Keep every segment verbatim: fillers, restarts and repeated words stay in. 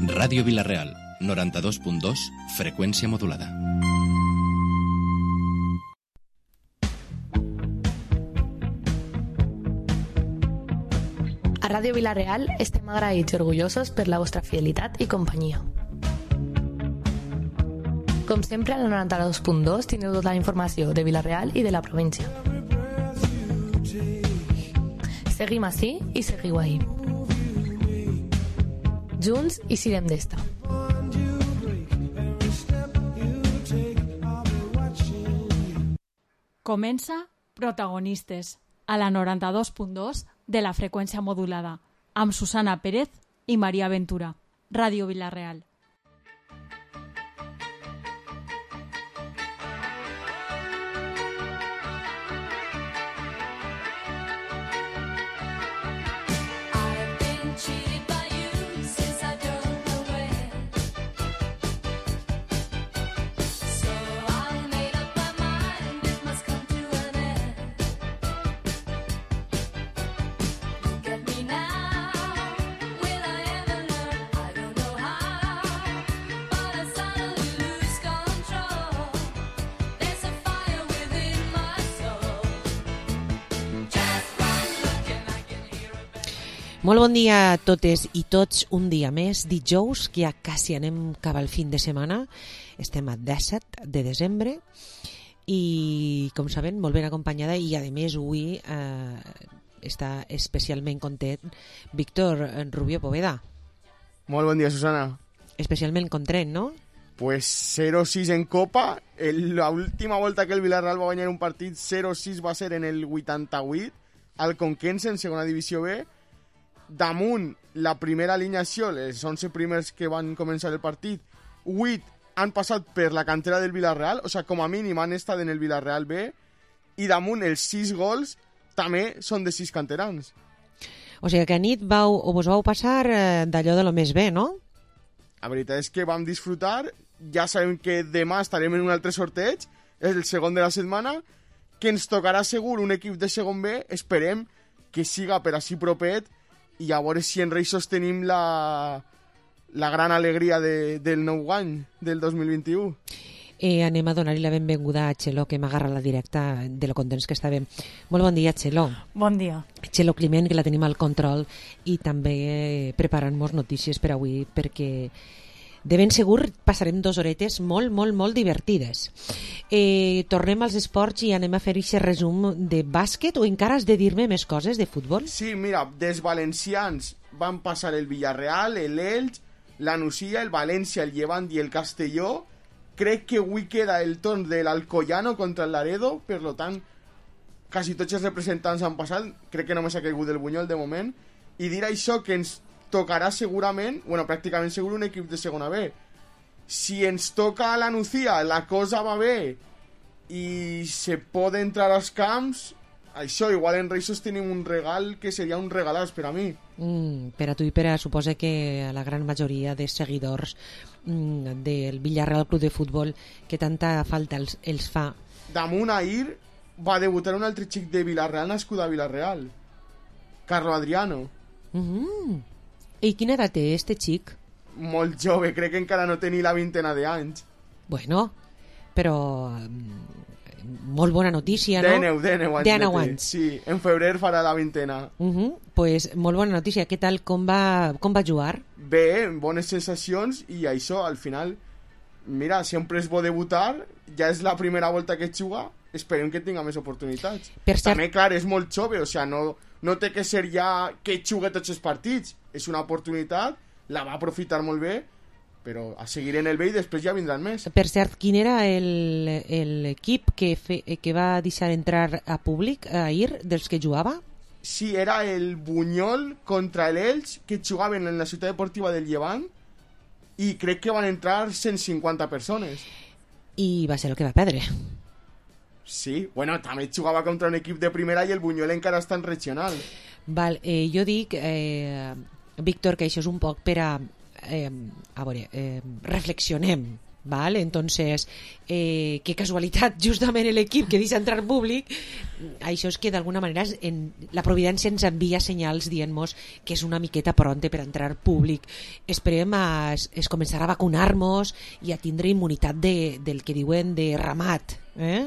Ràdio Vila-real, noranta-dos punt dos, freqüència modulada. A Ràdio Vila-real estem agraïts i orgullosos per la vostra fidelitat i companyia. Com sempre, al noranta-dos punt dos teniu tota la informació de Vila-real i de la província. Seguim ací i seguiu ahí. Junts i sirem d'esta. Comença Protagonistes, a la noranta-dos punt dos de la freqüència modulada, amb Susana Pérez i Maria Ventura. Ràdio Vila-real. Molt bon dia a totes i tots, un dia més, dijous, que ja quasi anem cap al fin de setmana. Estem a disset de desembre i, com saben, molt ben acompanyada i, a més, avui eh, està especialment content Víctor Rubio Poveda. Molt bon dia, Susana. Especialment content, no? Pues cero sis en Copa. El, la última volta que el Villarreal va guanyar un partit, cero sis va ser en el vuitanta-vuit, al Conquense, en segona divisió B. Damunt la primera alineació, els onze primers que van començar el partit, vuit han passat per la cantera del Villarreal, o sigui, com a mínim han estat en el Villarreal B, i damunt els sis gols també són de sis canterans. O sigui que a nit vau, o vos vau passar eh, d'allò de lo més bé, no? La veritat és que vam disfrutar, ja sabem que demà estarem en un altre sorteig, és el segon de la setmana, que ens tocarà segur un equip de segon B, esperem que siga per així propet, i a veure si en Reixos tenim la, la gran alegria de, del nou any, del dos mil vint-i-u. Eh, anem a donar-li la benvinguda a Txelo, que m'agarra la directa de lo contents que estàvem. Molt bon dia, Txelo. Bon dia. Txelo Climent, que la tenim al control, i també eh, preparant-nos notícies per avui, perquè de ben segur passarem dues horetes molt, molt, molt divertides. Eh, tornem als esports i anem a fer aquest resum de bàsquet, o encara has de dir-me més coses de futbol? Sí, mira, dels valencians van passar el Villarreal, el Elx, la Nucía, el València, el Llevant i el Castelló. Crec que avui queda el torn de l'Alcoyano contra el Laredo, per lo tant, quasi tots els representants han passat, crec que només ha caigut el Bunyol de moment, i dir això que ens tocarà segurament, bueno, pràcticament segur un equip de segona B. Si ens toca a la Nucía, la cosa va bé i se pot entrar als camps, això, igual en Reixos tenim un regal que seria un regalàs per a mi. Mm, per a tu i per a, suposa que a la gran majoria de seguidors mm, del Villarreal Club de Futbol, que tanta falta els, els fa. Damunt ahir va debutar un altre xic de Villarreal nascut a Villarreal, Carlo Adriano. Mm. I quina edat té este xic? Molt jove, crec que encara no té ni la vintena d'anys. Bueno, però molt bona notícia, no? Dèneu, dèneu anys. Dèneu anys. Sí, en febrer farà la vintena. Uh -huh. Pues molt bona notícia. Què tal, com va, com va jugar? Bé, bones sensacions, i això, al final, mira, sempre és bo debutar, ja és la primera volta que juga, esperem que tinga més oportunitats. Per cert... També, clar, és molt jove, o sigui, no, no té que ser ja que jugui tots els partits, és una oportunitat, la va aprofitar molt bé, però a seguir en el B i després ja vindran més. Per cert, quin era l'equip que, fe, que va deixar entrar a públic ahir dels que jugava? Sí, era el Bunyol contra l'Elx, que jugaven en la ciutat deportiva del Llevant, i crec que van entrar cent cinquanta persones. I va ser el que va perdre. Sí, bueno, també jugava contra un equip de primera i el Bunyol encara està en regional. Val, eh, jo dic, eh, Víctor, que això és un poc per a... Eh, a veure, eh, reflexionem, Vale, entonces, eh, qué casualitat, justament l'equip que deixa entrar públic, això és que d'alguna manera en, la providència ens envia senyals dient-nos que és una miqueta pronte per entrar públic. Esperem a, es començar a vacunar-nos i a tindre immunitat de, del que diuen de ramat. Eh?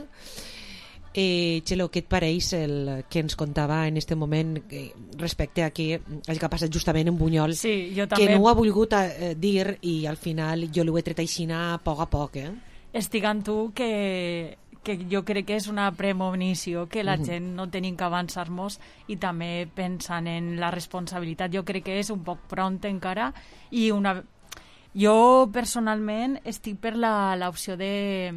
Eh, Txelo, què et pareix el que ens contava en este moment eh, respecte a que el que ha passat justament en Bunyol, sí, jo també... que no ho ha volgut eh, dir i al final jo l'ho he tret així a poc a poc, eh? Estic amb tu que, que jo crec que és una premonició, que la uh -huh. gent no tenim que avançar-nos i també pensant en la responsabilitat. Jo crec que és un poc pront encara i una... jo personalment estic per l'opció de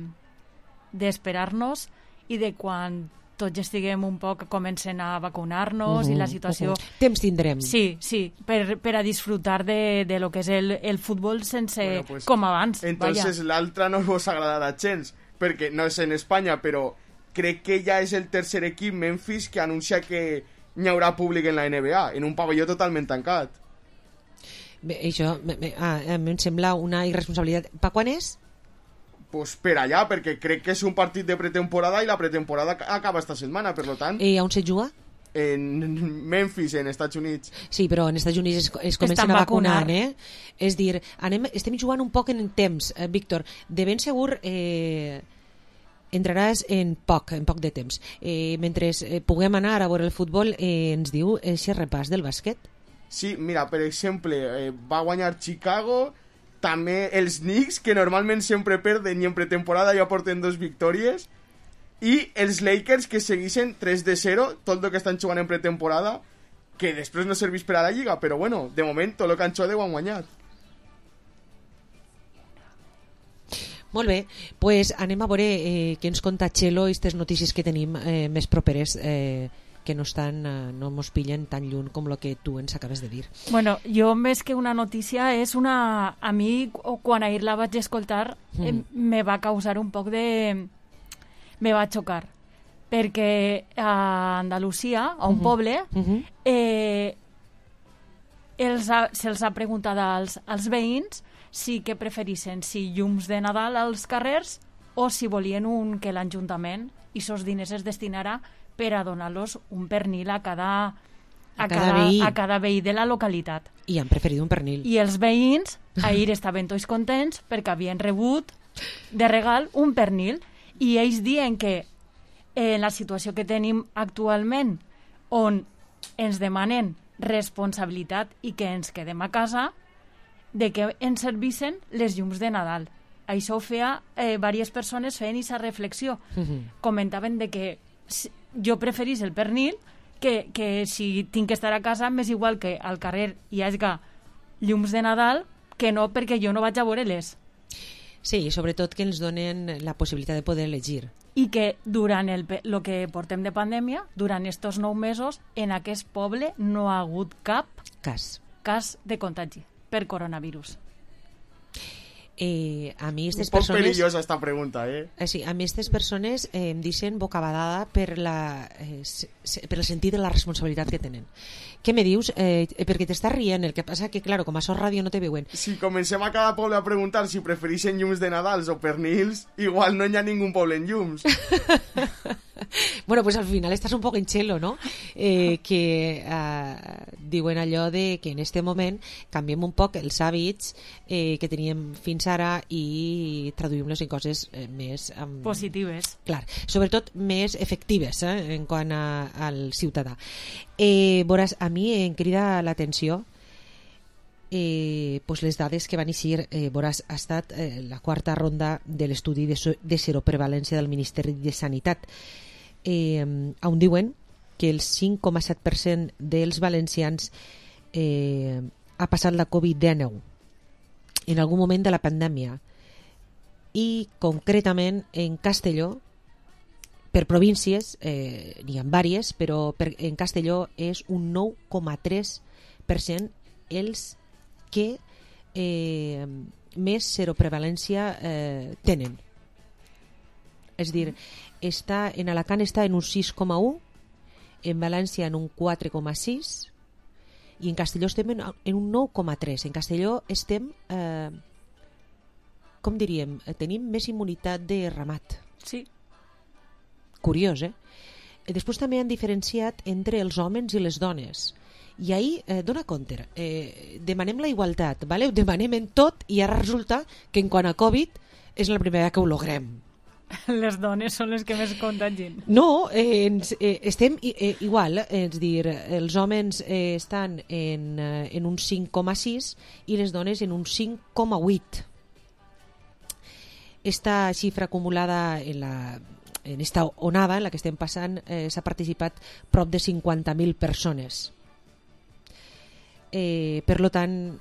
d'esperar-nos i de quan tots estiguem un poc comencen a vacunar-nos uh -huh, i la situació... Uh -huh. Temps tindrem. Sí, sí, per, per a disfrutar de, de lo que és el, el futbol sense... Bueno, pues, com abans. Entonces l'altra no vos agradarà gens, perquè no és en Espanya, però crec que ja és el tercer equip, Memphis, que anuncia que hi haurà públic en la N B A, en un pavelló totalment tancat. Bé, això me, me, ah, em sembla una irresponsabilitat. Per quan és? Pues per allà, perquè crec que és un partit de pretemporada i la pretemporada acaba esta setmana, per lo tant... I on se juga? En Memphis, en Estats Units. Sí, però en Estats Units es, es comencen a vacunar, eh? És dir, anem, estem jugant un poc en temps, eh, Víctor. De ben segur eh, entraràs en poc, en poc de temps. Eh, mentre eh, puguem anar a veure el futbol, eh, ens diu aquest repàs del bàsquet? Sí, mira, per exemple, eh, va guanyar Chicago... També els Knicks, que normalment sempre perden i en pretemporada ja porten dos victòries, i els Lakers, que segueixen tres de zero, tot el que estan jugant en pretemporada, que després no serveix per a la Lliga, però bueno, de moment tot el que han jugat ho han guanyat. Molt bé, pues anem a veure eh, què ens conta Txelo i aquestes notícies que tenim eh, més properes, eh, que no estan, no mos pillen tan lluny com el que tu ens acabes de dir. Bueno, jo més que una notícia és una... A mi, quan ahir la vaig escoltar, mm. eh, me va causar un poc de... Me va xocar. Perquè a Andalusia, a un mm-hmm. poble, mm-hmm. eh, els ha, se'ls ha preguntat als, als veïns si que preferissin, si llums de Nadal als carrers o si volien un, que l'Ajuntament i sos diners es destinarà per a donar-los un pernil a cada, a, a, cada cada, veí. a cada veí de la localitat. I han preferit un pernil. I els veïns ahir estaven tots contents perquè havien rebut de regal un pernil i ells diuen que en la situació que tenim actualment, on ens demanen responsabilitat i que ens quedem a casa, de que ens servissin les llums de Nadal. Això ho feia, eh, diverses persones feien aquesta reflexió. Uh-huh. Comentaven de que jo preferís el pernil que, que si tinc que estar a casa m'és igual que al carrer hi hagi llums de Nadal que no perquè jo no vaig a veure-les. Sí, i sobretot que ens donen la possibilitat de poder elegir. I que durant el, el que portem de pandèmia, durant estos nou mesos, en aquest poble no ha hagut cap cas, cas de contagi per coronavirus. Eh, a mi aquestes un poc persones... perillosa esta pregunta, eh? eh sí, a mi aquestes persones eh, em deixen bocabadada per, la, eh, se, per el sentit de la responsabilitat que tenen. Què me dius? Eh, perquè t'estàs rient, el que passa que, claro, com a Sos Ràdio no te veuen. Si comencem a cada poble a preguntar si prefereixen llums de Nadals o pernils, igual no hi ha ningú poble en llums. Bueno, pues al final estàs un poc en xelo, no? Eh, que eh, diuen allò de que en este moment canviem un poc els hàbits eh, que teníem fins ara i traduïm-los en coses eh, més... Um, positives. Clar, sobretot més efectives eh, en quant a, al ciutadà. Eh, veuràs, a mi em crida l'atenció eh, pues les dades que van eixir. Eh, veuràs, ha estat eh, la quarta ronda de l'estudi de, so, de seroprevalència del Ministeri de Sanitat, eh, on diuen que el cinc coma set per cent dels valencians eh, ha passat la covid dinou en algun moment de la pandèmia, i concretament en Castelló, per províncies eh, n'hi ha vàries, però per, en Castelló és un nou coma tres per cent els que eh, més seroprevalència eh, tenen. És dir, està, en Alacant està en un sis coma u, en València en un quatre coma sis i en Castelló estem en, en un nou coma tres. En Castelló estem eh, com diríem, tenim més immunitat de ramat. Sí. Curiós, eh? Després també han diferenciat entre els homes i les dones. I ahir, eh, dona compte, eh, demanem la igualtat, vale? Ho demanem en tot i ara resulta que en quant a Covid és la primera que ho logrem. Les dones són les que més contagien. No, eh, ens, eh, estem eh, igual, eh, és dir, els homes eh, estan en, eh, en un cinc coma sis i les dones en un cinc coma vuit. Esta xifra acumulada en la en esta onada en la que estem passant eh, s'ha participat prop de cinquanta mil persones. Eh, per lo tant,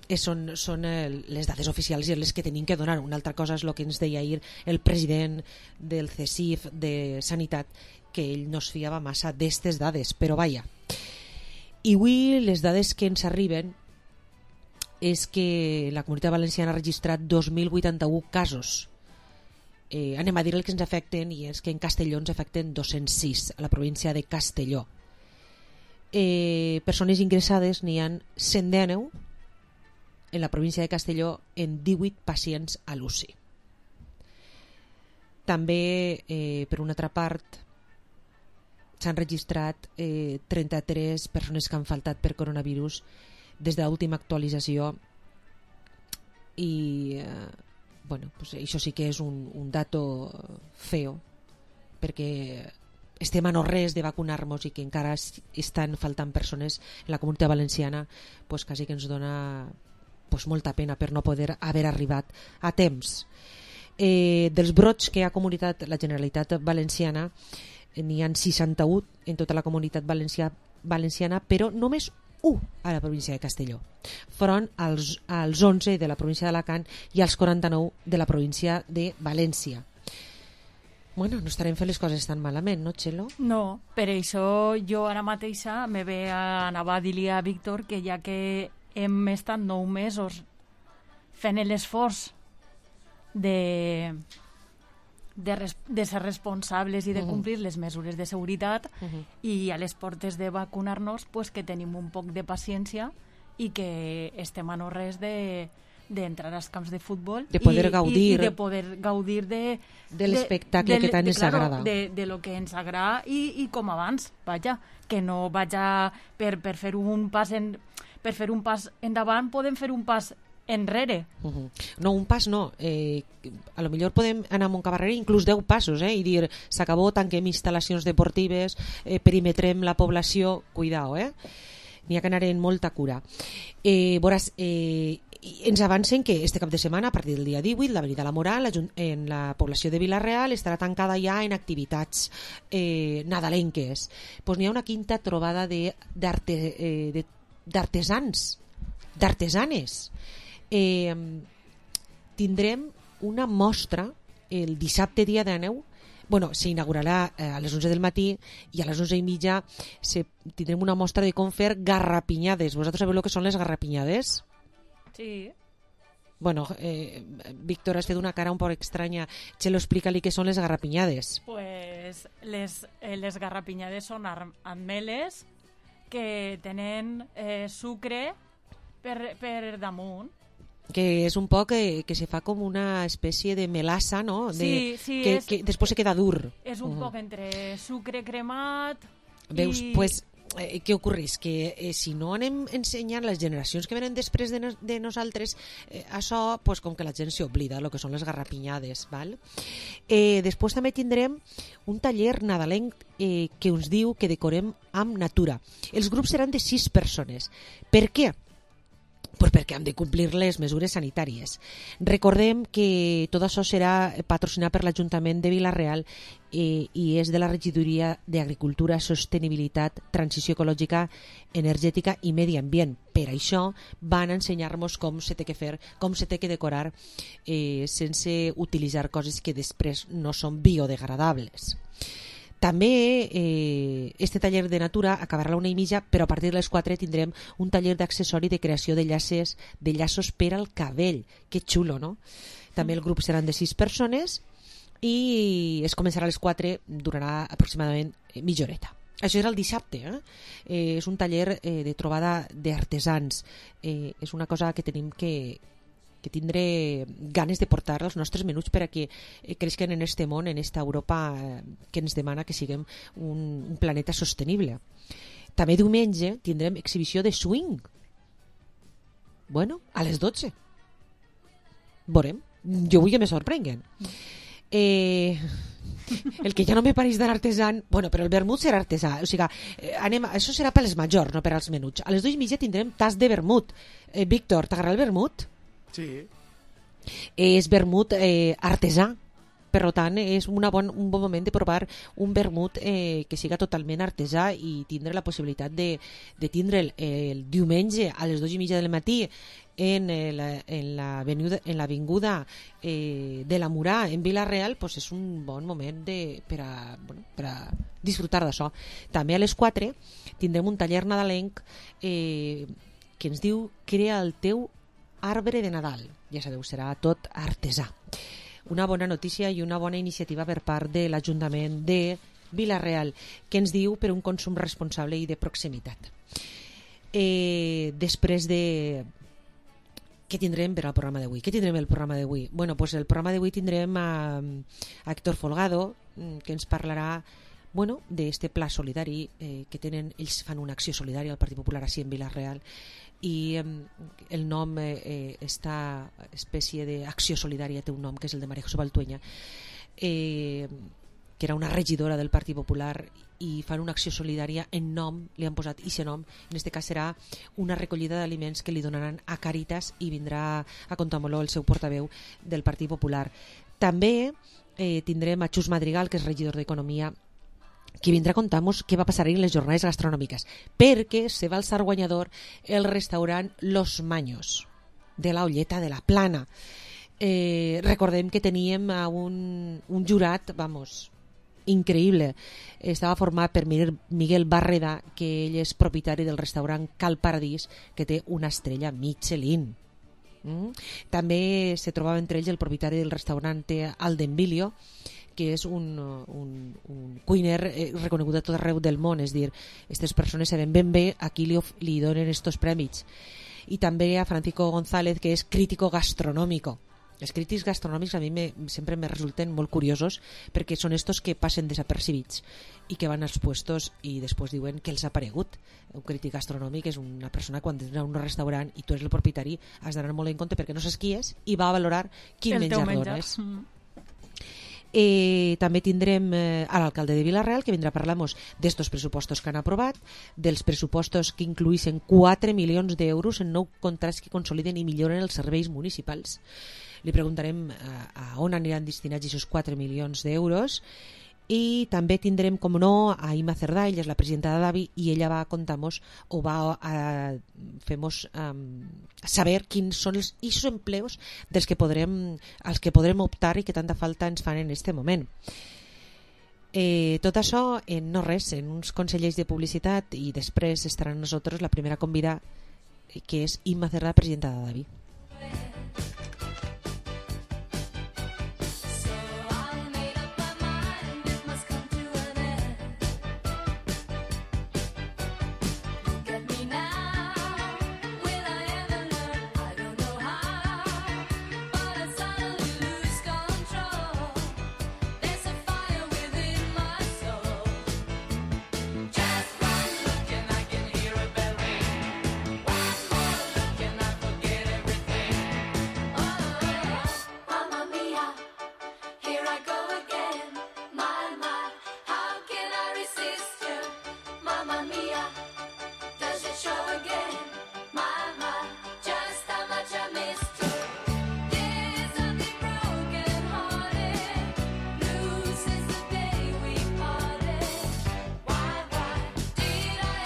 eh, són, són eh, les dades oficials i les que tenim que donar. Una altra cosa és el que ens deia ahir el president del C S I F de Sanitat, que ell no es fiava massa d'estes dades, però vaja. I avui les dades que ens arriben és que la Comunitat Valenciana ha registrat dos mil vuitanta-u casos. Eh, anem a dir el que ens afecten, i és que en Castelló ens afecten dos-cents sis, a la província de Castelló. Eh, persones ingressades n'hi ha cent deu en la província de Castelló, en divuit pacients a l'U C I. També, eh, per una altra part, s'han registrat eh, trenta-tres persones que han faltat per coronavirus des de l'última actualització, i eh, bueno, pues això sí que és un, un dato feo, perquè estem a no res de vacunar-nos i que encara estan faltant persones en la Comunitat Valenciana, pues quasi que ens dona pues molta pena per no poder haver arribat a temps. Eh, dels brots que ha comunitat la Generalitat Valenciana, n'hi ha seixanta-u en tota la Comunitat Valencià, Valenciana, però només un a la província de Castelló, front als, als onze de la província d'Alacant i als quaranta-nou de la província de València. Bueno, no estarem fent les coses tan malament, no, Txelo? No, per això jo ara mateixa me ve a anar a dir-li a Víctor que ja que hem estat nou mesos fent l'esforç de, de, res, de ser responsables i de complir uh-huh. les mesures de seguretat uh-huh. i a les portes de vacunar-nos, pues que tenim un poc de paciència i que estem a no res de d'entrar als camps de futbol de poder i, gaudir i, i de poder gaudir de, de l'espectacle que tant de, ens claro, agrada, de, de lo que ens agrada i, i com abans, vaja, que no vaja per, per fer un pas en, per fer un pas endavant podem fer un pas enrere. Uh-huh. No, un pas no. Eh, a lo millor podem anar a Montcabarrera inclús deu passos, eh, i dir, s'acabó, tanquem instal·lacions deportives, eh, perimetrem la població, cuidao, eh? N'hi ha que anar en molta cura. Eh, veuràs, eh, ens avancen que este cap de setmana, a partir del dia divuit, l'Avenida La Moral, en la població de Vila-real, estarà tancada ja en activitats eh, nadalenques. Pues n'hi ha una quinta trobada de, d'arte, eh, de, d'artesans, d'artesanes. Eh, tindrem una mostra el dissabte dia de neu. Bueno, s'inaugurarà eh, a les onze del matí i a les onze i mitja se, tindrem una mostra de com fer garrapinyades. Vosaltres sabeu el que són les garrapinyades? Sí. Bueno, eh, Víctor, has fet una cara un poc estranya. Txelo, explica-li què són les garrapinyades. Pues les, eh, les garrapinyades són ameles que tenen eh, sucre per, per damunt. Que és un poc que, que se fa com una espècie de melassa, no? De, sí, sí. Que, és, que després se queda dur. És un uh-huh. poc entre sucre cremat Veus, i... pues, eh, què ocorreix? Que eh, si no anem ensenyant les generacions que venen després de, no, de nosaltres eh, això, pues, com que la gent s'oblida el que són les garrapinyades, val? Eh, després també tindrem un taller nadalenc eh, que ens diu que decorem amb natura. Els grups seran de sis persones. Per què? Pues perquè hem de complir les mesures sanitàries. Recordem que tot això serà patrocinat per l'Ajuntament de Vila-real eh, i és de la Regidoria d'Agricultura, Sostenibilitat, Transició Ecològica, Energètica i Medi Ambient. Per això van ensenyar-nos com se té que fer, com se té que decorar eh, sense utilitzar coses que després no són biodegradables. També eh, este taller de natura acabarà a la una i mitja, però a partir de les quatre tindrem un taller d'accessori de creació de llaces, de llaços per al cabell. Que xulo, no? També el grup seran de sis persones i es començarà a les quatre, durarà aproximadament mitja horeta. Això era el dissabte, eh? Eh, és un taller eh, de trobada d'artesans. Eh, és una cosa que tenim que, que tindré ganes de portar els nostres menuts per a que eh, creixen en este món, en esta Europa eh, que ens demana que siguem un, un planeta sostenible. També diumenge tindrem exhibició de swing. Bueno, a les dotze. Veurem. Jo vull que me sorprenguen. Eh... El que ja no me pareix de l'artesan, bueno, però el vermut serà artesà, o sigui, eh, anem, això serà per les majors, no per als menuts. A les dues i mitja tindrem tas de vermut. Eh, Víctor, t'agrada el vermut? Sí. Eh, és vermut eh, artesà, per tant és una bon, un bon moment de provar un vermut eh, que siga totalment artesà i tindre la possibilitat de, de tindre'l el, el diumenge a les dues i mitja del matí en, el, en l'avinguda en l'avinguda eh, de la Murà en Vila-real, pues és un bon moment de, per, a, bueno, per a disfrutar d'això. També a les quatre tindrem un taller nadalenc eh, que ens diu Crea el teu arbre de Nadal. Ja sabeu, serà tot artesà. Una bona notícia i una bona iniciativa per part de l'Ajuntament de Vila-real, que ens diu per un consum responsable i de proximitat. Eh, després de... Què tindrem per al programa d'avui? Què tindrem el programa d'avui? Bueno, pues el programa d'avui tindrem a, a Héctor Folgado, que ens parlarà bueno, d'este pla solidari eh, que tenen, ells fan una acció solidària al Partit Popular així en Vila-real, i eh, el nom eh, esta espècie d'acció solidària té un nom que és el de María José Baltueña, eh, que era una regidora del Partit Popular, i fan una acció solidària en nom, li han posat aquest nom, en este cas serà una recollida d'aliments que li donaran a Càritas i vindrà a Contamoló el seu portaveu del Partit Popular. També eh, tindrem a Xus Madrigal, que és regidor d'Economia, que vindrà a contar-nos què va passar ahir en les jornades gastronòmiques, perquè se va alçar guanyador el restaurant Los Maños, de la Olleta de la Plana. Eh, recordem que teníem a un, un jurat, vamos, increïble. Estava format per Miguel Barreda, que ell és propietari del restaurant Cal Paradís, que té una estrella Michelin. Mm? També se trobava entre ells el propietari del restaurant Aldenvilio, que és un, un, un cuiner eh, reconegut a tot arreu del món, és dir, aquestes persones saben ben bé a qui li, li donen estos premis. I també a Francisco González, que és crítico gastronòmico. Els crítics gastronòmics a mi me, sempre me resulten molt curiosos, perquè són estos que passen desapercibits i que van als puestos i després diuen que els ha aparegut. Un crític gastronòmic és una persona quan entra a un restaurant i tu eres el propietari, has d'anar molt en compte perquè no saps qui és i va a valorar quin el menjar menjar. dones. Mm. Eh, també tindrem eh, a l'alcalde de Vila-real, que vindrà a parlar-nos d'estos pressupostos que han aprovat, dels pressupostos que incluïssin quatre milions d'euros en nou contrats que consoliden i milloren els serveis municipals. Li preguntarem a, a on aniran destinats aquests quatre milions d'euros. I també tindrem, com no, a Ima Cerdà, ella és la presidenta de Davi, i ella va contar-nos o va a fer-nos um, saber quins són els eixos empleos dels que podrem, als que podrem optar i que tanta falta ens fan en aquest moment. Eh, tot això en no res, en uns consellers de publicitat, i després estarà amb nosaltres la primera convidada, que és Ima Cerdà, presidenta de Davi.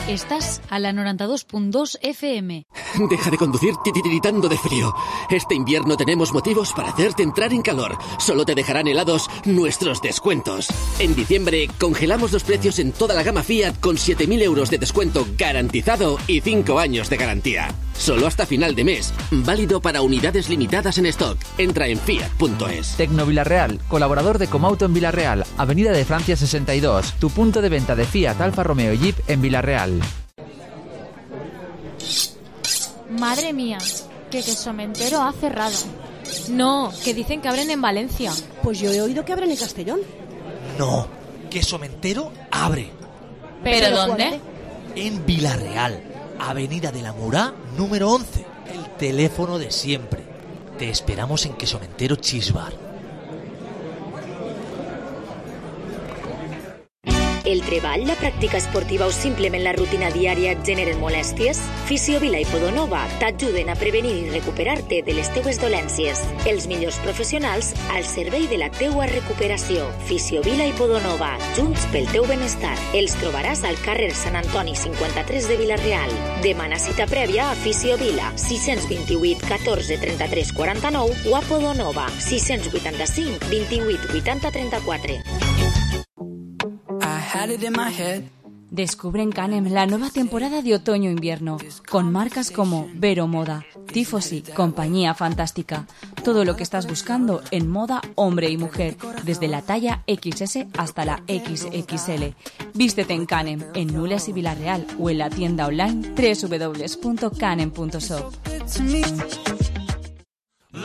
Estás a la noventa y dos punto dos F M. Deja de conducir titiritando de frío. Este invierno tenemos motivos para hacerte entrar en calor. Solo te dejarán helados nuestros descuentos. En diciembre congelamos los precios en toda la gama Fiat con siete mil euros de descuento garantizado y cinco años de garantía. Solo hasta final de mes. Válido para unidades limitadas en stock. Entra en fiat punto es. Tecno Villarreal, colaborador de Comauto en Villarreal, Avenida de Francia sesenta y dos, tu punto de venta de Fiat, Alfa Romeo y Jeep en Villarreal. Madre mía, Que Quesomentero ha cerrado. No, que dicen que abren en Valencia. Pues yo he oído que abren en Castellón. No, Quesomentero abre. ¿Pero, ¿Pero dónde? En Vilarreal, Avenida de la Murá, número once. El teléfono de siempre. Te esperamos en Quesomentero Cheese Bar. El treball, la pràctica esportiva o simplement la rutina diària et generen molèsties? Fisiovila i Podonova t'ajuden a prevenir i recuperar-te de les teues dolències. Els millors professionals al servei de la teua recuperació. Fisiovila i Podonova, junts pel teu benestar. Els trobaràs al carrer Sant Antoni cinquanta-tres de Vilareal. Demana cita prèvia a Fisiovila, sis dos vuit, catorze, trenta-tres, quaranta-nou o a Podonova, sis vuitanta-cinc, vint-i-vuit, vuitanta, trenta-quatre. Descubre en Canem la nueva temporada de otoño-invierno, con marcas como Vero Moda, Tifosi, Compañía Fantástica. Todo lo que estás buscando en moda hombre y mujer, desde la talla equis ese hasta la equis equis ele. Vístete en Canem, en Nules y Vilareal o en la tienda online doble u doble u doble u punto canem punto shop.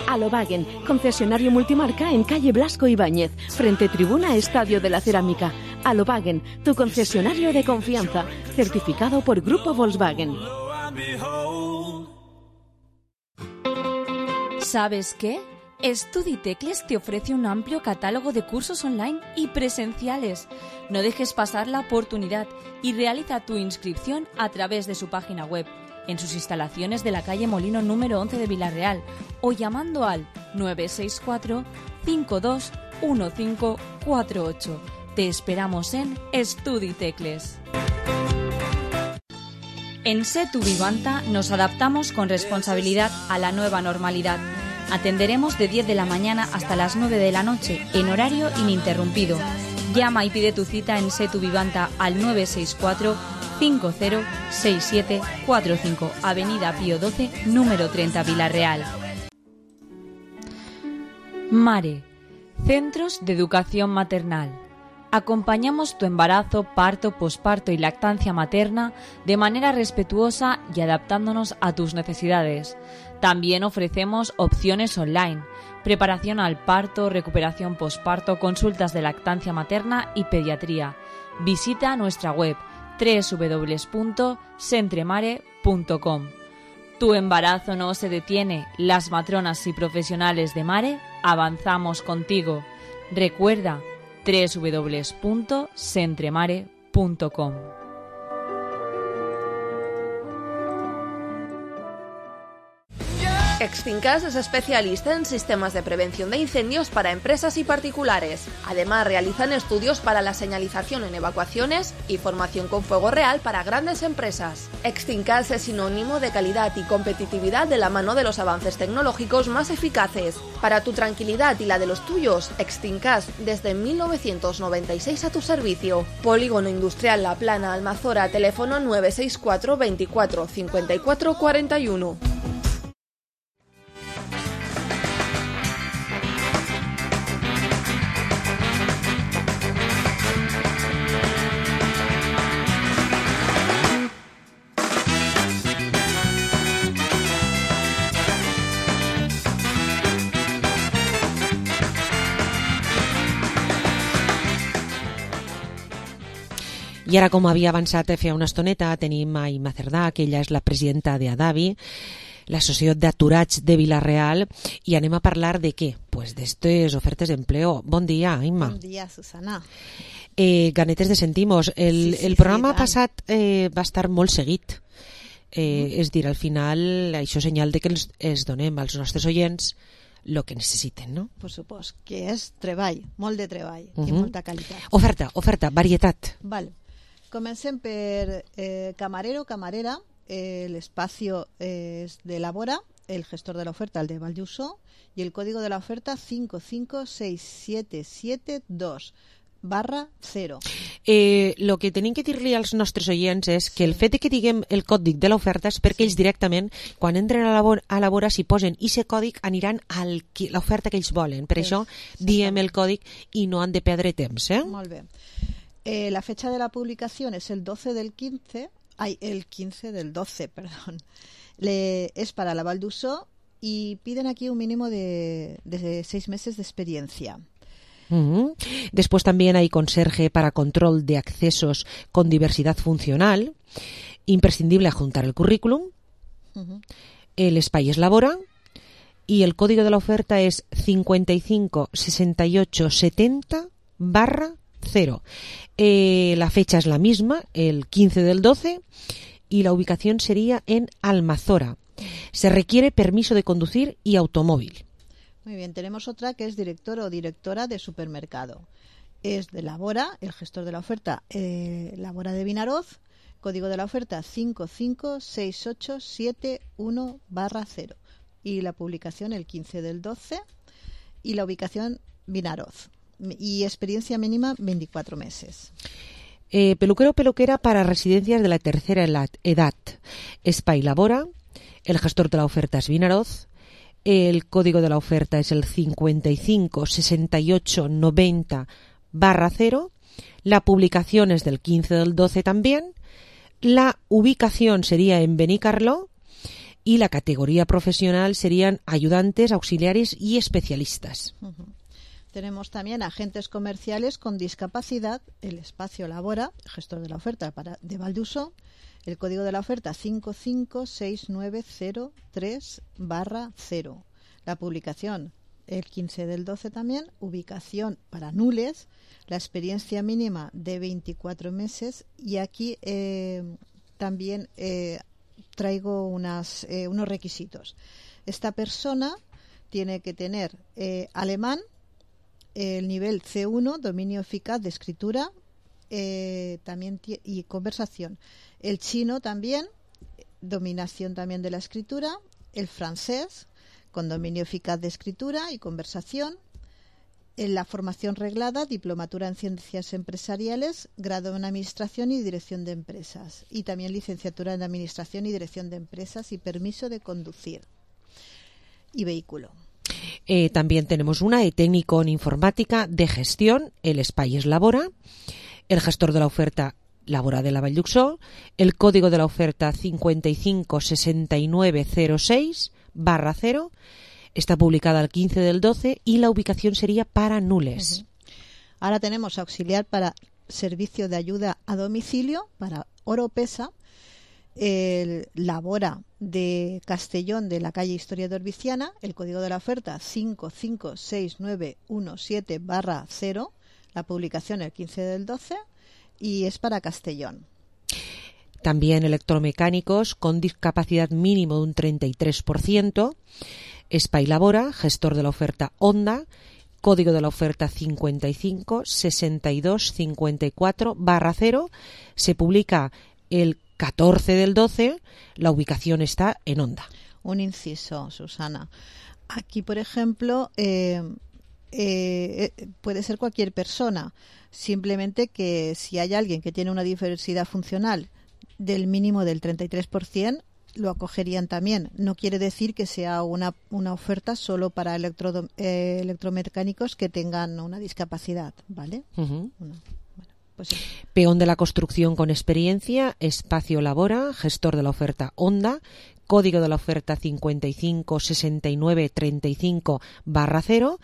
Alovagen, concesionario multimarca en calle Blasco Ibáñez, frente tribuna Estadio de la Cerámica. Alovagen, tu concesionario de confianza, certificado por Grupo Volkswagen. ¿Sabes qué? Studitecles te ofrece un amplio catálogo de cursos online y presenciales. No dejes pasar la oportunidad y realiza tu inscripción a través de su página web, en sus instalaciones de la calle Molino número once de Vilareal o llamando al nueve seis cuatro, cinco dos uno cinco cuatro ocho. Te esperamos en Studitecles. En Setu Vivanta nos adaptamos con responsabilidad a la nueva normalidad. Atenderemos de diez de la mañana hasta las nueve de la noche en horario ininterrumpido. Llama y pide tu cita en Setu Vivanta al nueve seis cuatro, cinco cero seis siete cuatro cinco, Avenida Pío doce, número treinta, Vilareal. Mare, Centros de Educación Maternal. Acompañamos tu embarazo, parto, posparto y lactancia materna de manera respetuosa y adaptándonos a tus necesidades. También ofrecemos opciones online, preparación al parto, recuperación posparto, consultas de lactancia materna y pediatría. Visita nuestra web doble u doble u doble u punto sentremare punto com. Tu embarazo no se detiene. Las matronas y profesionales de Mare avanzamos contigo. Recuerda doble u doble u doble u punto sentremare punto com. Extincas es especialista en sistemas de prevención de incendios para empresas y particulares. Además, realizan estudios para la señalización en evacuaciones y formación con fuego real para grandes empresas. Extincas es sinónimo de calidad y competitividad de la mano de los avances tecnológicos más eficaces. Para tu tranquilidad y la de los tuyos, Extincas desde mil novecientos noventa y seis a tu servicio. Polígono Industrial La Plana, Almazora, teléfono nueve seis cuatro, veinticuatro, cincuenta y cuatro, cuarenta y uno. I ara, com havia avançat feia una estoneta, tenim a Imma Cerdà, que ella és la presidenta d'Adavi, l'Associació d'Aturats de Vilareal, i anem a parlar de què? Pues d'estes ofertes d'empleo. Bon dia, Imma. Bon dia, Susana. Eh, ganetes de sentimos. El, Sí, sí, el programa sí, tant. passat eh, va estar molt seguit. Eh, és dir, al final, això és senyal de que els, els donem als nostres oients el que necessiten, no? Per supost, que és treball, molt de treball Uh i -huh. molta qualitat. Oferta, oferta, varietat. Vale. Comencem per eh, camarero, camarera. Eh, el espacio eh, es de Labora, el gestor de la oferta, el de Valldusó, y el código de la oferta cinco cinco seis siete siete dos barra cero. Eh, lo que tenim que dir-li als nostres oients és que el fet de que diguem el còdic de l'oferta és perquè ells directament, quan entren a la, a la vora, si posen aquest còdic, aniran a l'oferta que ells volen. Per això diem el còdic i no han de perdre temps. Eh? Molt bé. Eh, la fecha de la publicación es el doce del quince, ay, el quince del doce, perdón. Le, es para la Valldusó y piden aquí un mínimo de, de seis meses de experiencia. Uh-huh. Después también hay conserje para control de accesos con diversidad funcional, imprescindible adjuntar el currículum. Uh-huh. El espai es labora y el código de la oferta es cincuenta y cinco sesenta y ocho setenta barra cero. Eh, la fecha es la misma, el quince del doce, y la ubicación sería en Almazora. Se requiere permiso de conducir y automóvil. Muy bien, tenemos otra que es director o directora de supermercado. Es de Labora, el gestor de la oferta, eh, Labora de Vinaroz, código de la oferta cinco cinco seis ocho siete uno barra cero. Y la publicación el quince del doce y la ubicación Vinaroz. Y experiencia mínima veinticuatro meses. Eh, peluquero o peluquera para residencias de la tercera edad. Espai Labora, el gestor de la oferta es Vinaroz, el código de la oferta es el cincuenta y cinco sesenta y ocho noventa barra cero, la publicación es del quince del doce también, la ubicación sería en Benicarló y la categoría profesional serían ayudantes, auxiliares y especialistas. Uh-huh. Tenemos también agentes comerciales con discapacidad, el espacio Labora, gestor de la oferta para, de Valldusó, el código de la oferta cinco cinco seis nueve cero tres barra cero. La publicación el quince del doce también, ubicación para Nules, la experiencia mínima de veinticuatro meses y aquí eh, también eh, traigo unas, eh, unos requisitos. Esta persona tiene que tener eh, alemán, el nivel ce uno, dominio eficaz de escritura eh, también t- y conversación. El chino también, dominación también de la escritura. El francés, con dominio eficaz de escritura y conversación. En la formación reglada, diplomatura en ciencias empresariales, grado en administración y dirección de empresas. Y también licenciatura en administración y dirección de empresas y permiso de conducir. Y vehículo. Eh, también tenemos una de técnico en informática de gestión, el espai es Labora, el gestor de la oferta Labora de la Valldusó, el código de la oferta cincuenta y cinco sesenta y nueve cero seis barra cero, está publicada el quince del doce y la ubicación sería para Nules. Uh-huh. Ahora tenemos auxiliar para servicio de ayuda a domicilio para Oropesa, el Labora de Castellón de la calle Historiador Viciana, el código de la oferta cinco cinco seis nueve uno siete barra cero, la publicación el quince del doce y es para Castellón. También electromecánicos con discapacidad mínimo de un treinta y tres por ciento, espai Labora, gestor de la oferta Honda, código de la oferta cincuenta y cinco sesenta y dos cincuenta y cuatro barra cero, se publica el catorce del doce, la ubicación está en Honda. Un inciso, Susana. Aquí, por ejemplo, eh, eh, puede ser cualquier persona, simplemente que si hay alguien que tiene una diversidad funcional del mínimo del treinta y tres por ciento, lo acogerían también. No quiere decir que sea una, una oferta solo para electro, eh, electromecánicos que tengan una discapacidad, ¿vale? Uh-huh. Una. Pues sí. Peón de la construcción con experiencia, espacio Labora, gestor de la oferta Honda, código de la oferta cincuenta y cinco sesenta y nueve treinta y cinco barra cero,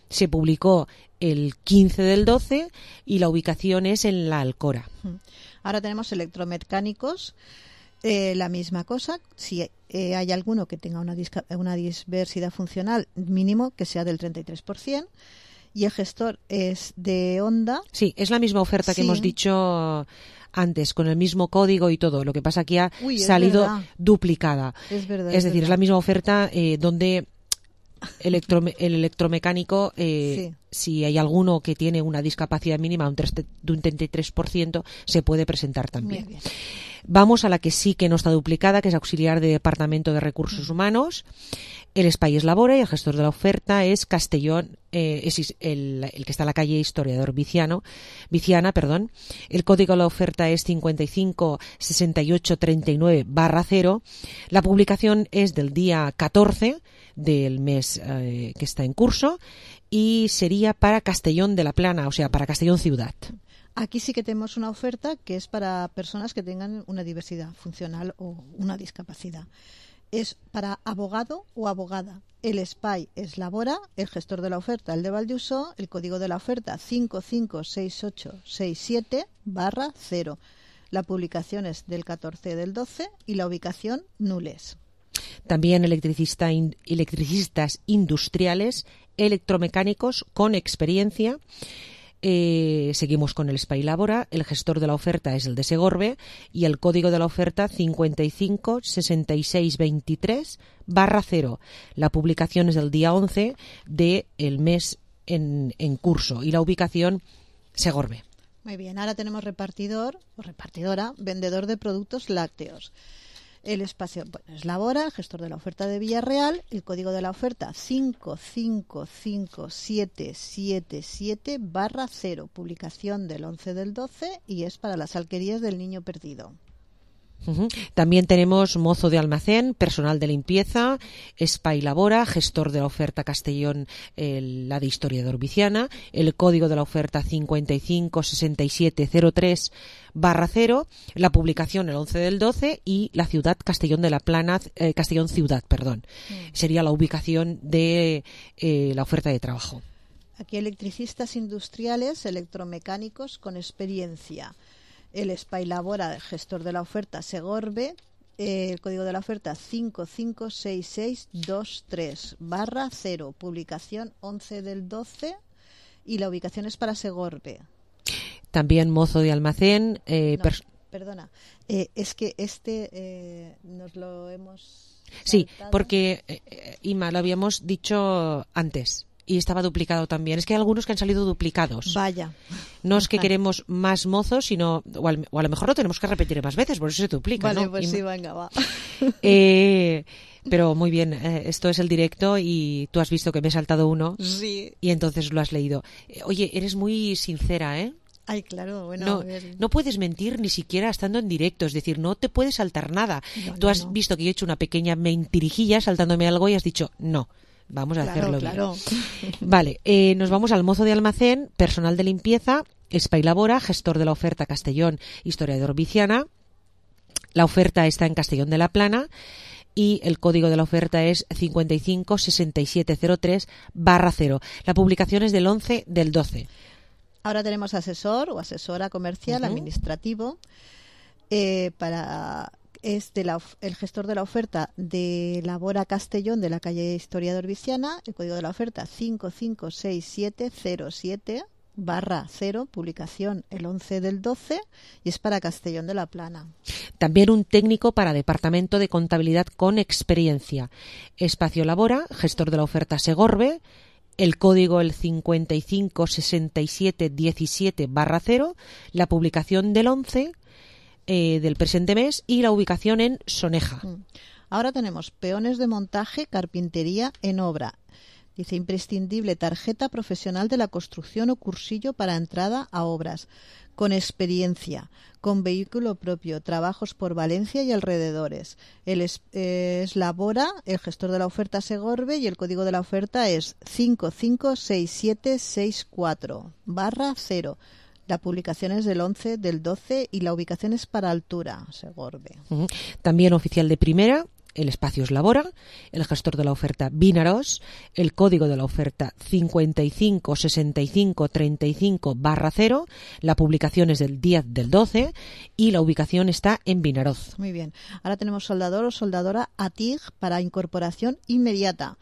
se publicó el quince del doce y la ubicación es en la Alcora. Ahora tenemos electromecánicos, eh, la misma cosa, si eh, hay alguno que tenga una, disca- una diversidad funcional mínimo que sea del treinta y tres por ciento. Y el gestor es de Honda. Sí, es la misma oferta que sí. hemos dicho antes, con el mismo código y todo. Lo que pasa que ha Uy, salido verdad. duplicada. Es verdad. Es, es decir, verdad. es la misma oferta eh, donde electro, el electromecánico, eh, sí. si hay alguno que tiene una discapacidad mínima de un treinta y tres por ciento, se puede presentar también. Muy bien. Vamos a la que sí que no está duplicada, que es auxiliar de Departamento de Recursos Humanos. El espai es Labora y el gestor de la oferta es Castellón, eh, es el, el que está en la calle Historiador Viciano, Viciana, perdón. El código de la oferta es cincuenta y cinco sesenta y ocho treinta y nueve barra cero. La publicación es del día catorce del mes eh, que está en curso y sería para Castellón de la Plana, o sea, para Castellón Ciudad. Aquí sí que tenemos una oferta que es para personas que tengan una diversidad funcional o una discapacidad. es para abogado o abogada. El S P Y es Labora, el gestor de la oferta, el de Valldusó, el código de la oferta cinco cinco seis ocho seis siete barra cero. La publicación es del catorce del doce y la ubicación Nules. También electricista in, electricistas industriales, electromecánicos con experiencia. Eh, seguimos con el S P Y Labora, el gestor de la oferta es el de Segorbe y el código de la oferta cincuenta y cinco sesenta y seis veintitrés barra cero. La publicación es del día once del mes en, en curso y la ubicación Segorbe. Muy bien, ahora tenemos repartidor o repartidora, vendedor de productos lácteos. El espacio bueno, es Labora, el gestor de la oferta de Villarreal, el código de la oferta cinco cinco cinco siete siete siete barra cero, publicación del once del doce y es para las alquerías del Niño Perdido. Uh-huh. También tenemos mozo de almacén, personal de limpieza, S P Y Labora, gestor de la oferta Castellón, el, la de historiador Viciana, el código de la oferta cincuenta y cinco sesenta y siete cero tres barra cero, la publicación el once del doce y la ciudad Castellón de la Plana, eh, Castellón Ciudad, perdón. Mm. Sería la ubicación de eh, la oferta de trabajo. Aquí electricistas industriales, electromecánicos con experiencia. El S P Y Labora, gestor de la oferta Segorbe, eh, el código de la oferta cinco cinco seis seis dos tres barra cero, publicación once del doce y la ubicación es para Segorbe. También mozo de almacén. Eh, no, pers- perdona, eh, es que este eh, nos lo hemos saltado. Sí, porque eh, Ima, lo habíamos dicho antes. Y estaba duplicado también. Es que hay algunos que han salido duplicados. Vaya. No es que queremos más mozos, sino... O, al, o a lo mejor lo tenemos que repetir más veces, por eso se duplica, vale, ¿no? pues y, sí, venga, va. Eh, pero muy bien, eh, esto es el directo y tú has visto que me he saltado uno. Sí. Y entonces lo has leído. Eh, oye, eres muy sincera, ¿eh? Ay, claro, bueno. No, no puedes mentir ni siquiera estando en directo, es decir, no te puedes saltar nada. No, tú no, has no. visto que yo he hecho una pequeña mentirijilla saltándome algo y has dicho no. Vamos a claro, hacerlo claro. bien. Vale, eh, nos vamos al mozo de almacén, personal de limpieza, S P Y Labora, gestor de la oferta Castellón, historiador Viciana. La oferta está en Castellón de la Plana y el código de la oferta es cincuenta y cinco sesenta y siete cero tres barra cero. La publicación es del once del doce. Ahora tenemos asesor o asesora comercial, uh-huh. administrativo, eh, para... es de la, el gestor de la oferta de Labora Castellón de la calle Historiador Viciana, el código de la oferta cinco cinco seis siete cero siete barra cero, publicación el once del doce y es para Castellón de la Plana. También un técnico para departamento de contabilidad con experiencia. Espacio Labora, gestor de la oferta Segorbe, el código el cincuenta y cinco sesenta y siete diecisiete barra cero, la publicación del once Eh, del presente mes y la ubicación en Soneja. Ahora tenemos peones de montaje, carpintería en obra. Dice imprescindible tarjeta profesional de la construcción o cursillo para entrada a obras, con experiencia, con vehículo propio, trabajos por Valencia y alrededores. El es, eh, es Labora, el gestor de la oferta Segorbe y el código de la oferta es cinco cinco seis siete seis cuatro barra cero. La publicación es del once del doce y la ubicación es para Altura, Segorbe. Uh-huh. También oficial de primera, el espacio es Labora, el gestor de la oferta Vinaros, el código de la oferta cincuenta y cinco sesenta y cinco treinta y cinco barra cero, la publicación es del diez del doce y la ubicación está en Vinaroz. Muy bien. Ahora tenemos soldador o soldadora A T I G para incorporación inmediata.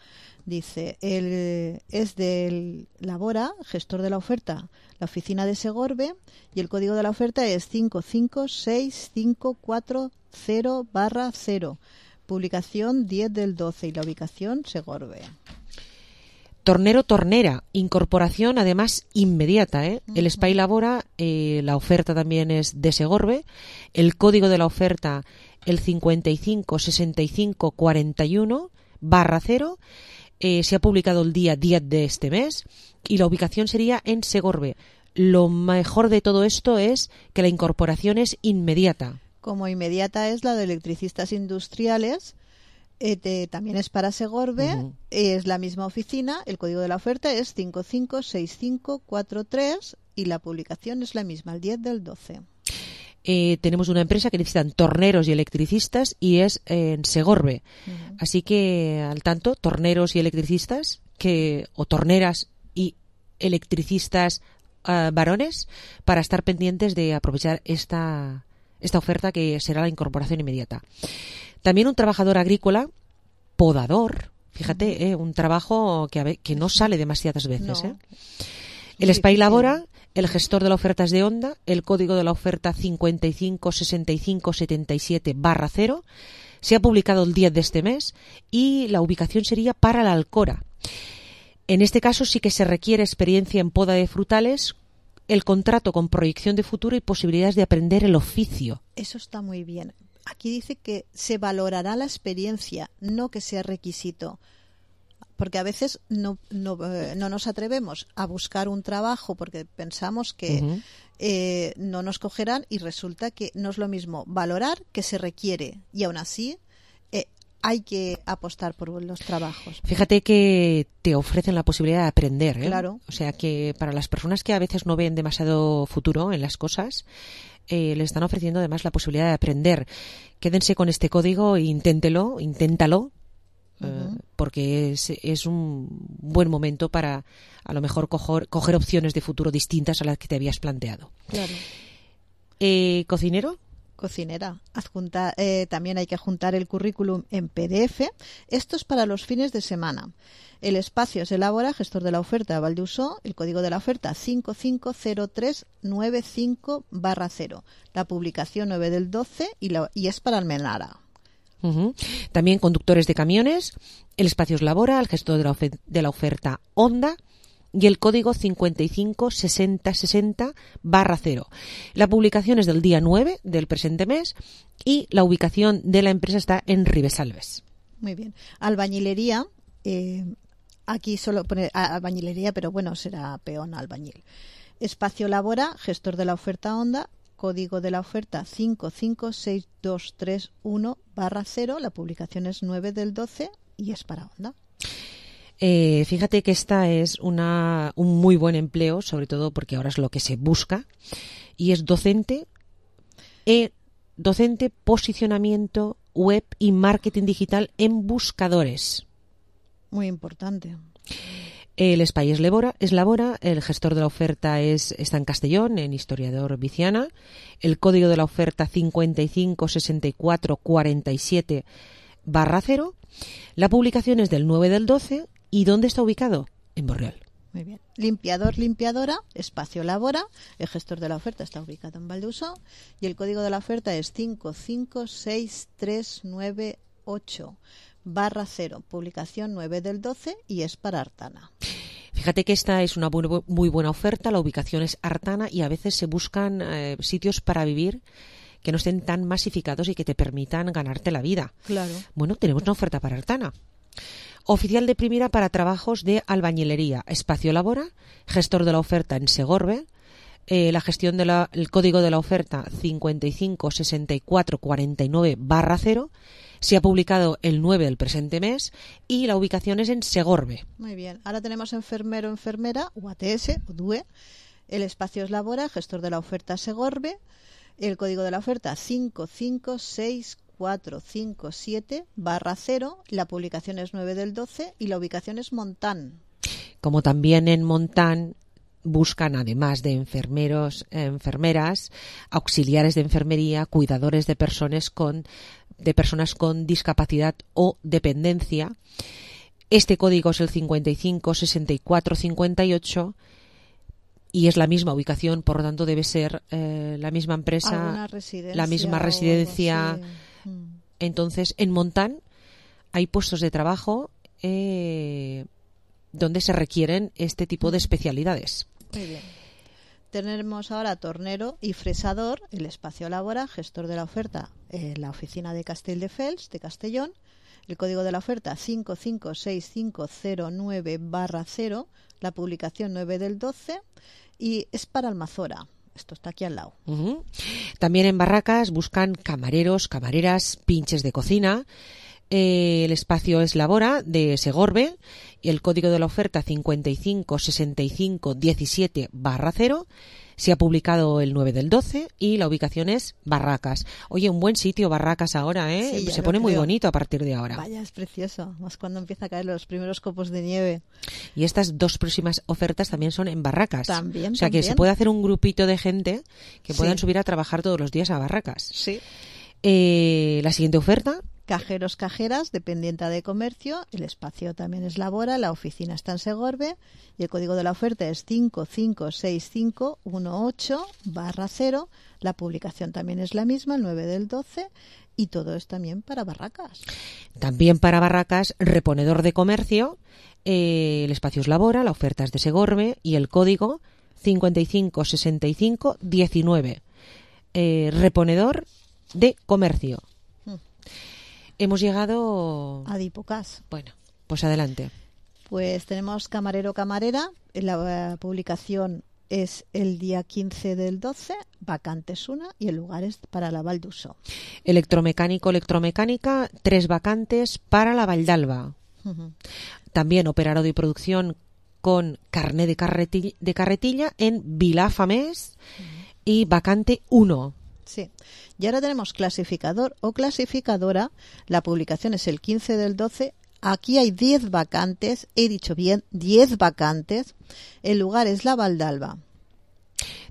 Dice, el, es del Labora, gestor de la oferta, la oficina de Segorbe, y el código de la oferta es cinco cinco seis cinco cuatro cero barra cero. Publicación diez del doce y la ubicación Segorbe. Tornero, tornera, incorporación además inmediata, ¿eh? Uh-huh. El S P Y Labora, eh, la oferta también es de Segorbe, el código de la oferta el cincuenta y cinco sesenta y cinco cuarenta y uno barra cero. Eh, se ha publicado el día diez de este mes y la ubicación sería en Segorbe. Lo mejor de todo esto es que la incorporación es inmediata. Como inmediata es la de electricistas industriales, eh, te, también es para Segorbe, uh-huh. Es la misma oficina, el código de la oferta es cinco cinco seis cinco cuatro tres y la publicación es la misma, el diez del doce. Eh, tenemos una empresa que necesitan torneros y electricistas y es en Segorbe. Uh-huh. Así que al tanto, torneros y electricistas que o torneras y electricistas uh, varones para estar pendientes de aprovechar esta, esta oferta que será la incorporación inmediata. También un trabajador agrícola, podador, fíjate, uh-huh. eh, un trabajo que, a ve- que no sale demasiadas veces. No. Eh. El S P A I Labora, el gestor de la oferta es de Honda, el código de la oferta cincuenta y cinco sesenta y cinco setenta y siete barra cero, se ha publicado el diez de este mes y la ubicación sería para la Alcora. En este caso sí que se requiere experiencia en poda de frutales, el contrato con proyección de futuro y posibilidades de aprender el oficio. Eso está muy bien. Aquí dice que se valorará la experiencia, no que sea requisito. Porque a veces no, no, eh, no nos atrevemos a buscar un trabajo porque pensamos que uh-huh. eh, no nos cogerán y resulta que no es lo mismo valorar que se requiere y aún así eh, hay que apostar por los trabajos. Fíjate que te ofrecen la posibilidad de aprender, ¿eh? Claro. O sea que para las personas que a veces no ven demasiado futuro en las cosas, eh, les están ofreciendo además la posibilidad de aprender. Quédense con este código e inténtelo, inténtalo. Uh-huh. Porque es, es un buen momento para a lo mejor coger, coger opciones de futuro distintas a las que te habías planteado. Claro. Eh, ¿Cocinero? Cocinera. Adjunta, eh, también hay que adjuntar el currículum en P D F. Esto es para los fines de semana. El espacio se elabora, gestor de la oferta Valdeusó, el código de la oferta cinco cinco cero tres nueve cinco barra cero. La publicación nueve del doce y, la, y es para Almenara. Uh-huh. También conductores de camiones, el espacio es Labora, el gestor de la, ofe- de la oferta Honda y el código cincuenta y cinco sesenta sesenta barra cero. La publicación es del día nueve del presente mes y la ubicación de la empresa está en Ribesalbes. Muy bien. Albañilería, eh, aquí solo pone albañilería, pero bueno, será peón albañil. Espacio Labora, gestor de la oferta Honda, código de la oferta cinco cinco seis dos tres uno barra cero, la publicación es nueve del doce y es para Honda. Eh, fíjate que esta es una, un muy buen empleo, sobre todo porque ahora es lo que se busca, y es docente, eh, docente, posicionamiento web y marketing digital en buscadores. Muy importante. El S P A I es Labora, es Labora, el gestor de la oferta es, está en Castellón, en Historiador Viciana, el código de la oferta cincuenta y cinco sesenta y cuatro cuarenta y siete barra cero, la publicación es del nueve del doce, ¿y dónde está ubicado? En Borriol. Muy bien. Limpiador, limpiadora, espacio Labora, el gestor de la oferta está ubicado en Valdeusó y el código de la oferta es cinco cinco seis tres nueve ocho barra cero, publicación nueve del doce y es para Artana. Fíjate que esta es una bu- muy buena oferta, la ubicación es Artana y a veces se buscan eh, sitios para vivir que no estén tan masificados y que te permitan ganarte la vida. Claro. Bueno, tenemos una oferta para Artana. Oficial de primera para trabajos de albañilería, espacio Labora, gestor de la oferta en Segorbe, eh, la gestión del código de la oferta cincuenta y cinco sesenta y cuatro cuarenta y nueve barra cero, se ha publicado el nueve del presente mes y la ubicación es en Segorbe. Muy bien. Ahora tenemos enfermero, enfermera, U A T S o D U E. El espacio es Labora, gestor de la oferta Segorbe. El código de la oferta cinco cinco seis cuatro cinco siete barra cero. La publicación es nueve del doce y la ubicación es Montán. Como también en Montán buscan, además de enfermeros, enfermeras, auxiliares de enfermería, cuidadores de personas con de personas con discapacidad o dependencia. Este código es el cincuenta y cinco sesenta y cuatro cincuenta y ocho y es la misma ubicación, por lo tanto debe ser eh, la misma empresa, la misma residencia. Mm. Entonces, en Montán hay puestos de trabajo eh, donde se requieren este tipo de especialidades. Muy bien. Tenemos ahora tornero y fresador, el espacio Labora, gestor de la oferta en la oficina de Castelldefels, de Castellón. El código de la oferta cinco cinco seis cinco cero nueve barra cero, la publicación nueve del doce y es para Almazora. Esto está aquí al lado. Uh-huh. También en Barracas buscan camareros, camareras, pinches de cocina. Eh, el espacio es Labora de Segorbe y el código de la oferta cincuenta y cinco sesenta y cinco diecisiete barra cero. Se ha publicado el nueve del doce y la ubicación es Barracas. Oye, un buen sitio Barracas ahora, ¿eh? Sí, Se pone muy bonito a partir de ahora. Vaya, es precioso, más cuando empieza a caer los primeros copos de nieve. Y estas dos próximas ofertas también son en Barracas. También, O sea que también. se puede hacer un grupito de gente que Sí. puedan subir a trabajar todos los días a Barracas. Sí. Eh, la siguiente oferta. Cajeros, cajeras, dependiente de comercio, el espacio también es Labora, la oficina está en Segorbe y el código de la oferta es cinco cinco seis cinco uno ocho barra cero. La publicación también es la misma, el nueve del doce, y todo es también para Barracas. También para Barracas, reponedor de comercio, eh, el espacio es Labora, la oferta es de Segorbe y el código cincuenta y cinco sesenta y cinco diecinueve. Eh, reponedor de comercio. Hmm. Hemos llegado a Dipocas. Bueno, pues adelante. Pues tenemos camarero, camarera. La eh, publicación es el día quince del doce, vacantes una y el lugar es para la Val d'Uso. Electromecánico, electromecánica, tres vacantes para la Valldalba. Uh-huh. También operador de producción con carné de, carretilla, de carretilla en Vilafamés uh-huh. y vacante uno. Sí. Y ahora tenemos clasificador o clasificadora. La publicación es el quince del doce. Aquí hay diez vacantes. He dicho bien, diez vacantes. El lugar es la Valldalba.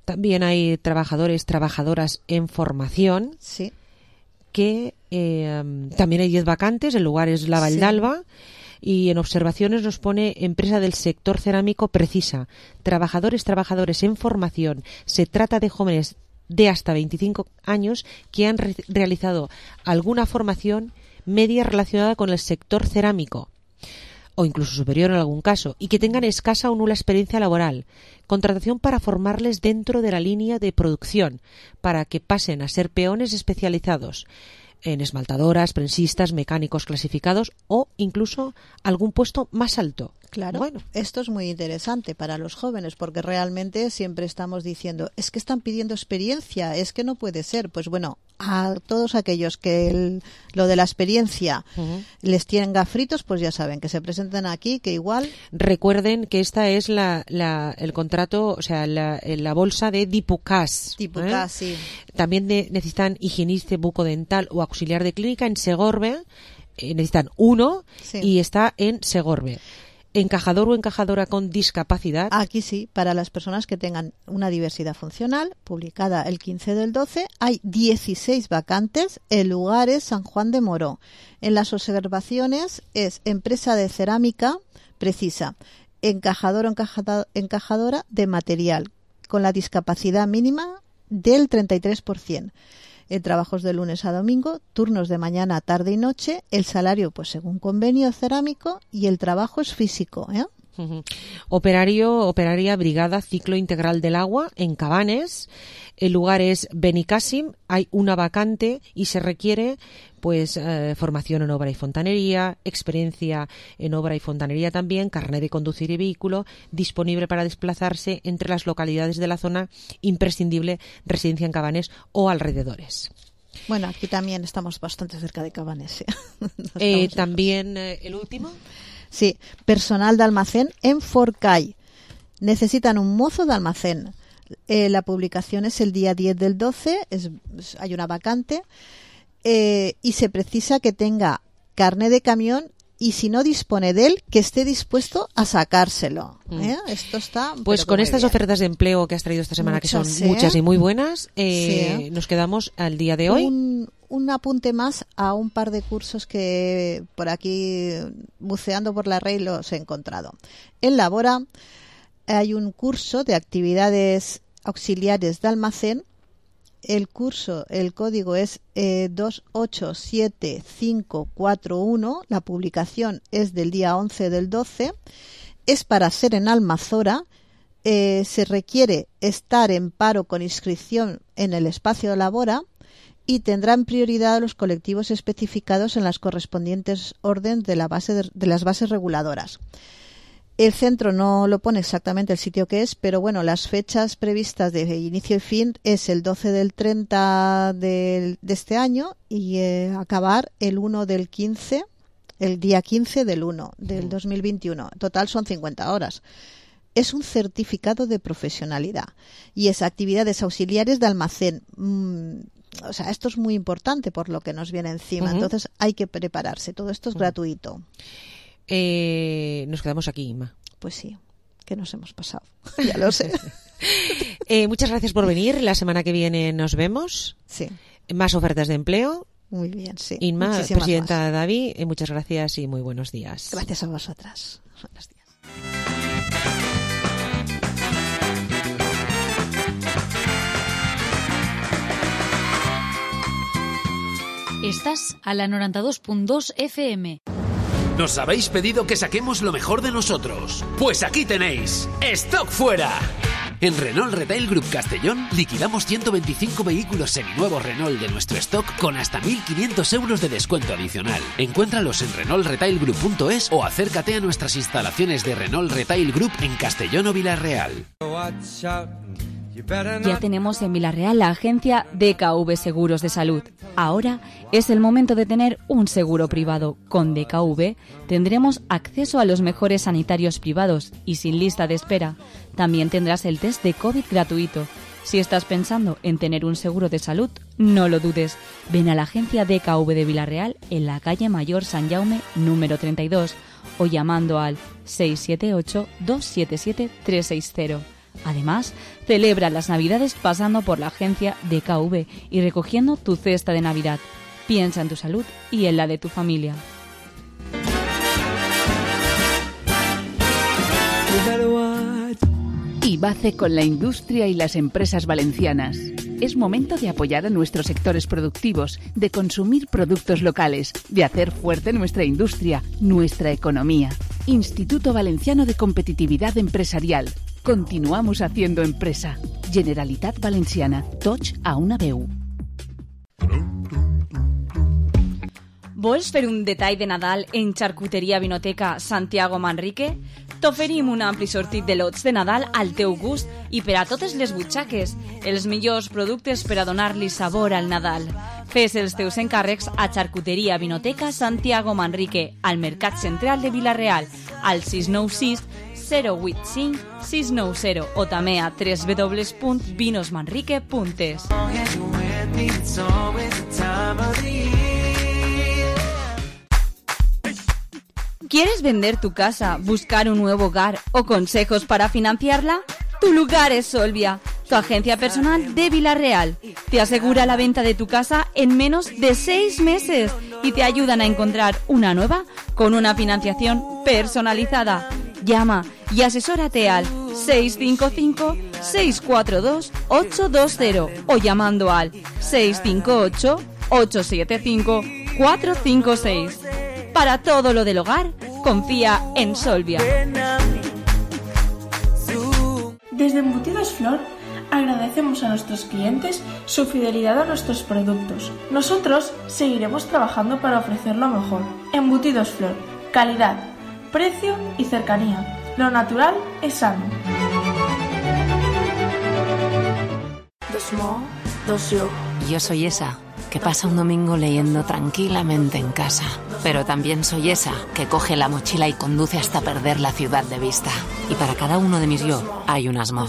También hay trabajadores, trabajadoras en formación. Sí. Que eh, también hay diez vacantes. El lugar es la Valldalba. Sí. Y en observaciones nos pone empresa del sector cerámico precisa. Trabajadores, trabajadores en formación. Se trata de jóvenes de hasta veinticinco años que han re- realizado alguna formación media relacionada con el sector cerámico o incluso superior en algún caso y que tengan escasa o nula experiencia laboral. Contratación para formarles dentro de la línea de producción para que pasen a ser peones especializados en esmaltadoras, prensistas, mecánicos clasificados o incluso algún puesto más alto. Claro, bueno. Esto es muy interesante para los jóvenes porque realmente siempre estamos diciendo es que están pidiendo experiencia, es que no puede ser. Pues bueno, a todos aquellos que el, lo de la experiencia uh-huh. les tienen gafritos, pues ya saben que se presenten aquí, que igual... Recuerden que esta es la, la el contrato, o sea, la, la bolsa de Dipocas. Dipocas, ¿eh? sí. También de, necesitan higienista bucodental o auxiliar de clínica en Segorbe. Eh, necesitan uno sí. y está en Segorbe. Encajador o encajadora con discapacidad. Aquí sí, para las personas que tengan una diversidad funcional, publicada el quince del doce, hay dieciséis vacantes, el lugar es San Juan de Moró. En las observaciones es empresa de cerámica precisa, encajador o encajada, encajadora de material, con la discapacidad mínima del treinta y tres por ciento. El trabajo es de lunes a domingo, turnos de mañana, tarde y noche, el salario pues según convenio cerámico y el trabajo es físico, ¿eh? Uh-huh. Operario, operaria brigada ciclo integral del agua en Cabanes. El lugar es Benicàssim, hay una vacante y se requiere pues eh, formación en obra y fontanería, experiencia en obra y fontanería también, carnet de conducir y vehículo, disponible para desplazarse entre las localidades de la zona, imprescindible residencia en Cabanes o alrededores. Bueno, aquí también estamos bastante cerca de Cabanes. ¿eh? eh, también eh, el último. Sí, personal de almacén en Forcall. Necesitan un mozo de almacén. Eh, la publicación es el día diez del doce, es, hay una vacante eh, y se precisa que tenga carné de camión y si no dispone de él, que esté dispuesto a sacárselo. ¿eh? Mm. Esto está... Pues con estas bien. ofertas de empleo que has traído esta semana, muchas, que son ¿eh? muchas y muy buenas, eh, sí. nos quedamos al día de hoy. Un, un apunte más a un par de cursos que por aquí, buceando por la red, los he encontrado. En Labora hay un curso de actividades auxiliares de almacén. El curso, el código es eh, dos ocho siete cinco cuatro uno. La publicación es del día once del doce. Es para ser en Almazora. Eh, se requiere estar en paro con inscripción en el espacio de Labora y tendrán prioridad los colectivos especificados en las correspondientes órdenes de, la base de, de las bases reguladoras. El centro no lo pone exactamente el sitio que es, pero bueno, las fechas previstas de inicio y fin es el doce del treinta de, de este año y eh, acabar el uno del quince, el día quince del uno del dos mil veintiuno. Total son cincuenta horas. es un certificado de profesionalidad y es actividades auxiliares de almacén. Mm, o sea, esto es muy importante por lo que nos viene encima. Uh-huh. Entonces hay que prepararse. Todo esto es uh-huh. gratuito. Eh, nos quedamos aquí, Inma. Pues sí, que nos hemos pasado. Ya lo sé. eh, muchas gracias por venir. La semana que viene nos vemos. Sí. Más ofertas de empleo. Muy bien, sí. Inma, muchísimas presidenta más. Davi, eh, muchas gracias y muy buenos días. Gracias a vosotras. Buenos días. Estás a la noventa y dos punto dos F M. Nos habéis pedido que saquemos lo mejor de nosotros. Pues aquí tenéis ¡Stock Fuera! En Renault Retail Group Castellón liquidamos ciento veinticinco vehículos seminuevos Renault de nuestro stock con hasta mil quinientos euros de descuento adicional. Encuéntralos en renault retail group punto es o acércate a nuestras instalaciones de Renault Retail Group en Castellón o Villarreal. Ya tenemos en Villarreal la agencia D K V Seguros de Salud. Ahora es el momento de tener un seguro privado. Con D K V tendremos acceso a los mejores sanitarios privados y sin lista de espera. También tendrás el test de COVID gratuito. Si estás pensando en tener un seguro de salud, no lo dudes. Ven a la agencia D K V de Villarreal en la calle Mayor San Jaume número treinta y dos o llamando al seis siete ocho, dos siete siete, tres seis cero. Además, celebra las Navidades pasando por la agencia D K V y recogiendo tu cesta de Navidad. Piensa en tu salud y en la de tu familia. IBACE con la industria y las empresas valencianas. Es momento de apoyar a nuestros sectores productivos, de consumir productos locales, de hacer fuerte nuestra industria, nuestra economía. Instituto Valenciano de Competitividad Empresarial. Continuamos haciendo empresa. Generalitat Valenciana. Tots a una veu. Vols fer un detall de Nadal en Xarcuteria Vinoteca Santiago Manrique? T'oferim un ampli sortit de lots de Nadal al teu gust i per a totes les butxaques. Els millors productes per a donar-li sabor al Nadal. Fes els teus encàrrecs a Xarcuteria Vinoteca Santiago Manrique, al Mercat Central de Villarreal, al sis nou sis, zero vuit cinc, sis nou zero o també a w w w punt vinos manrique punt es. ¿Quieres vender tu casa, buscar un nuevo hogar o consejos para financiarla? Tu lugar es Solvia, tu agencia personal de Villarreal. Te asegura la venta de tu casa en menos de seis meses y te ayudan a encontrar una nueva con una financiación personalizada. Llama y asesórate al seis cinco cinco, seis cuatro dos, ocho dos cero o llamando al seis cinco ocho, ocho siete cinco, cuatro cinco seis. Para todo lo del hogar, confía en Solvia. Desde Embutidos Flor agradecemos a nuestros clientes su fidelidad a nuestros productos. Nosotros seguiremos trabajando para ofrecer lo mejor. Embutidos Flor, calidad, precio y cercanía. Lo natural es sano. Dos mo, dos yo. Yo soy esa que pasa un domingo leyendo tranquilamente en casa. Pero también soy esa que coge la mochila y conduce hasta perder la ciudad de vista. Y para cada uno de mis yo hay unas mo.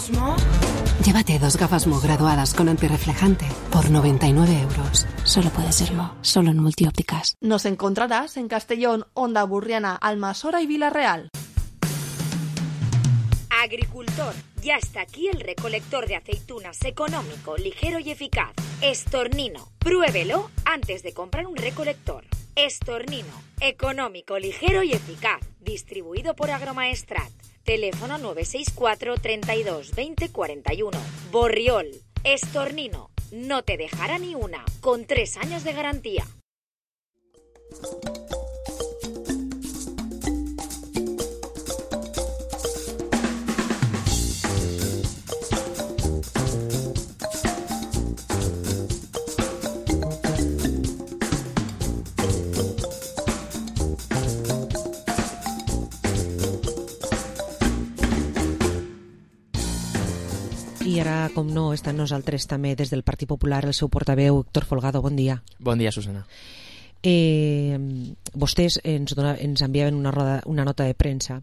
Llévate dos gafas Mo graduadas con antirreflejante por noventa y nueve euros. Solo puede ser Mo, solo en Multiópticas. Nos encontrarás en Castellón, Onda Burriana, Almasora y Villarreal. Agricultor, ya está aquí el recolector de aceitunas económico, ligero y eficaz. Estornino, pruébelo antes de comprar un recolector. Estornino, económico, ligero y eficaz. Distribuido por Agromaestrat. Teléfono nueve seis cuatro, treinta y dos, veinte, cuarenta y uno. Borriol, Estornino, no te dejará ni una, con tres años de garantía. I ara, com no, està amb nosaltres també des del Partit Popular el seu portaveu, Héctor Folgado. Bon dia. Bon dia, Susana. Eh, vostès ens, dona, ens enviaven una, roda, una nota de premsa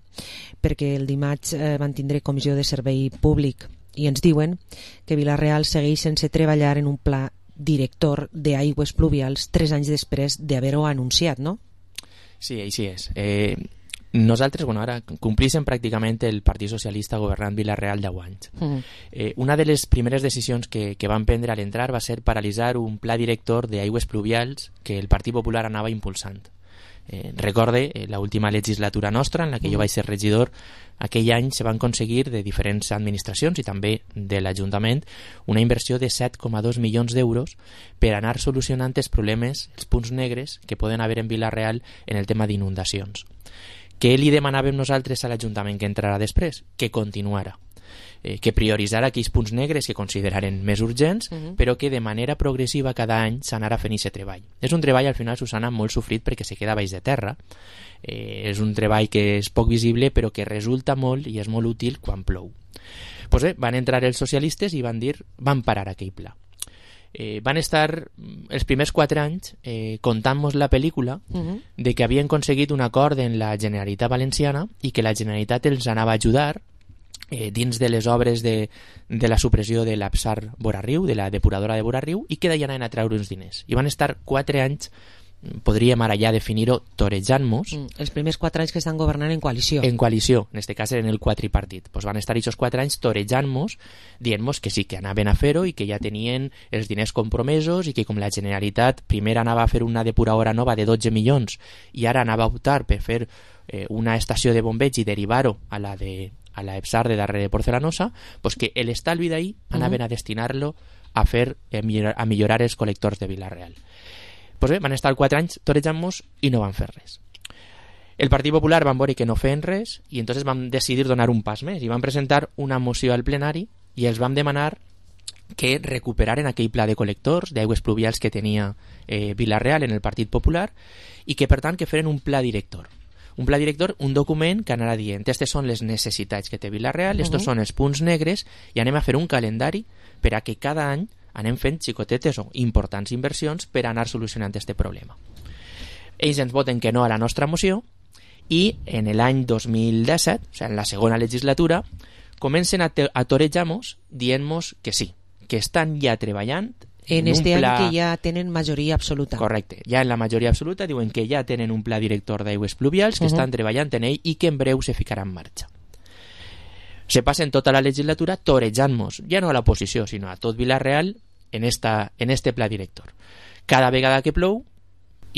perquè el dimarts eh, van tindre comissió de servei públic i ens diuen que Vila-real segueix sense treballar en un pla director d'aigües pluvials tres anys després d'haver-ho anunciat, no? Sí, així és. Eh, nosaltres, bueno, ara complíssim pràcticament el Partit Socialista governant Vila-real deu anys. Mm. Eh, una de les primeres decisions que, que van prendre al entrar va ser paralitzar un pla director d'aigües pluvials que el Partit Popular anava impulsant. Eh, recorde eh, l'última legislatura nostra, en la que mm. jo vaig ser regidor, aquell any se van aconseguir de diferents administracions i també de l'Ajuntament una inversió de set coma dos milions d'euros per anar solucionant els problemes, els punts negres que poden haver en Vila-real en el tema d'inundacions. Què li demanàvem nosaltres a l'Ajuntament que entrarà després? Que continuara. Eh, que prioritzara aquells punts negres que consideraren més urgents, uh-huh. però que de manera progressiva cada any s'anara fent aquest treball. És un treball, al final, Susana, molt sofrit perquè se queda baix de terra. Eh, és un treball que és poc visible, però que resulta molt i és molt útil quan plou. Pues bé, van entrar els socialistes i van dir, van parar aquell pla. Eh, van estar els primers quatre anys eh, contant-nos la pel·lícula uh-huh. de que havien aconseguit un acord en la Generalitat Valenciana i que la Generalitat els anava a ajudar eh, dins de les obres de, de la supressió de l'Apsar Borarriu, de la depuradora de Borarriu, i que d'allà anaven a treure uns diners. I van estar quatre anys, podríem ara ja definir-ho, torejant-nos. Mm, els primers quatre anys que estan governant en coalició. En coalició, en este cas eren el quadripartit. Pues van estar aquests quatre anys torejant-nos, dient-nos que sí, que anaven a fer-ho i que ja tenien els diners compromesos i que com la Generalitat primer anava a fer una depuradora nova de dotze milions i ara anava a optar per fer eh, una estació de bombeig i derivar-ho a la de a la EPSAR de darrere de Porcelanosa, pues que l'estalvi d'ahí anaven uh-huh. a destinar-lo a fer a millorar, a millorar els col·lectors de Vila-real. Pues bé, van estar quatre anys torejant-nos i no van fer res. El Partit Popular van veure que no feien res i entonces van decidir donar un pas més i van presentar una moció al plenari i els vam demanar que recuperaren aquell pla de col·lectors d'aigües pluvials que tenia eh, Vila-real en el Partit Popular i que per tant que feren un pla director. Un pla director, un document que anarà dient aquestes són les necessitats que té Vila-real, estos uh-huh. són els punts negres i anem a fer un calendari per a que cada any anem fent xicotetes o importants inversions per anar solucionant aquest problema. Ells ens voten que no a la nostra moció i en l'any dos mil disset, o sigui, en la segona legislatura, comencen a, te- a torejar-nos dient-nos que sí, que estan ja treballant en, en este pla... any que ja tenen majoria absoluta. Correcte, ja en la majoria absoluta diuen que ja tenen un pla director d'aigües pluvials, que uh-huh. estan treballant en ell i que en breu se ficarà en marxa. Se passen tota la legislatura torejant-nos, ja no a l'oposició, sinó a tot Vila-real en, esta, en este pla director. Cada vegada que plou,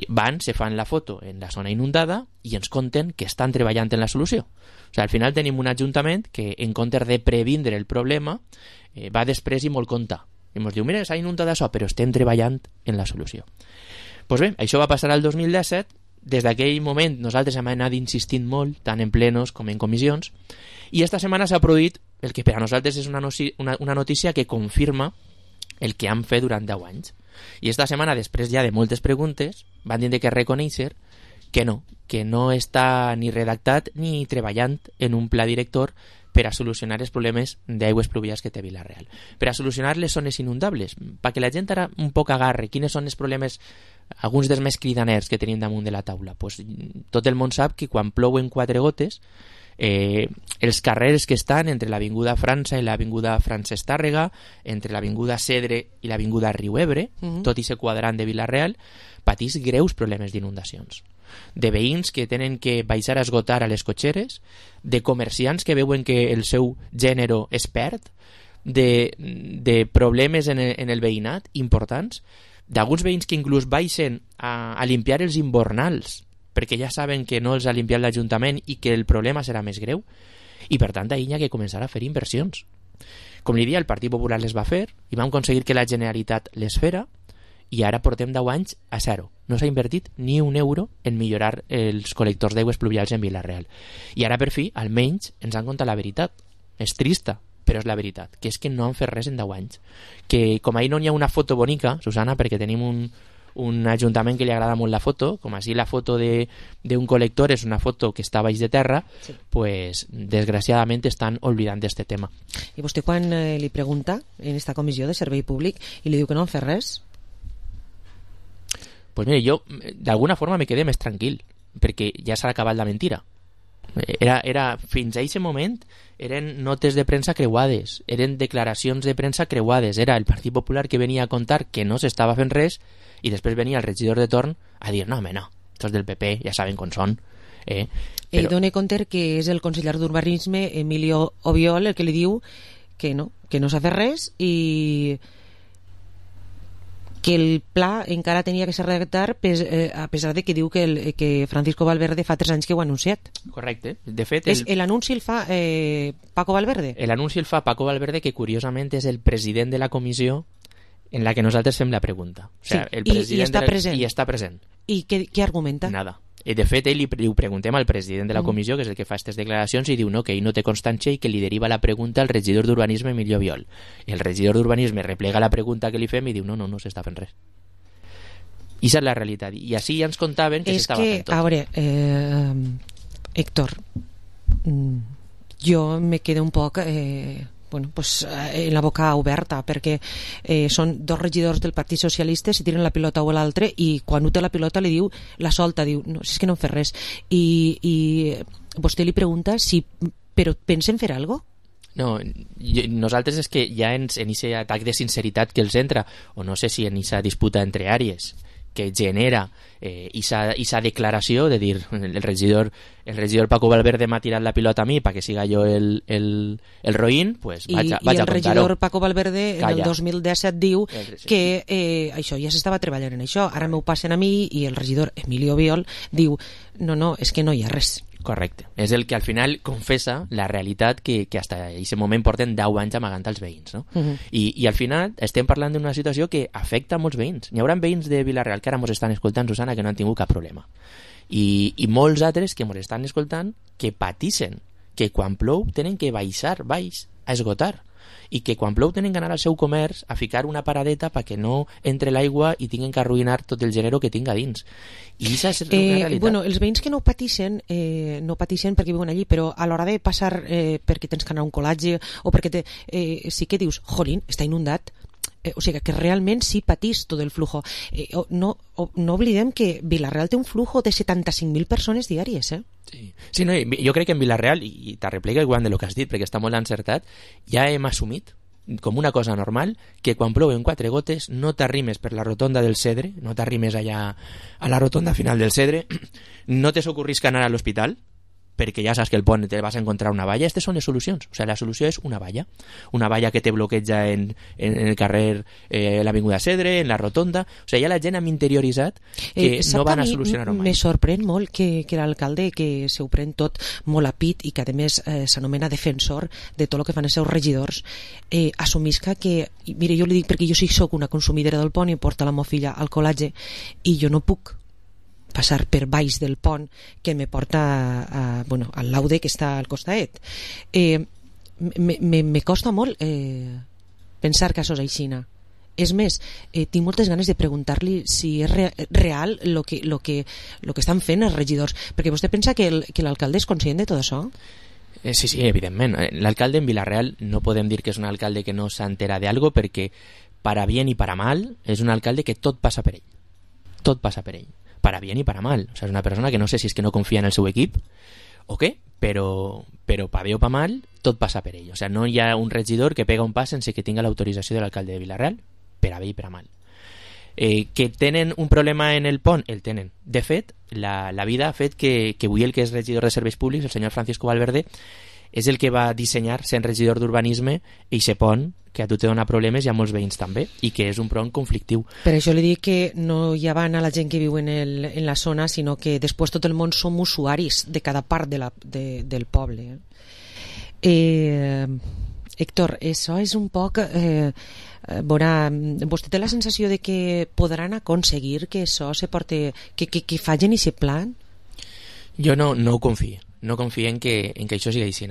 van, se fan la foto en la zona inundada i ens conten que estan treballant en la solució. O sigui, al final tenim un ajuntament que, en comptes de previndre el problema, eh, va després i molt contar. I ens diu, mira, s'ha inundat això, però estem treballant en la solució. Doncs pues bé, això va passar al dos mil disset. Des d'aquell moment nosaltres hem anat insistint molt, tant en plenos com en comissions, i esta setmana s'ha produït el que per a nosaltres és una, noci- una, una notícia que confirma el que han fet durant deu anys. I esta setmana, després ja de moltes preguntes, van dir que reconèixer que no, que no està ni redactat ni treballant en un pla director per a solucionar els problemes d'aigües pluvials que té Vila-real. Per a solucionar les zones inundables, perquè la gent ara un poc agarre quines són els problemes, alguns dels més cridaners que tenim damunt de la taula. Pues, tot el món sap que quan plouen quatre gotes, eh, els carrers que estan entre l'avinguda França i l'avinguda Francesc Tàrrega, entre l'avinguda Cedre i l'avinguda Riu Ebre, uh-huh. tot i ser quadrant de Vila-real, patís greus problemes d'inundacions. De veïns que tenen que baixar a esgotar a les cotxeres, de comerciants que veuen que el seu gènere es perd, de, de problemes en el, en el veïnat importants, d'alguns veïns que inclús baixen a, a limpiar els invernals perquè ja saben que no els ha limpiat l'Ajuntament i que el problema serà més greu, i per tant ahir hi ha que començar a fer inversions. Com li dia, el Partit Popular les va fer i vam aconseguir que la Generalitat les fera i ara portem deu anys a zero. No s'ha invertit ni un euro en millorar els col·lectors d'aigües pluvials en Vila-real. I ara per fi, almenys, ens han contat la veritat. És trista, però és la veritat, que és que no han fet res en deu anys. Que com ahir no hi ha una foto bonica, Susana, perquè tenim un, un ajuntament que li agrada molt la foto, com així la foto d'un col·lector és una foto que està baix de terra, sí. Pues desgraciadament estan oblidant d'aquest tema. I vostè quan eh, li pregunta en esta comissió de servei públic i li diu que no han fet res? pues mira, jo d'alguna forma me quedé més tranquil, perquè ja s'ha acabat la mentira. Era, era, fins a aquest moment eren notes de premsa creuades, eren declaracions de premsa creuades, era el Partit Popular que venia a contar que no s'estava fent res i després venia el regidor de torn a dir no, home, no, estos del P P ja saben com són. Eh? Però... Ell dona compte que és el conseller d'Urbanisme, Emilio Obiol, el que li diu que no, que no s'ha fet res i que el pla encara tenia que ser redactat eh, a pesar de que diu que, el, que Francisco Valverde fa tres anys que ho ha anunciat. Correcte. De fet, el... l'anunci el fa eh, Paco Valverde? L'anunci el fa Paco Valverde, que curiosament és el president de la comissió en la que nosaltres fem la pregunta. O sigui, sí, el president i, i, està de la... present. I està present. I què, què argumenta? Nada. De fet, ell li, li ho preguntem al president de la comissió, que és el que fa aquestes declaracions, i diu no, que ell no té constància i que li deriva la pregunta al regidor d'Urbanisme, Emilio Obiol. El regidor d'Urbanisme replega la pregunta que li fem i diu no, no, no s'està fent res. I és la realitat. I així ja ens contaven que s'estava fent tot. A veure, eh, Héctor, jo me quedo un poc... Eh, bueno, pues, eh, la boca oberta perquè eh, són dos regidors del Partit Socialista, si tiren la pilota o l'altre i quan ho té la pilota li diu la solta, diu, no, si és que no em fer res i, i vostè li pregunta si però pensen fer alguna cosa? No, jo, nosaltres és que ja ens, en aquest atac de sinceritat que els entra, o no sé si en aquesta disputa entre àrees que genera eh, esa declaració de dir el regidor, el regidor Paco Valverde m'ha tirat la pilota a mi perquè siga jo el, el, el roïn, pues vaig a, vaig I a el regidor Paco Valverde en el dos mil disset diu que eh, això ja s'estava treballant en això, ara m'ho passen a mi, i el regidor Emilio Obiol diu no, no, és que no hi ha res. Correcte. És el que al final confessa la realitat que, que fins a aquest moment porten deu anys amagant als veïns. No? Uh-huh. I, I al final estem parlant d'una situació que afecta a molts veïns. Hi haurà veïns de Vila-real que ara ens estan escoltant, Susana, que no han tingut cap problema. I, i molts altres que ens estan escoltant que patixen, que quan plou tenen que baixar baix a esgotar, i que quan plou tenen que anar al seu comerç a ficar una paradeta perquè no entre l'aigua i tinguin que arruïnar tot el gènere que tinga dins. I això és una eh, realitat. Bueno, els veïns que no patixen eh, no patixen perquè viuen allí, però a l'hora de passar eh, perquè tens que anar a un col·legi o perquè te, eh, sí que dius, jolín, està inundat, eh, o sigui que realment sí patís tot el flujo. Eh, no, no oblidem que Vila-real té un flujo de setanta-cinc mil persones diàries, eh? Sí, sí, no, jo crec que en Vila-real, i t'arreplica igual de lo que has dit perquè està molt encertat, ja hem assumit com una cosa normal que quan plouen quatre gotes no t'arrimes per la rotonda del Cedre, no t'arrimes allà a la rotonda final del Cedre, no te s'ocorrisca anar a l'hospital perquè ja saps que el pont te vas a encontrar una valla. Aquestes són les solucions. O sigui, la solució és una valla. Una valla que te bloqueja en, en, en el carrer, eh, l'Avinguda Cedre, en la rotonda. O sigui, ja la gent hem interioritzat que eh, no van a solucionar-ho mai. Me sorprèn molt que, que l'alcalde, que s'ho pren tot molt a pit i que a més eh, s'anomena defensor de tot el que fan els seus regidors, eh, assumisca que, mire, jo li dic perquè jo sí soc una consumidora del pont i porta la meva filla al col·legi i jo no puc passar per baix del pont que me porta a, a, bueno, al laude que està al costat. Eh, me, me, me costa molt eh, pensar que això és aixina. És més, eh, tinc moltes ganes de preguntar-li si és re, real el que, lo que, lo que estan fent els regidors, perquè vostè pensa que, el, que l'alcalde és conscient de tot això? Eh, sí, sí, evidentment. L'alcalde en Vila-real no podem dir que és un alcalde que no s'entera d'algo perquè para bien i para mal és un alcalde que tot passa per ell. Tot passa per ell. Para bien y para mal. O sea, es una persona que no sé si es que no confía en el seu equip o què, però, però pa bé o pa mal tot passa per ell. O sea, no hi ha un regidor que pega un pas sense que tinga l'autorització de l'alcalde de Vila-real, per a bé i per a mal. Eh, que tenen un problema en el pont, el tenen. De fet, la, la vida ha fet que, que avui el que és regidor de serveis públics, el senyor Francisco Valverde, és el que va dissenyar, sent regidor d'urbanisme, i se pont que a tu te dona problemes i a molts veïns també, i que és un pont conflictiu. Per això li dic que no hi van a la gent que viu en, el, en la zona, sinó que després tot el món som usuaris de cada part de la, de, del poble. Eh, Héctor, això és un poc... Eh, veurà, vostè té la sensació de que podran aconseguir que això se porte, que, que, que facin i se plan? Jo no, no ho confio. no confiem que, en que això sigui així.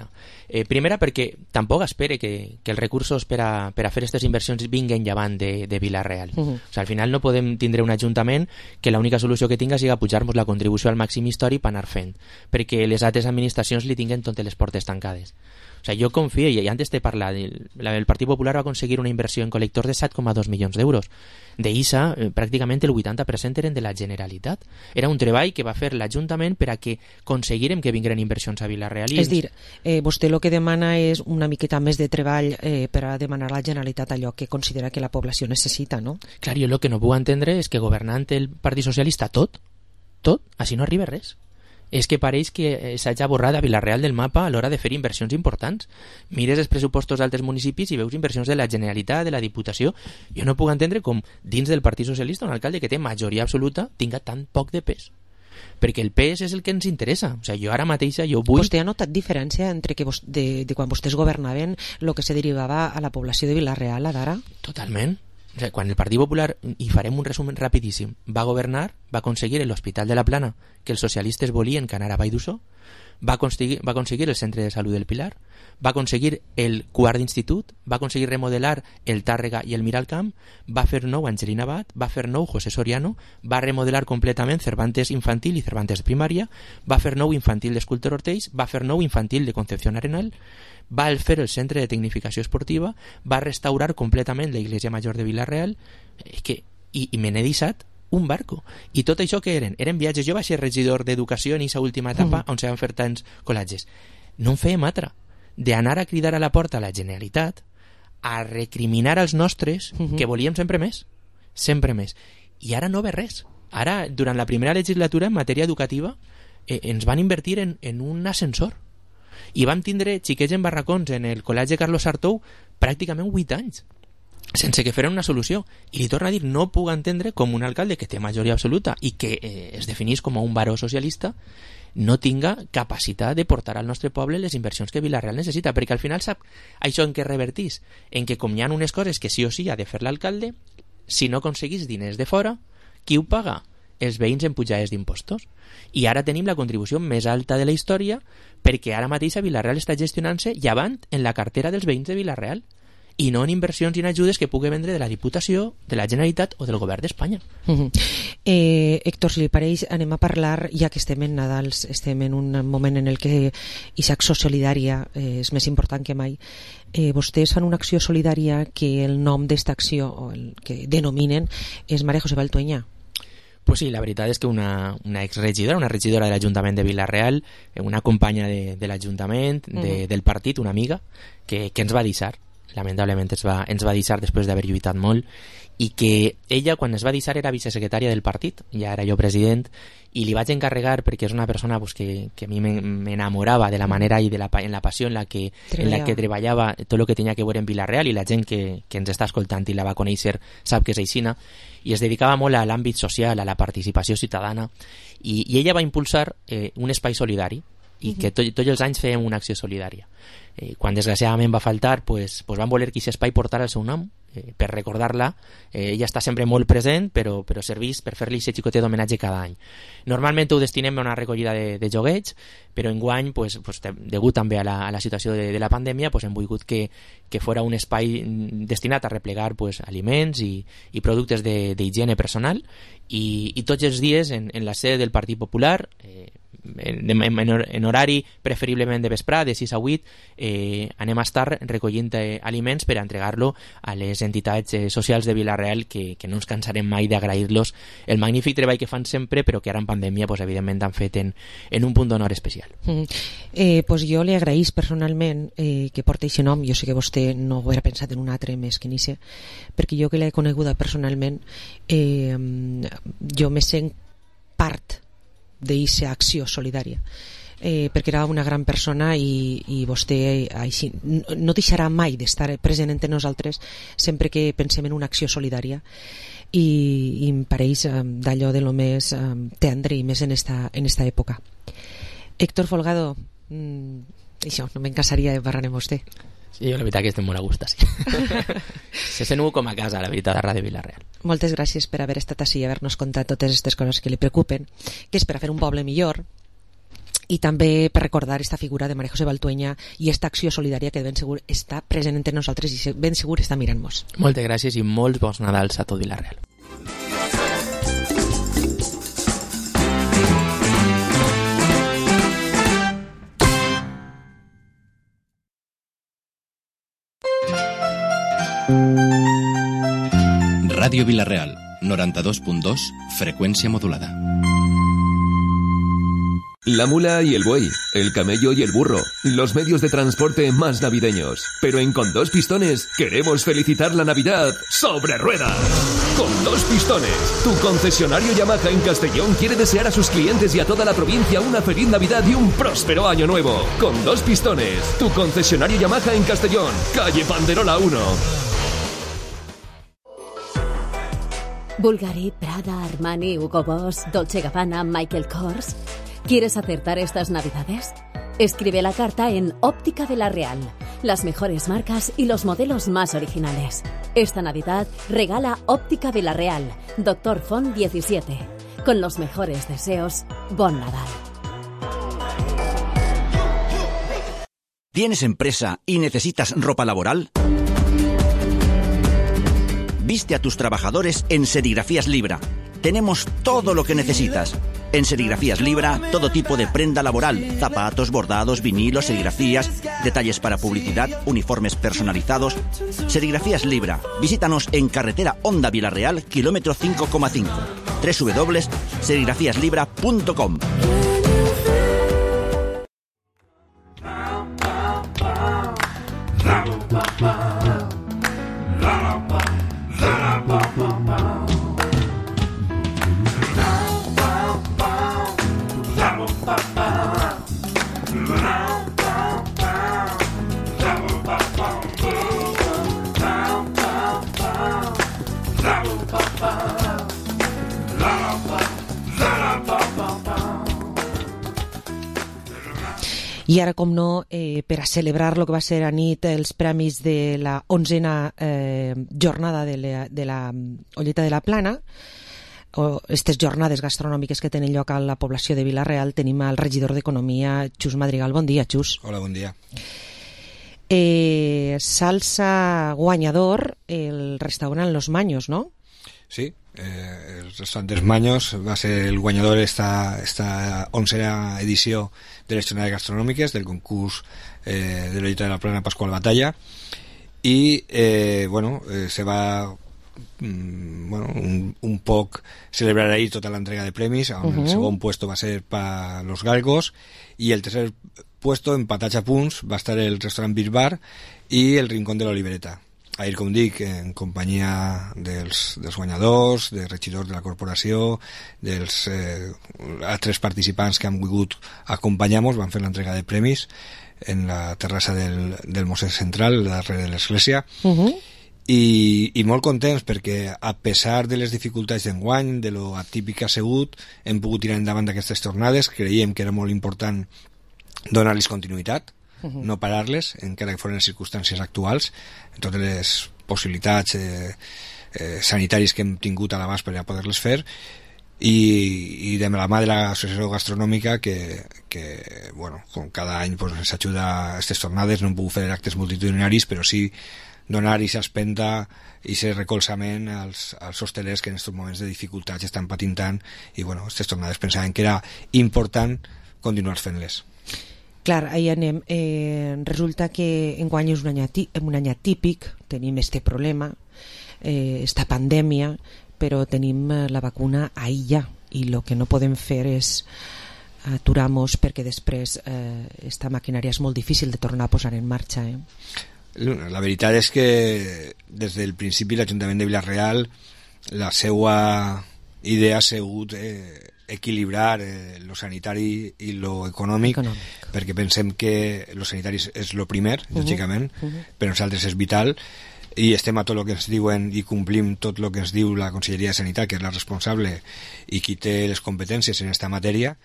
Eh, primera, perquè tampoc espere que, que els recursos per a, per a fer aquestes inversions vinguen llevant de, de Vila-real. Uh -huh. O sigui, al final no podem tindre un ajuntament que l'única solució que tinga siga pujar-nos la contribució al màxim històric per anar fent, perquè les altres administracions li tinguen totes les portes tancades. O sea, jo confio, i antes de parlar, el, el Partit Popular va aconseguir una inversió en col·lectors de set coma dos milions d'euros. D'I S A, eh, pràcticament el vuitanta per cent eren de la Generalitat. Era un treball que va fer l'Ajuntament per a que aconseguirem que vingueren inversions a Vila-real. És dir, eh, vostè el que demana és una miqueta més de treball eh, per a demanar a la Generalitat allò que considera que la població necessita, no? Clar, jo el que no puc entendre és que governant el Partit Socialista tot, tot, així no arriba res. És que pareix que s'hagi borrat a Vila-real del mapa a l'hora de fer inversions importants. Mires els pressupostos d'altres municipis i veus inversions de la Generalitat, de la Diputació. Jo no puc entendre com dins del Partit Socialista un alcalde que té majoria absoluta tinga tan poc de pes. Perquè el pes és el que ens interessa. O sigui, jo ara mateixa jo vull... Vostè ha notat diferència entre que vos, de, de quan vostès governaven el que se derivava a la població de Vila-real a d'ara? Totalment. O sigui, quan el Partit Popular, i farem un resum rapidíssim, va governar, va aconseguir l'Hospital de la Plana, que els socialistes volien que anara a Vall d'Uixó, va aconseguir, va aconseguir el Centre de Salut del Pilar, va aconseguir el quart d'institut, va aconseguir remodelar el Tàrrega i el Miralcamp, va fer nou Angelina Abad, va fer nou José Soriano, va remodelar completament Cervantes Infantil i Cervantes de Primària, va fer nou Infantil d'Escultor Ortells, va fer nou Infantil de Concepción Arenal, va fer el Centre de Tecnificació Esportiva, va restaurar completament la Iglesia Major de Vila-real, que, i, i me n'he deixat un barco. I tot això que eren? Eren viatges. Jo vaig ser regidor d'Educació en aquesta última etapa, mm. on se van fer tants col·latges. No en fèiem altra. D'anar a cridar a la porta a la Generalitat, a recriminar als nostres mm -hmm. que volíem sempre més. Sempre més. I ara no ve res. Ara, durant la primera legislatura, en matèria educativa, eh, ens van invertir en, en un ascensor. I vam tindre xiquets en barracons en el Col·legi Carlos Sartou pràcticament vuit anys, sense que feren una solució. I li torno a dir, no puc entendre com un alcalde que té majoria absoluta i que eh, es definís com un baró socialista no tinga capacitat de portar al nostre poble les inversions que Vila-real necessita, perquè al final sap això en què revertís, en que com hi ha unes coses que sí o sí ha de fer l'alcalde, si no aconseguís diners de fora, qui ho paga? Els veïns en pujades d'impostos. I ara tenim la contribució més alta de la història perquè ara mateix a Vila-real està gestionant-se llevant en la cartera dels veïns de Vila-real i no en inversions i en ajudes que pugui vendre de la Diputació, de la Generalitat o del Govern d'Espanya. Uh -huh. eh, Héctor, si li pareix, anem a parlar, ja que estem en Nadals, estem en un moment en el que aquesta acció solidària eh, és més important que mai. Eh, vostès fan una acció solidària que el nom d'esta acció, o el que denominen, és María José Valtueña. Pues sí, la veritat és que una, una exregidora, una regidora de l'Ajuntament de Vila-real, una companya de, de l'Ajuntament, de, mm. del partit, una amiga, que, que ens va deixar, lamentablement ens va, ens va deixar després d'haver lluitat molt, i que ella, quan es va deixar, era vicesecretària del partit, ja era jo president, i li vaig encarregar, perquè és una persona pues, que, que a mi m'enamorava de la manera i de la, en la passió en la que, en la que treballava tot el que tenia que veure en Vila-real, i la gent que, que ens està escoltant i la va conèixer sap que és aixina, i es dedicava molt a l'àmbit social, a la participació ciutadana, i, i ella va impulsar eh, un espai solidari, i que tot, tots els anys fèiem una acció solidària. Eh, quan desgraciadament va faltar, pues, pues van voler que aquest espai portara el seu nom, eh, per recordar-la. Eh, ella està sempre molt present, però, però serveix per fer-li aquest xicotet d'homenatge cada any. Normalment ho destinem a una recollida de, de joguets, però enguany, pues, pues, degut també a la, a la situació de, de la pandèmia, pues, hem volgut que, que fora un espai destinat a replegar pues, aliments i, i productes d'higiene personal, i, i tots els dies en, en la sede del Partit Popular, eh, En, en, en horari preferiblement de vesprà, de sis a vuit, eh, anem a estar recollint eh, aliments per a entregar-lo a les entitats eh, socials de Vila-real, que, que no ens cansarem mai d'agrair-los el magnífic treball que fan sempre, però que ara en pandèmia pues, evidentment han fet en, en un punt d'honor especial. Mm. Eh, pues jo li agraïs personalment eh, que porti aquest nom. Jo sé que vostè no ho era pensat en un altre més que nixe, perquè jo que l'he coneguda personalment, eh, jo me sent part d'aquesta acció solidària, eh, perquè era una gran persona, i, i vostè així, no, no deixarà mai d'estar present entre nosaltres sempre que pensem en una acció solidària, i, i em pareix eh, d'allò de lo més eh, tendre i més en esta, en esta època. Héctor Folgado, mm, això, no me'n cansaria de parlar amb vostè. Sí, jo la veritat que estem molt a gust, sí. Se sent com a casa, la veritat, a Ràdio Vila-real. Moltes gràcies per haver estat així i haver-nos contat totes aquestes coses que li preocupen, que és per a fer un poble millor, i també per recordar esta figura de María José Baltueña i esta acció solidària que ben segur està present entre nosaltres i ben segur està mirant-nos. Moltes gràcies i molts bons Nadals a tot Vila-real. Radio Vila-real, noventa y dos punto dos, frecuencia modulada. La mula y el buey, el camello y el burro, los medios de transporte más navideños. Pero en Con Dos Pistones queremos felicitar la Navidad sobre ruedas. Con Dos Pistones, tu concesionario Yamaha en Castellón quiere desear a sus clientes y a toda la provincia una feliz Navidad y un próspero año nuevo. Con Dos Pistones, tu concesionario Yamaha en Castellón, calle Panderola uno. Bulgari, Prada, Armani, Hugo Boss, Dolce Gabbana, Michael Kors. ¿Quieres acertar estas Navidades? Escribe la carta en Óptica de la Real. Las mejores marcas y los modelos más originales. Esta Navidad regala Óptica de la Real, Doctor Font diecisiete. Con los mejores deseos, Bon Nadal. ¿Tienes empresa y necesitas ropa laboral? Viste a tus trabajadores en Serigrafías Libra. Tenemos todo lo que necesitas. En Serigrafías Libra, todo tipo de prenda laboral, zapatos, bordados, vinilos, serigrafías, detalles para publicidad, uniformes personalizados. Serigrafías Libra. Visítanos en carretera Honda Vila-real, kilómetro cinco coma cinco. doble u doble u doble u punto serigrafías libra punto com. I ara, com no, eh, per a celebrar el que va ser a nit els premis de la onzena eh, jornada de la, de la Olleta de la Plana, o aquestes jornades gastronòmiques que tenen lloc a la població de Vila-real, tenim al regidor d'Economia, Xus Madrigal. Bon dia, Xus. Hola, bon dia. Eh, salsa guanyador el restaurant Los Maños, ¿no? Sí, eh, el restaurant dels Maños va ser el guanyador esta, esta onzena edició de les jornades gastronòmiques del concurs eh, de l'Olleta de la Plana Pascual Batalla i eh, bueno, eh, se va mm, bueno, un, un poc celebrar ahí tota l'entrega de premis, on uh-huh. El segon puesto va ser para los Galgos i el tercer puesto, empatats a punts, va estar el restaurant Beer Bar i el Rincón de l'Olivereta. Ahir, com dic, en companyia dels, dels guanyadors, dels regidors de la corporació, dels eh, altres participants que han volgut acompanyar-nos, van fer l'entrega de premis en la terrassa del, del Mosset Central, darrere de l'església, uh-huh. I, i molt contents perquè, a pesar de les dificultats d'enguany, de lo atípic que ha sigut, hem pogut tirar endavant d'aquestes tornades. Creiem que era molt important donar-los continuïtat, no parar-les, encara que foren les circumstàncies actuals, en totes les possibilitats eh, eh, sanitàries que hem tingut a l'abast per a poder-les fer, i, i de la mà de l'associació gastronòmica que, que bueno, com cada any pues, ens ajuda a aquestes tornades. No hem pogut fer actes multitudinaris, però sí donar i s'espenta i ser recolzament als, als hostelers que en aquests moments de dificultats estan patint tant, i bueno, aquestes tornades pensaven que era important continuar fent-les. Clar, ahí anem. Eh, resulta que enguany és un any, atí, un any atípic, tenim este problema, eh, esta pandèmia, però tenim la vacuna ahí ja, i el que no podem fer és aturar-nos perquè després eh, esta maquinària és molt difícil de tornar a posar en marxa. Eh? La veritat és que des del principi l'Ajuntament de Vila-real, la seva idea ha sigut eh, equilibrar eh, lo sanitari i lo econòmic, econòmic, perquè pensem que lo sanitari és lo primer, uh-huh. lògicament, uh-huh. per nosaltres és vital, i estem a tot el que ens diuen i complim tot el que ens diu la Conselleria de Sanitat, que és la responsable i qui té les competències en aquesta matèria,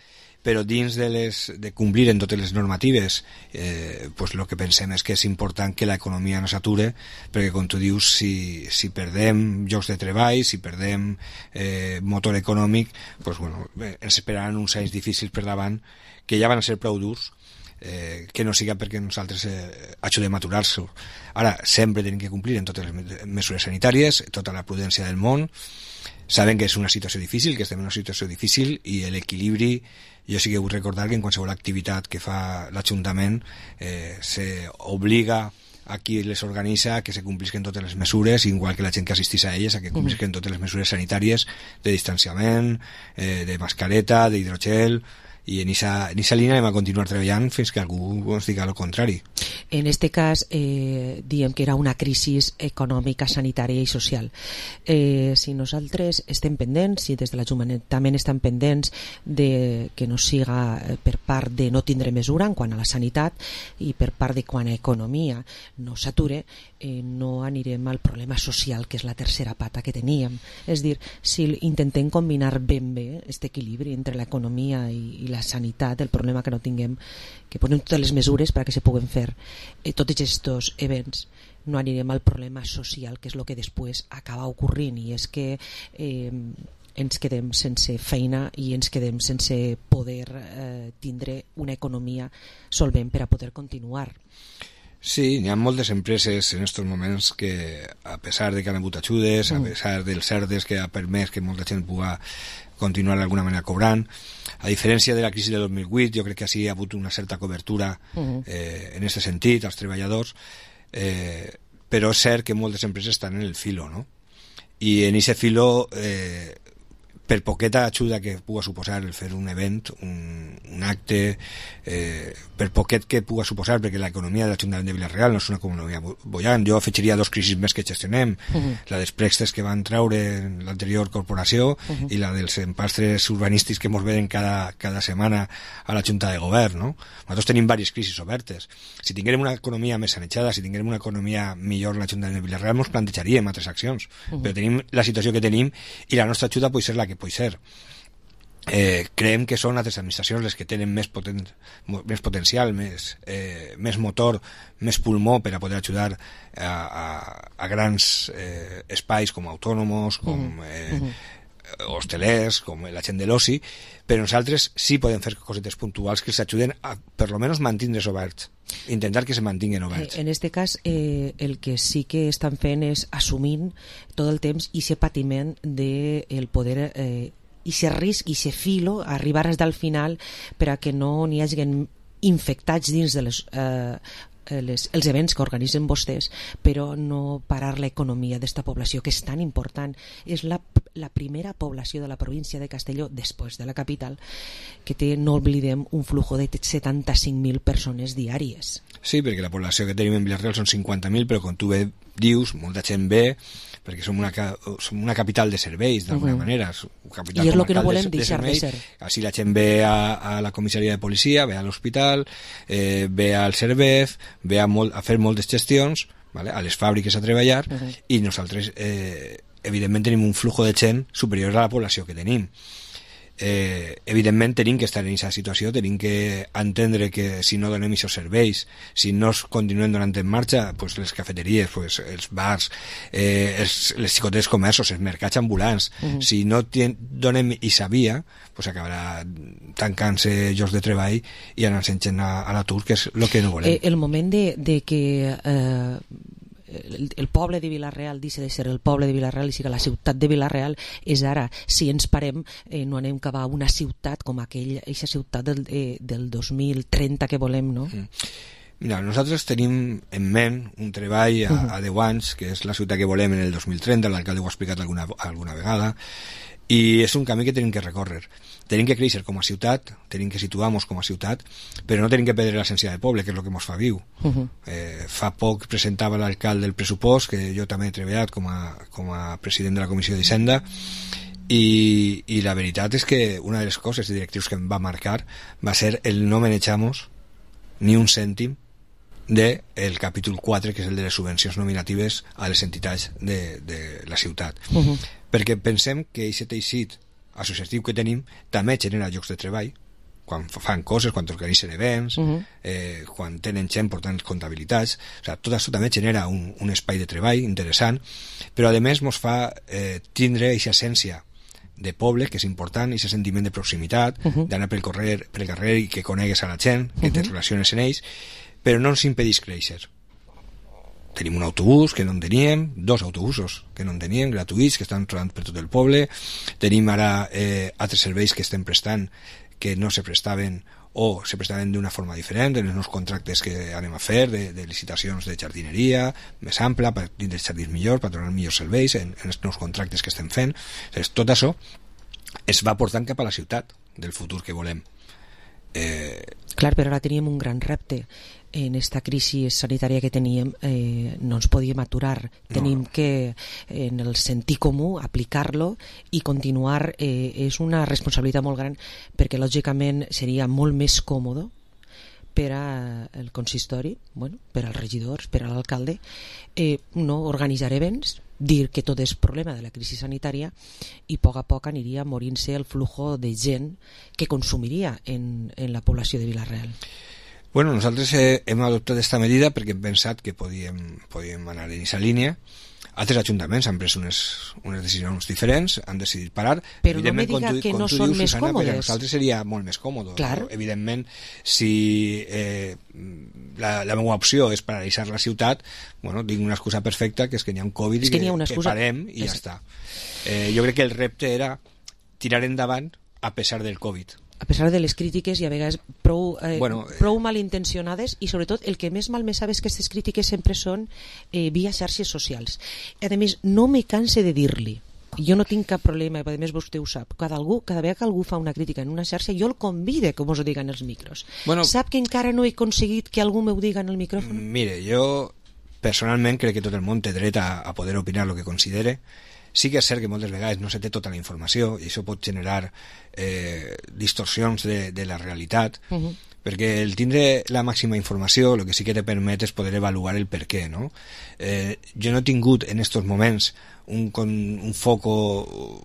però dins de, les, de complir en totes les normatives, eh, pues lo que pensem és que és important que l'economia no s'ature, perquè com tu dius, si, si perdem llocs de treball, si perdem eh, motor econòmic, pues bueno, ens esperaran uns anys difícils per davant, que ja van a ser prou durs, eh, que no siga perquè nosaltres eh, ajudem a aturar-se. Ara, sempre tenim que complir en totes les mesures sanitàries, tota la prudència del món. Saben que és una situació difícil, que estem en una situació difícil, i l'equilibri, jo sí que vull recordar que en qualsevol activitat que fa l'Ajuntament eh, s'obliga a qui les organitza a que se complisquen totes les mesures, igual que la gent que assistís a elles, a que complisquen totes les mesures sanitàries de distanciament, eh, de mascareta, d'hidrogel, i en aquesta línia hem a continuar treballant fins que algú ens diga el contrari. En este cas, eh, diem que era una crisi econòmica, sanitària i social. Eh, si nosaltres estem pendents, si des de l'Ajuntament estan pendents de que no siga per part de no tindre mesura en quant a la sanitat i per part de quan a economia no s'ature, eh, no anirem al problema social, que és la tercera pata que teníem. És dir, si intentem combinar ben bé aquest equilibri entre l'economia i, i la sanitat, el problema que no tinguem, que posem totes les mesures perquè se puguen fer eh, tots aquests events, no anirem al problema social, que és el que després acaba ocorrint, i és que eh, ens quedem sense feina i ens quedem sense poder eh, tindre una economia solvent per a poder continuar. Sí, hi ha moltes empreses en aquests moments que, a pesar de que han hagut ajudes, a pesar dels cerdes que ha permès que molta gent pugui continuar d'alguna manera cobrant, a diferència de la crisi de dos mil vuit, jo crec que sí hi ha hagut una certa cobertura eh, en aquest sentit als treballadors, eh, però és cert que moltes empreses estan en el filo, no? I en aquest filo, eh, per poqueta ajuda que pugui suposar el fer un event, un, un acte, eh, per poquet que pugui suposar, perquè l'economia de l'Ajuntament de Vila-real no és una economia bollant. Jo afegiria dos crisis més que gestionem, uh-huh. la dels préstecs que van treure en l'anterior corporació uh-huh. i la dels empastres urbanístics que ens venen cada, cada setmana a la Junta de Govern, no? Nosaltres tenim diverses crisis obertes. Si tinguérem una economia més sanejada, si tinguérem una economia millor en l'Ajuntament de Vila-real, ens plantejaríem altres accions, uh-huh. però tenim la situació que tenim i la nostra ajuda pot ser la que pot ser. Eh, creiem que són altres administracions les que tenen més, poten més potencial, més, eh, més motor, més pulmó per a poder ajudar a, a, a grans eh, espais com autònomos, com eh, uh-huh. hostelers, com la gent de l'oci, però nosaltres sí podem fer cosetes puntuals que s'ajuden a, per lo menos, mantindre's oberts, intentar que se mantinguen oberts. En este cas, eh, el que sí que estan fent és assumint tot el temps i aquest patiment de el poder eh, i ser risc i ser filo, arribar fins al final per a que no n'hi hagin infectats dins de les, eh, les, els events que organitzen vostès, però no parar l'economia d'esta població, que és tan important. És la, la primera població de la província de Castelló, després de la capital, que té, no oblidem, un flujo de setanta-cinc mil persones diàries. Sí, perquè la població que tenim en Vila-real són cinquanta mil, però com tu bé dius, molta gent ve perquè som una, som una capital de serveis, d'alguna uh-huh. manera. I és el que no volem de, deixar de, de ser. Així la gent ve a, a la comissaria de policia, ve a l'hospital, eh, ve al Cervez, ve a, molt, a fer moltes gestions, vale? A les fàbriques a treballar, uh-huh. i nosaltres, eh, evidentment, tenim un flujo de gent superior a la població que tenim. Eh, evidentment tenim que estar en aquesta situació, tenim que entendre que si no donem aquests serveis, si no es continuem donant en marxa, pues les cafeteries, pues els bars, eh, els, les xicotetes comerços, els mercats ambulants, uh-huh. si no tien, donem aquesta via, pues acabarà tancant-se llocs de treball i anant-se gent a, a l'atur, que és el que no volem. Eh, el moment de, de que eh, El, el poble de Vila-real deixa de ser el poble de Vila-real i siga la ciutat de Vila-real és ara. Si ens parem, eh, no anem cap a una ciutat com aquella, aquesta ciutat del, eh, del dos mil trenta que volem, no? Mm. Mira, nosaltres tenim en ment un treball a, uh-huh. a deu anys, que és la ciutat que volem en el dos mil trenta, l'alcalde ho ha explicat alguna, alguna vegada, i és un camí que tenim que recórrer. Tenim que créixer com a ciutat, tenim que situar-nos com a ciutat, però no tenim que perdre l'essència de poble, que és el que ens fa viu. Uh-huh. eh, fa poc presentava l'alcalde el pressupost, que jo també he treballat com a, com a president de la Comissió d'Hisenda, i, i la veritat és que una de les coses i directius que em va marcar va ser el no manejamos ni un cèntim del de capítol quatre, que és el de les subvencions nominatives a les entitats de, de la ciutat. Uh-huh. Perquè pensem que aquest teixit associatiu que tenim també genera llocs de treball, quan fan coses, quan organitzen events, Mhm. eh, quan tenen gent portant comptabilitats, o sigui, tot això també genera un, un espai de treball interessant, però a més ens fa eh, tindre aquesta essència de poble, que és important, i aquest sentiment de proximitat, Mhm. d'anar pel carrer, pel carrer i que conegues a la gent, que te Mhm. relaciones en ells, però no ens impedeix créixer. Tenim un autobús que no en teníem, dos autobusos que no en teníem, gratuïts, que estan rodant per tot el poble. Tenim ara eh, altres serveis que estem prestant que no se prestaven o se prestaven d'una forma diferent en els nous contractes que anem a fer de, de licitacions de jardineria més ampla, per dins dels jardins millor, per donar millors serveis en, en els nous contractes que estem fent. Entonces, tot això es va portant cap a la ciutat del futur que volem. Eh, Clar, però ara teníem un gran repte. En esta crisi sanitària que teníem eh, no ens podíem aturar. Tenim no. que, en el sentit comú, aplicar-lo i continuar. Eh, és una responsabilitat molt gran, perquè lògicament seria molt més còmode per al consistori, bueno, per als regidors, per a l'alcalde, eh, no organitzar events, dir que tot és problema de la crisi sanitària, i a poc a poc aniria morint-se el flujo de gent que consumiria en, en la població de Vila-real. Bueno, nosaltres eh, hem adoptat aquesta medida perquè hem pensat que podíem, podíem anar en aquesta línia. Altres ajuntaments han pres unes, unes decisions diferents, han decidit parar. Però no me diga tu, que no tu són dius, més Susana, còmodes. Per a nosaltres seria molt més còmode. Clar. No? Evidentment, si eh, la, la meva opció és paralitzar la ciutat, bueno, tinc una excusa perfecta, que és que n'hi ha un Covid és i que, que, una que excusa... parem i és... ja està. Eh, jo crec que el repte era tirar endavant a pesar del Covid. A pesar de les crítiques i a vegades prou, eh, Bueno, prou malintencionades, i sobretot el que més mal me sabe és que aquestes crítiques sempre són eh, via xarxes socials. A més, no me canse de dir-li, jo no tinc cap problema, a més vostè ho sap, cada, algú, cada vegada que algú fa una crítica en una xarxa jo el convide que mos ho diguen els micros. Bueno, sap que encara no he aconseguit que algú m'ho diga en el micròfon? Mire, jo personalment crec que tot el món té dret a, a poder opinar el que considere. Sí que és cert que moltes vegades no se té tota la informació i això pot generar eh, distorsions de, de la realitat, Uh-huh. perquè el tindre la màxima informació el que sí que te permet és poder avaluar el per què, no? Eh, jo no he tingut en estos moments un, con, un foco,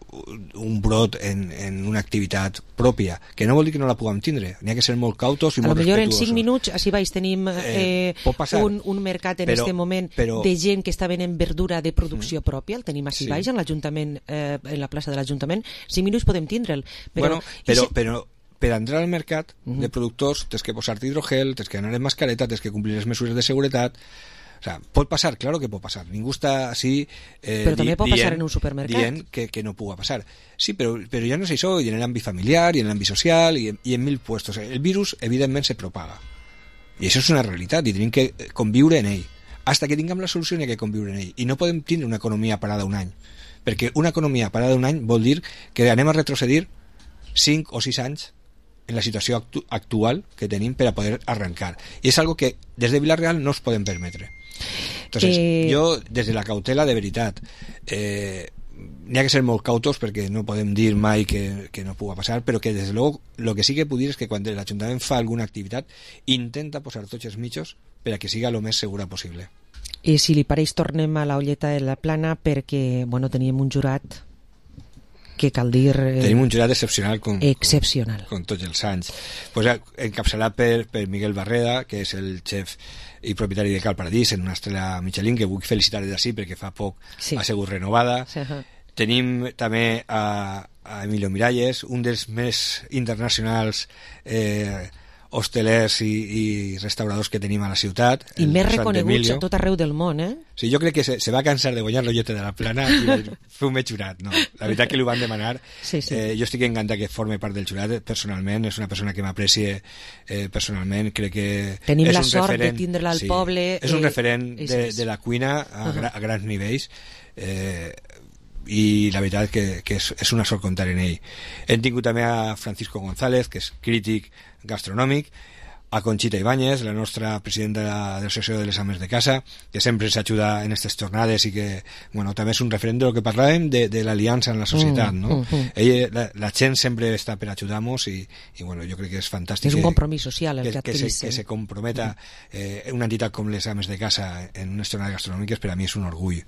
un brot en, en una activitat pròpia, que no vol dir que no la puguem tindre, n'hi ha que ser molt cautos i a lo molt millor en respetuosos. cinc minuts així baix tenim eh, Eh, un, un mercat en però- este moment però- de gent que està venent verdura de producció Mm. pròpia, el tenim així Sí. baix en l'Ajuntament, eh, en la plaça de l'Ajuntament, cinc minuts podem tindre'l, però, Bueno, però, i si- però per entrar al mercat Mhm. de productors tens que posar-te hidrogel, tens que anar en mascareta, tens que complir les mesures de seguretat. O sea, pot passar, claro que pot passar. Ningú està així eh, Però també pot dient, passar en un supermercat. dient que, que no puga passar. Sí, però, però ja no és això, i en l'àmbit familiar, i en l'àmbit social, i en, i en mil puestos. El virus, evidentment, se propaga. I això és una realitat, i tenim que conviure en ell. Hasta que tinguem la solució n'hi ha que conviure en ell. I no podem tindre una economia parada un any. Perquè una economia parada un any vol dir que anem a retrocedir cinc o sis anys en la situació actu actual que tenim per a poder arrencar. I és algo que des de Vila-real no es podem permetre. Entonces, Eh... jo, des de la cautela, de veritat, eh, n'hi ha que ser molt cautos perquè no podem dir mai que, que no puga passar, però que, des de luego, lo que sí que puc dir és que quan l'Ajuntament fa alguna activitat, intenta posar tots els mitjos per a que siga el més segura possible. I si li pareix tornem a la olleta de la plana, perquè bueno, teníem un jurat que cal dir... Eh, Tenim un jurat excepcional com, excepcional. com, com tots els anys. Pues, encapçalat per, per Miguel Barreda, que és el xef i propietari de Cal Paradís, en una estrella Michelin, que vull felicitar des d'ací perquè fa poc Sí. ha sigut renovada. Sí. Tenim també a, a Emilio Miralles, un dels més internacionals eh, hostelers i, i restauradors que tenim a la ciutat. I el més Sant reconeguts Emilio. a tot arreu del món, eh? Sí, jo crec que se, se va cansar de guanyar l'olleta de la plana i va dir, feu-me jurat. No, la veritat que li ho van demanar. Sí, sí. Eh, jo estic encantat que forme part del jurat personalment, és una persona que m'aprecie eh, personalment, crec que Tenim és la un sort referent, de tindre-la al poble, és un eh, referent és- de, és- de la cuina a, Uh-huh. gra, a grans nivells, eh, i la veritat que, que és, és una sort comptar en ell. Hem tingut també a Francisco González, que és crític gastronòmic, a Conxita Ibáñez, la nostra presidenta de la- de l'Associació de les Ames de Casa, que sempre ens ajuda en aquestes jornades i que, bueno, també és un referent de lo que parlàvem de, de l'aliança en la societat, Mm, no? mm, mm. Ella, la, la gent sempre està per ajudar-nos i, i, bueno, jo crec que és fantàstic. És un que- compromís social el que que, se, adquirís, que eh? se comprometa eh, una entitat com les Ames de Casa en unes jornades gastronòmiques, per a mi és un orgull.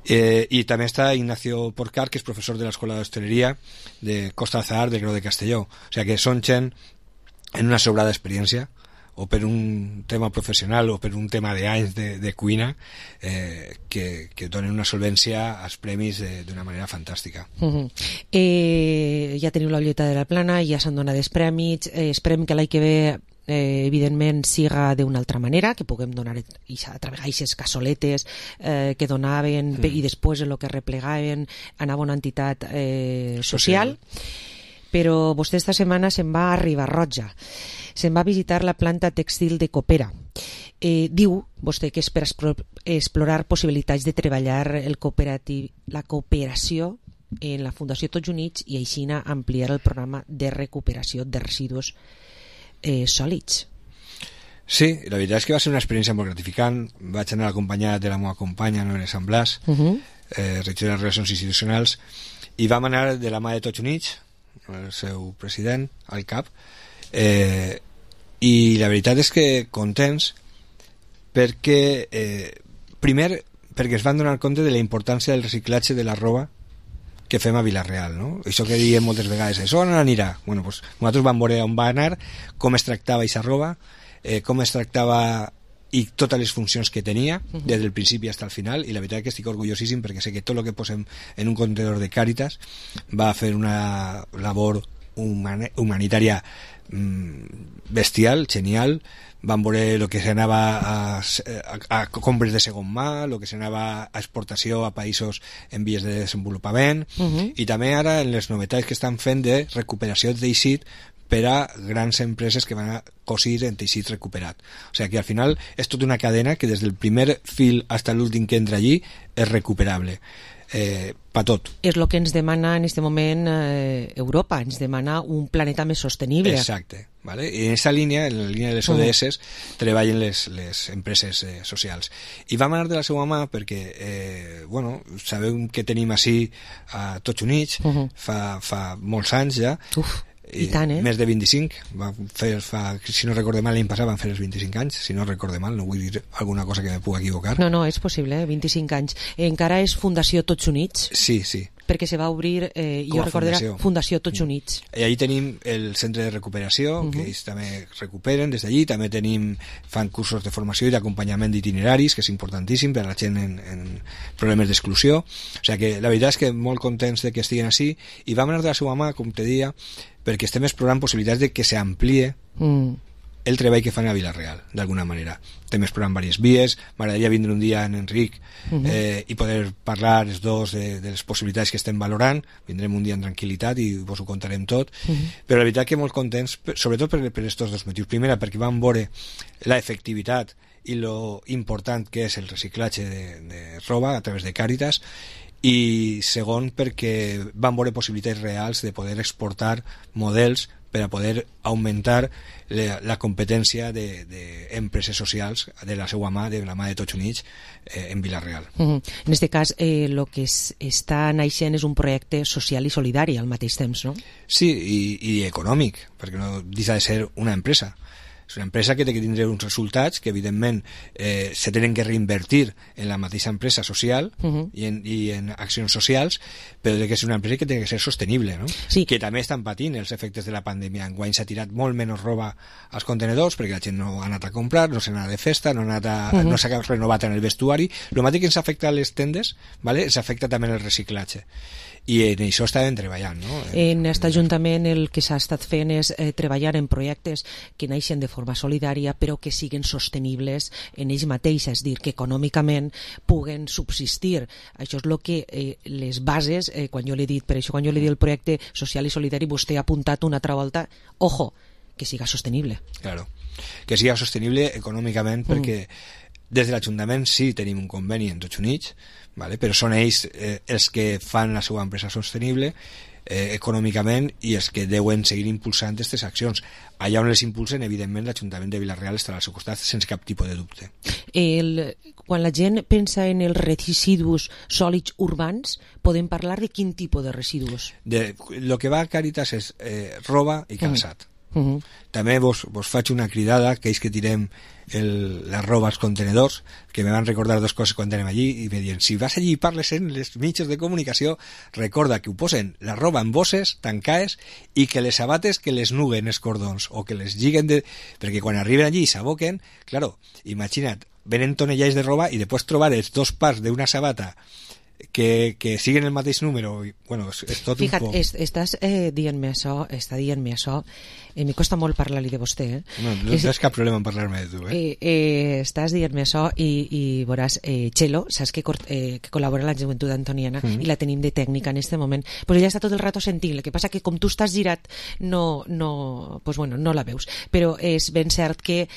Eh, I també està Ignacio Porcar, que és professor de l'Escola d'Hostaleria de Costa Azahar del Grau de Castelló. O sigui que són gent en una sobrada experiència, o per un tema professional o per un tema d'anys de, de cuina, eh, que, que donen una solvència als premis d'una manera fantàstica. Uh -huh. eh, ja teniu la Ulleta de la Plana, ja s'han donat els premis, eh, esperem que l'any que ve eh, evidentment siga d'una altra manera, que puguem donar a través d'aquestes cassoletes eh, que donaven mm. i després el que replegaven anava a una entitat eh, social. social. Però vostè esta setmana se'n va a Riba-roja, se'n va a visitar la planta tèxtil de Coopera. Eh, diu vostè que és per explorar possibilitats de treballar el cooperatiu, la cooperació en la Fundació Tots Units i així ampliar el programa de recuperació de residus eh, sòlids. Sí, la veritat és que va ser una experiència molt gratificant. Vaig anar acompanyat de la meva companya Noelia Sant Blas, uh -huh. eh, regidora de Relacions Institucionals, i vam anar de la mà de Tots Units, el seu president, al cap, eh, i la veritat és que contents perquè eh, primer perquè es van donar compte de la importància del reciclatge de la roba que fem a Vila-real, no? Això que diem moltes vegades, això on anirà? Bueno, pues, nosaltres vam veure on va anar, com es tractava aquesta roba, eh, com es tractava i totes les funcions que tenia des del principi fins al final, i la veritat que estic orgullosíssim perquè sé que tot el que posem en un contenedor de Càritas va fer una labor human humanitària mmm, bestial, genial. Vam veure el que s'anava a, a, a compres de segon mà, el que s'anava a exportació a països en vies de desenvolupament, uh -huh. i també ara en les novetats que estan fent de recuperació de teixit per a grans empreses que van a cosir en teixit recuperat. O sigui que al final és tota una cadena que des del primer fil fins a l'últim que entra allí és recuperable. Eh, pa tot. És el que ens demana en aquest moment eh, Europa, ens demana un planeta més sostenible. Exacte. ¿Vale? I en aquesta línia, en la línia de les O D S, uh. treballen les, les empreses eh, socials. I vam anar de la seva mà perquè, eh, bueno, sabeu que tenim així a Tots Units, uh -huh. fa, fa molts anys ja, Uf. I tant, eh? Més de vint-i-cinc. Va fer, fa, si no recorde mal, l'any passat van fer els vint-i-cinc anys. Si no recorde mal, no vull dir alguna cosa que me pugui equivocar. No, no, és possible, eh? vint-i-cinc anys. Encara és Fundació Tots Units? Sí, sí. Perquè se va obrir, eh, jo recordo, Fundació. Fundació Tots Units. I allí tenim el centre de recuperació, uh-huh. que ells també recuperen des d'allí. També tenim, fan cursos de formació i d'acompanyament d'itineraris, que és importantíssim per a la gent en, en problemes d'exclusió. O sigui que la veritat és que molt contents de que estiguin així, i vam anar de la seva mà, com te deia, perquè estem explorant possibilitats de que s'amplie mm. el treball que fan a Vila-real, d'alguna manera. Estem explorant diverses vies. M'agradaria vindre un dia en Enric mm-hmm. eh, i poder parlar els dos de, de les possibilitats que estem valorant. Vindrem un dia en tranquil·litat i vos ho contarem tot. Mm-hmm. Però la veritat que molt contents, sobretot per, per estos dos motius. Primera, perquè vam veure la efectivitat i lo important que és el reciclatge de, de roba a través de Càritas, i segon perquè van veure possibilitats reals de poder exportar models per a poder augmentar la, la competència d'empreses de socials de la seva mà, de la mà de Tots Units, eh, en Vila-real. Uh -huh. En aquest cas, eh, lo que es, està naixent és un projecte social i solidari al mateix temps, no? Sí, i, i econòmic, perquè no deixa de ser una empresa. És una empresa que té que tindre uns resultats que evidentment eh, se tenen que reinvertir en la mateixa empresa social uh -huh. i, en, i en accions socials, però que és una empresa que té que ser sostenible, no? Sí. Que també estan patint els efectes de la pandèmia. Enguany s'ha tirat molt menys roba als contenedors perquè la gent no ha anat a comprar, no s'ha anat de festa, no, ha anat a, uh -huh. no s'ha renovat en el vestuari. El mateix que ens afecta a les tendes, ¿vale? Ens afecta també en el reciclatge. I en això estàvem treballant, no? En aquest Ajuntament el que s'ha estat fent és eh, treballar en projectes que naixen de forma solidària però que siguin sostenibles en ells mateixos, és dir, que econòmicament puguen subsistir. Això és el que eh, les bases, eh, quan jo l'he dit, per això quan jo l'he dit el projecte social i solidari, vostè ha apuntat una altra volta, ojo, que siga sostenible. Claro, que siga sostenible econòmicament, mm. perquè des de l'Ajuntament sí tenim un conveni en Tots Units, vale? Però són ells eh, els que fan la seva empresa sostenible eh, econòmicament i els que deuen seguir impulsant aquestes accions. Allà on les impulsen, evidentment, l'Ajuntament de Vila-real estarà al seu costat sense cap tipus de dubte. El, quan la gent pensa en els residus sòlids urbans, podem parlar de quin tipus de residus? De, lo que va a Càritas és eh, roba i calçat. Mm. Uh-huh. També vos, vos faig una cridada, que és que tirem el, la roba als contenedors, que me van recordar dos coses quan anem allí, i me diuen, si vas allí i parles en les mitjans de comunicació, recorda que ho posen la roba en bosses, tancades, i que les sabates que les nuguen els cordons, o que les lliguen de... perquè quan arriben allí i s'aboquen, claro, imagina't, venen tonellais de roba i després trobar els dos pars d'una sabata que, que siguen el mateix número i, bueno, és, és tot Fija't, un poc... es, estàs eh, dient-me això, està dient-me això, eh, me costa molt parlar-li de vostè, eh? No, no és, tens cap problema en parlar-me de tu, eh? eh, eh estàs dient-me això i, i veuràs, eh, Txelo, saps que, eh, que col·labora a la Joventut Antoniana mm. i la tenim de tècnica en este moment, pues ella està tot el rato sentint, el que passa que com tu estàs girat no, no, pues bueno, no la veus, però és ben cert que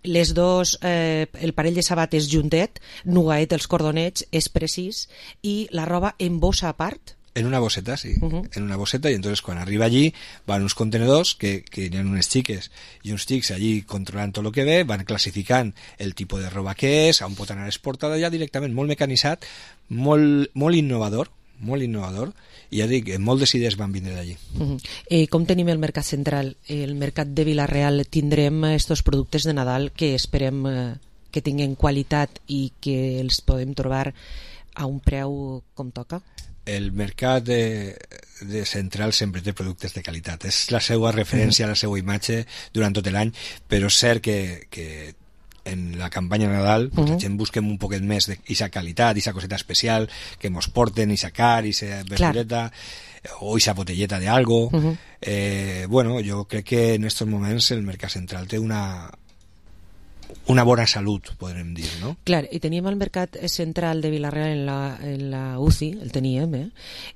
les dos, eh, el parell de sabates juntet, nugaet els cordonets, és precís, i la roba en bossa a part. En una bosseta, sí, uh -huh. en una bosseta, i entonces quan arriba allí van uns contenedors que, que hi ha unes xiques i uns xics allí controlant tot el que ve, van classificant el tipus de roba que és, on pot anar exportada ja directament, molt mecanitzat, molt, molt innovador, molt innovador, i ja dic, moltes idees van vindre d'allí. Uh -huh. eh, com tenim el mercat central? El mercat de Vila-real tindrem estos productes de Nadal que esperem eh, que tinguin qualitat i que els podem trobar a un preu com toca? El mercat de, de central sempre té productes de qualitat, és la seva referència, uh -huh. la seva imatge durant tot l'any, però és cert que, que en la campanya Nadal pues, uh -huh. la gent busquem un poquet més d'isa qualitat, d'isa coseta especial que mos porten, isa car, isa verdureta o isa botelleta de algo. Uh -huh. eh, bueno, jo crec que en estos moments el mercat central té una una bona salut, podrem dir, no? Clar, i teníem el mercat central de Vila-real en la, en la U C I, el teníem, eh?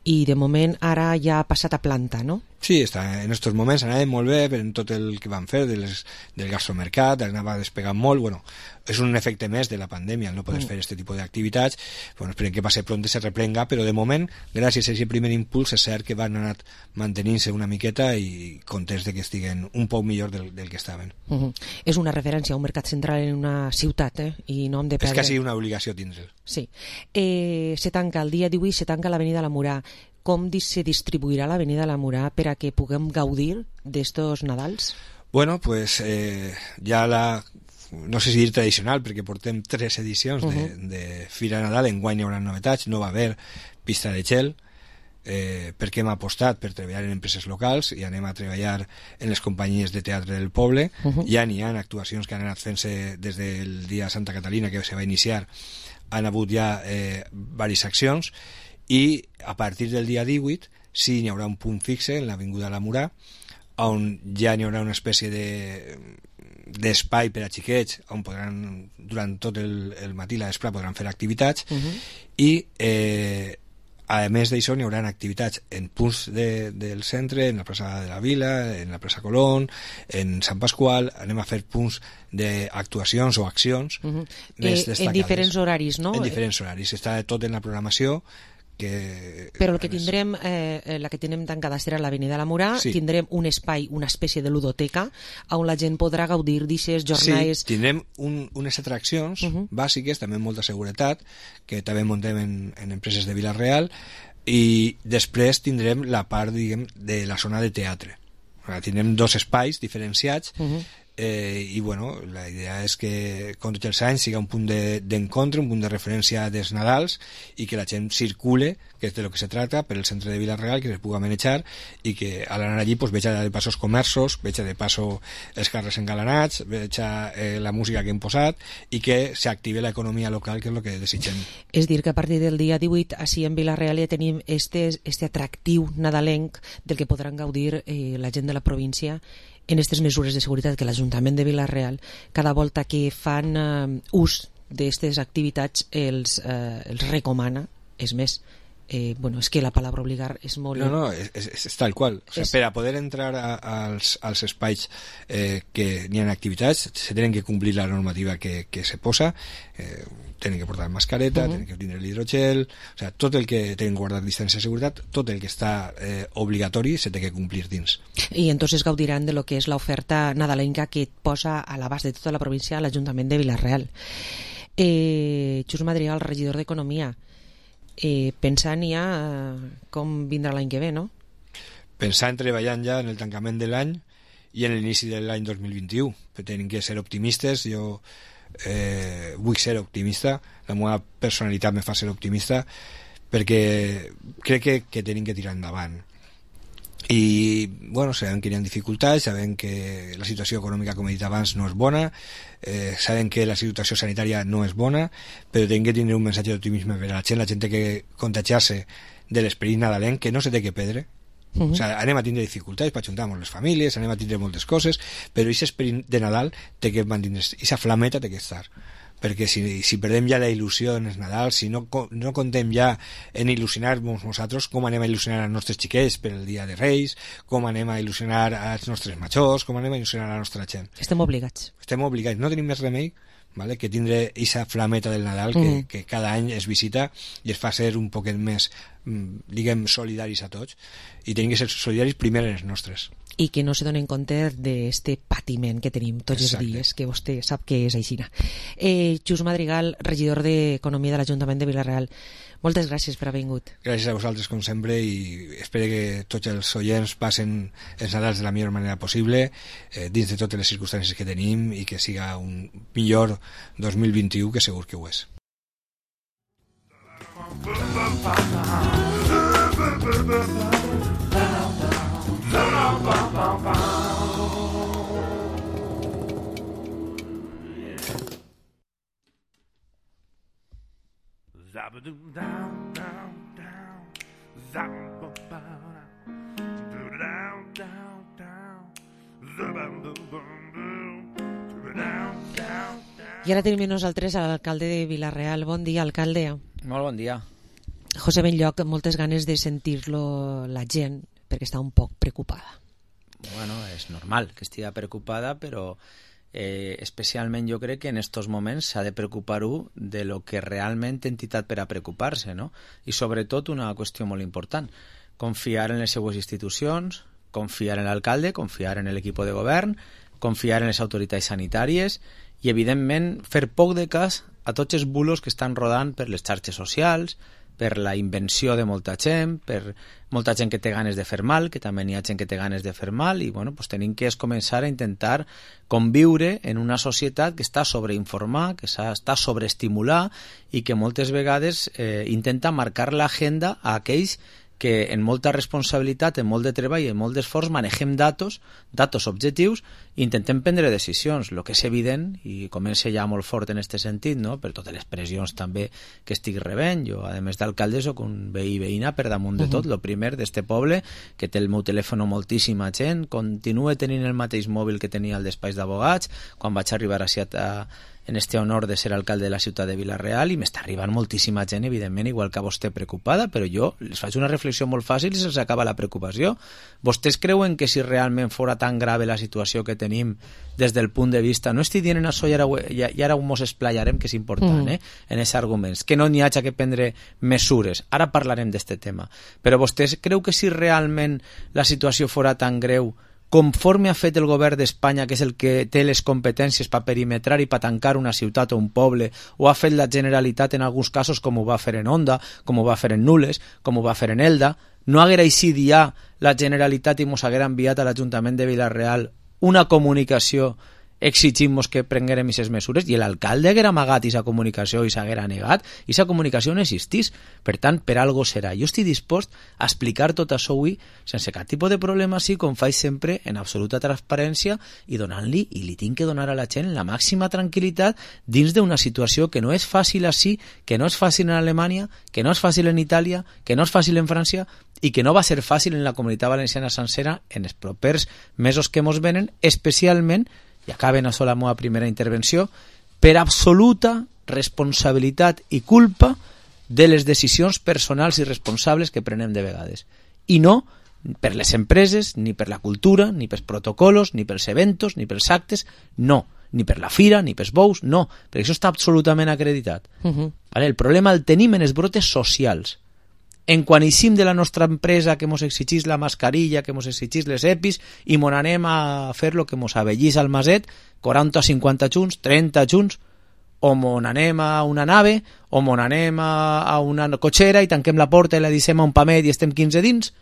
I de moment ara ja ha passat a planta, no? Sí, està, en aquests moments anàvem molt bé en tot el que van fer de les, del gastromercat, anava despegant molt, bueno, és un efecte més de la pandèmia, no podes mm. fer aquest tipus d'activitats, bueno, esperem que passi pront i se replenga, però de moment, gràcies a aquest primer impuls, és cert que van anar mantenint-se una miqueta i contents de que estiguen un poc millor del, del que estaven. Uh -huh. És una referència a un mercat central en una ciutat, eh? I no hem de perdre... És quasi una obligació tindre'l. Sí. Eh, se tanca, el dia divuit se tanca l'Avenida La Murà. Com se distribuirà l'Avenida La Murà per a que puguem gaudir d'estos Nadals? Bueno, pues eh, ja la... no sé si dir tradicional, perquè portem tres edicions uh -huh. de, de Fira Nadal, enguany hi haurà novetats, no va haver pista de gel, eh, perquè hem apostat per treballar en empreses locals i anem a treballar en les companyies de teatre del poble. Uh -huh. Ja n'hi ha actuacions que han anat fent-se des del dia Santa Catalina, que se va iniciar, han hagut ja eh, diverses accions, i a partir del dia divuit sí n'hi haurà un punt fixe en l'Avinguda La Murà, on ja n'hi haurà una espècie de d'espai per a xiquets on podran, durant tot el, el matí i la vespre podran fer activitats. Uh -huh. I eh, a més d'això n'hi haurà activitats en punts de, del centre, en la plaça de la Vila, en la plaça Colón, en Sant Pasqual, anem a fer punts d'actuacions o accions uh -huh. més eh, en diferents horaris, no? En diferents horaris, està tot en la programació. Que, però el que tindrem eh, la que tenim tancada serà l'Avenida La Murà, sí. Tindrem un espai, una espècie de ludoteca on la gent podrà gaudir d'aquestes jornades. Sí, tindrem un, unes atraccions uh -huh. bàsiques, també amb molta seguretat, que també muntem en, en empreses de Vila-real, i després tindrem la part, diguem, de la zona de teatre. Tindrem dos espais diferenciats. uh -huh. Eh, i bueno, la idea és que com tots els anys siga un punt d'encontre, de, un punt de referència dels Nadals, i que la gent circule, que és de lo que se trata, per el centre de Vila-real, que es pugui manejar, i que al anar allí pues, veja de passo els comerços, veja de passo els carrers engalanats, veja eh, la música que hem posat, i que s'active l'economia local, que és el que desitgem. És dir, que a partir del dia divuit així en Vila-real ja tenim este, este atractiu nadalenc del que podran gaudir eh, la gent de la província en aquestes mesures de seguretat que l'Ajuntament de Vila-real cada volta que fan eh, ús d'aquestes activitats els, eh, els recomana. És més, eh, bueno, és que la paraula obligar és molt... No, no, és, és, és tal qual. O sea, és... Per a poder entrar a, als, als espais eh, que n'hi ha activitats se tenen que complir la normativa que, que se posa, eh, tenen que portar mascareta, uh-huh. tenen que tindre l'hidrogel, o sea, tot el que tenen que guardar distància de seguretat, tot el que està eh, obligatori se té que complir dins. I entonces gaudiran de lo que és l'oferta nadalenca que posa a l'abast de tota la província l'Ajuntament de Vila-real. Eh, Xus Madrigal, regidor d'Economia, eh, pensant ja eh, com vindrà l'any que ve, no? Pensant, treballant ja en el tancament de l'any i en l'inici de l'any dos mil vint-i-u. Tenim que ser optimistes, jo eh, vull ser optimista, la meva personalitat me fa ser optimista, perquè crec que, que tenim que tirar endavant. I, bueno, sabem que hi ha dificultats, sabem que la situació econòmica, com he dit abans, no és bona, eh, sabem que la situació sanitària no és bona, però tenim que tenir un missatge d'optimisme per a la gent, la gent té que contagiar-se de l'esperit nadalenc, que no se té que perdre. Uh-huh. O sigui, anem a tindre dificultats per ajuntar amb les famílies, anem a tindre moltes coses, però aquest esperit de Nadal té que mantenir, aquesta flameta té que estar, perquè si, si perdem ja la il·lusió en els Nadal, si no, no contem ja en il·lusionar-nos nosaltres, com anem a il·lusionar els nostres xiquets per el dia de Reis, com anem a il·lusionar els nostres majors, com anem a il·lusionar la nostra gent. Estem obligats. Estem obligats, no tenim més remei, vale? Que tindre aquesta flameta del Nadal que, mm. que cada any es visita i es fa ser un poquet més, diguem, solidaris a tots, i tenim que ser solidaris primer en els nostres. I que no se donen compte d'este patiment que tenim tots Exacte. Els dies, que vostè sap que és així. Eh, Xus Madrigal, regidor d'Economia de l'Ajuntament de Vila-real, moltes gràcies per haver vingut. Gràcies a vosaltres, com sempre, i espero que tots els oients passen els Nadals de la millor manera possible, eh, dins de totes les circumstàncies que tenim, i que siga un millor dos mil vint-i-u, que segur que ho és. I ara tenim nosaltres a l'alcalde de Vila-real. Bon dia, alcalde. Molt bon dia. José Benlloc, moltes ganes de sentir-lo la gent, perquè està un poc preocupada. Bueno, és normal que estigui preocupada, però eh, especialment jo crec que en estos moments s'ha de preocupar-ho de lo que realment té entitat per a preocupar-se, no? I sobretot una qüestió molt important, confiar en les seues institucions, confiar en l'alcalde, confiar en l'equip de govern, confiar en les autoritats sanitàries i, evidentment, fer poc de cas a tots els bulos que estan rodant per les xarxes socials, per la invenció de molta gent, per molta gent que té ganes de fer mal, que també n'hi ha gent que té ganes de fer mal, i bueno, pues tenim que començar a intentar conviure en una societat que està sobreinformada, que està sobreestimular i que moltes vegades eh, intenta marcar l'agenda a aquells que en molta responsabilitat, en molt de treball i en molt d'esforç manegem datos, datos objectius, i intentem prendre decisions. El que és evident, i comença ja molt fort en aquest sentit, no? Per totes les pressions també que estic rebent, jo a més d'alcalde soc un veí i veïna per damunt de tot, el primer d'este poble, que té el meu telèfon moltíssima gent, continue tenint el mateix mòbil que tenia al despatx d'abogats, quan vaig arribar a, a en este honor de ser alcalde de la ciutat de Vila-real, i m'està arribant moltíssima gent, evidentment, igual que vostè preocupada, però jo les faig una reflexió molt fàcil i se'ls acaba la preocupació. Vostès creuen que si realment fora tan grave la situació que tenim des del punt de vista, no estic dient en això i ara, i ara mos esplayarem, que és important, mm. eh, en aquests arguments, que no n'hi hagi que prendre mesures, ara parlarem d'este tema, però vostès creu que si realment la situació fora tan greu conforme ha fet el govern d'Espanya, que és el que té les competències per perimetrar i per tancar una ciutat o un poble, o ha fet la Generalitat en alguns casos, com ho va fer en Onda, com ho va fer en Nules, com ho va fer en Elda, no haguera així ja la Generalitat i mos haguera enviat a l'Ajuntament de Vila-real una comunicació exigim-nos que prenguérem aquestes mesures, i l'alcalde haguera amagat aquesta comunicació i s'haguera negat, i aquesta comunicació no existís. Per tant, per algo serà. Jo estic dispost a explicar tot això avui sense cap tipus de problema, sí, com faig sempre, en absoluta transparència, i donant-li, i li tinc que donar a la gent la màxima tranquil·litat dins d'una situació que no és fàcil així, que no és fàcil en Alemanya, que no és fàcil en Itàlia, que no és fàcil en França, i que no va ser fàcil en la Comunitat Valenciana sencera en els propers mesos que mos venen, especialment, i acaben a la meva primera intervenció, per absoluta responsabilitat i culpa de les decisions personals i responsables que prenem de vegades. I no per les empreses, ni per la cultura, ni pels protocolos, ni pels eventos, ni pels actes, no. Ni per la fira, ni pels bous, no. Perquè això està absolutament acreditat. Uh-huh. Vale? El problema el tenim en els brotes socials. En quan eixim de la nostra empresa que mos exigís la mascarilla, que mos exigís les EPIs, i mos anem a fer lo que mos avellís al maset, quaranta o cinquanta junts, trenta junts, o mos anem a una nave, o mos anem a, a una cotxera i tanquem la porta i la deixem a un pamet i estem quinze dins,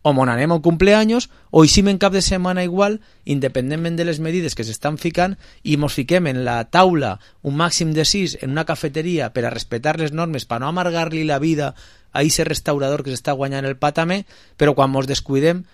o mon anem a un cumpleaños, o hicim en cap de setmana igual, independentment de les medides que s'estan ficant, i mos fiquem en la taula un màxim de sis en una cafeteria per a respetar les normes, per no amargar-li la vida a ese restaurador que s'està guanyant el pa també, però quan mos descuidem,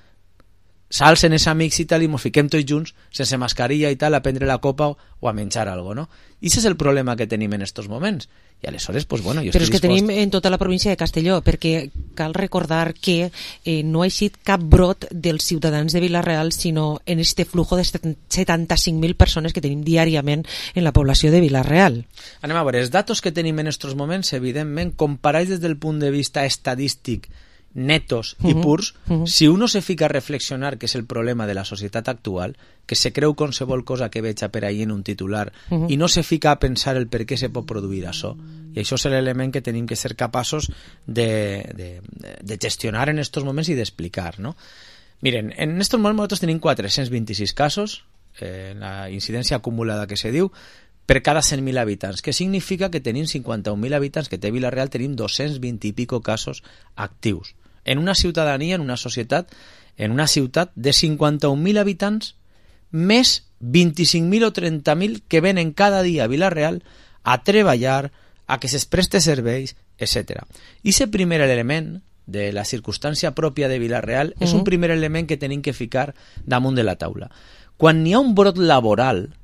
s'alcen els amics i tal, i mos fiquem tots junts, sense mascarilla i tal, a prendre la copa o a menjar algo, no? I aquest és el problema que tenim en estos moments. I aleshores, pues bueno, jo Però estic és que dispost... tenim en tota la província de Castelló, perquè cal recordar que eh, no ha eixit cap brot dels ciutadans de Vila-real, sinó en este flujo de setanta-cinc mil persones que tenim diàriament en la població de Vila-real. Anem a veure, els datos que tenim en estos moments, evidentment, comparats des del punt de vista estadístic, netos i purs, uh -huh. si uno se fica a reflexionar, que és el problema de la societat actual, que se creu qualsevol cosa que veja per ahí en un titular, uh -huh. i no se fica a pensar el per què se pot produir això. I això és l'element que tenim que ser capaços de, de, de gestionar en estos moments i d'explicar, no? Miren, en estos moments nosaltres tenim quatre-cents vint-i-sis casos, eh, la incidència acumulada que se diu, per cada cent mil habitants, que significa que tenim cinquanta-un mil habitants, que té Vila-real, tenim dos-cents vint i pico casos actius. En una ciutadania, en una societat, en una ciutat de cinquanta-un mil habitants, més vint-i-cinc mil o trenta mil que venen cada dia a Vila-real a treballar, a que se'ls preste serveis, etcètera. I aquest primer element de la circumstància pròpia de Vila-real uh-huh. és un primer element que tenim que ficar damunt de la taula. Quan n'hi ha un brot laboral,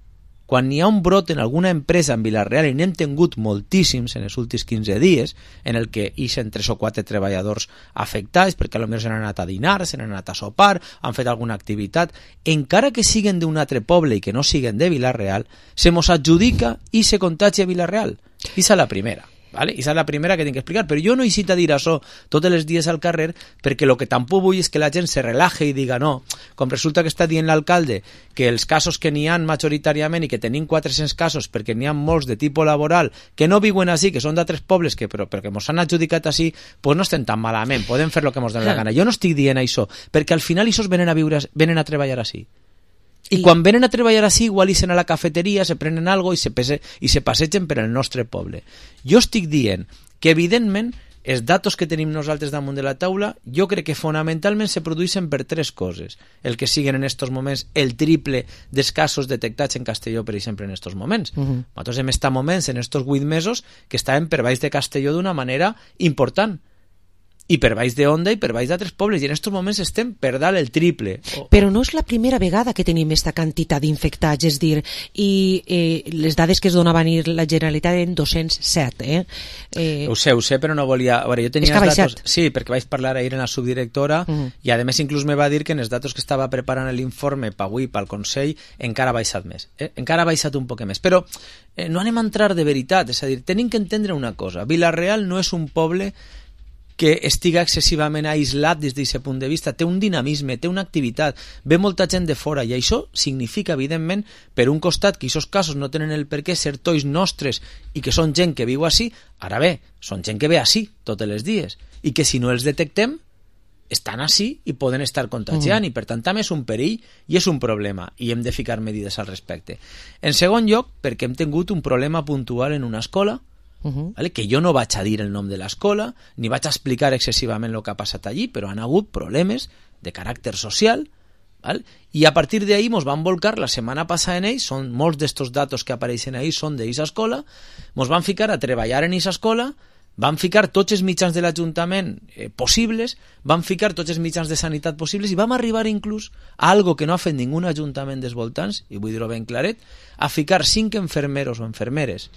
quan n'hi ha un brot en alguna empresa en Vila-real, i n'hem tingut moltíssims en els últims quinze dies, en el que ixen tres o quatre treballadors afectats, perquè potser s'han anat a dinar, s'han anat a sopar, han fet alguna activitat, encara que siguen d'un altre poble i que no siguen de Vila-real, se mos adjudica i se contagia a Vila-real. I és la primera. Vale? I és la primera que tinc que explicar, però jo no he citat dir això tots els dies al carrer, perquè el que tampoc vull és que la gent se relaje i diga no, com resulta que està dient l'alcalde que els casos que n'hi ha majoritàriament i que tenim quatre-cents casos perquè n'hi ha molts de tipus laboral que no viuen així, que són d'altres pobles que, però perquè mos han adjudicat així, doncs no estem tan malament, podem fer el que mos den la gana. Jo no estic dient això, perquè al final ells venen a viure, venen a treballar així. I quan venen a treballar així, igual ixen a la cafeteria, se prenen algo i se, pese, i se passegen per el nostre poble. Jo estic dient que, evidentment, els datos que tenim nosaltres damunt de la taula, jo crec que fonamentalment se produeixen per tres coses. El que siguen en estos moments el triple dels casos detectats en Castelló, per exemple, en estos moments. Uh-huh. Nosaltres hem estat moments en estos vuit mesos que estàvem per baix de Castelló d'una manera important. I per baix de Onda i per baix d'altres pobles, i en aquests moments estem per dalt el triple. Però no és la primera vegada que tenim aquesta quantitat d'infectats, és dir, i eh, les dades que es donava a la Generalitat eren dos-cents set, eh? eh... Ho sé, ho sé, però no volia... A veure, jo tenia és que ha baixat. Datos... Sí, perquè vaig parlar ahir en la subdirectora, uh -huh. i a més inclús me va dir que en els datos que estava preparant l'informe per avui, pel Consell, encara ha baixat més. Eh? Encara ha baixat un poc més. Però eh, no anem a entrar de veritat, és a dir, tenim que entendre una cosa. Vila-real no és un poble que estiga excessivament aïslat des d'aquest punt de vista, té un dinamisme, té una activitat, ve molta gent de fora, i això significa, evidentment, per un costat, que aquests casos no tenen el per què ser tois nostres i que són gent que viu així, ara bé, són gent que ve així tots els dies, i que si no els detectem, estan així i poden estar contagiant, mm. i per tant també és un perill i és un problema, i hem de ficar medides al respecte. En segon lloc, perquè hem tingut un problema puntual en una escola, Uh-huh. Vale? Que jo no vaig a dir el nom de l'escola ni vaig a explicar excessivament el que ha passat allí, però han hagut problemes de caràcter social, val? I a partir d'ahí mos van volcar la setmana passada en ells, són molts d'estos datos que apareixen ahí són d'aquesta escola, mos van ficar a treballar en aquesta escola, van ficar tots els mitjans de l'Ajuntament eh, possibles, van ficar tots els mitjans de sanitat possibles, i vam arribar inclús a algo que no ha fet ningú ajuntament dels voltants, i vull dir-ho ben claret, a ficar cinc enfermeros o enfermeres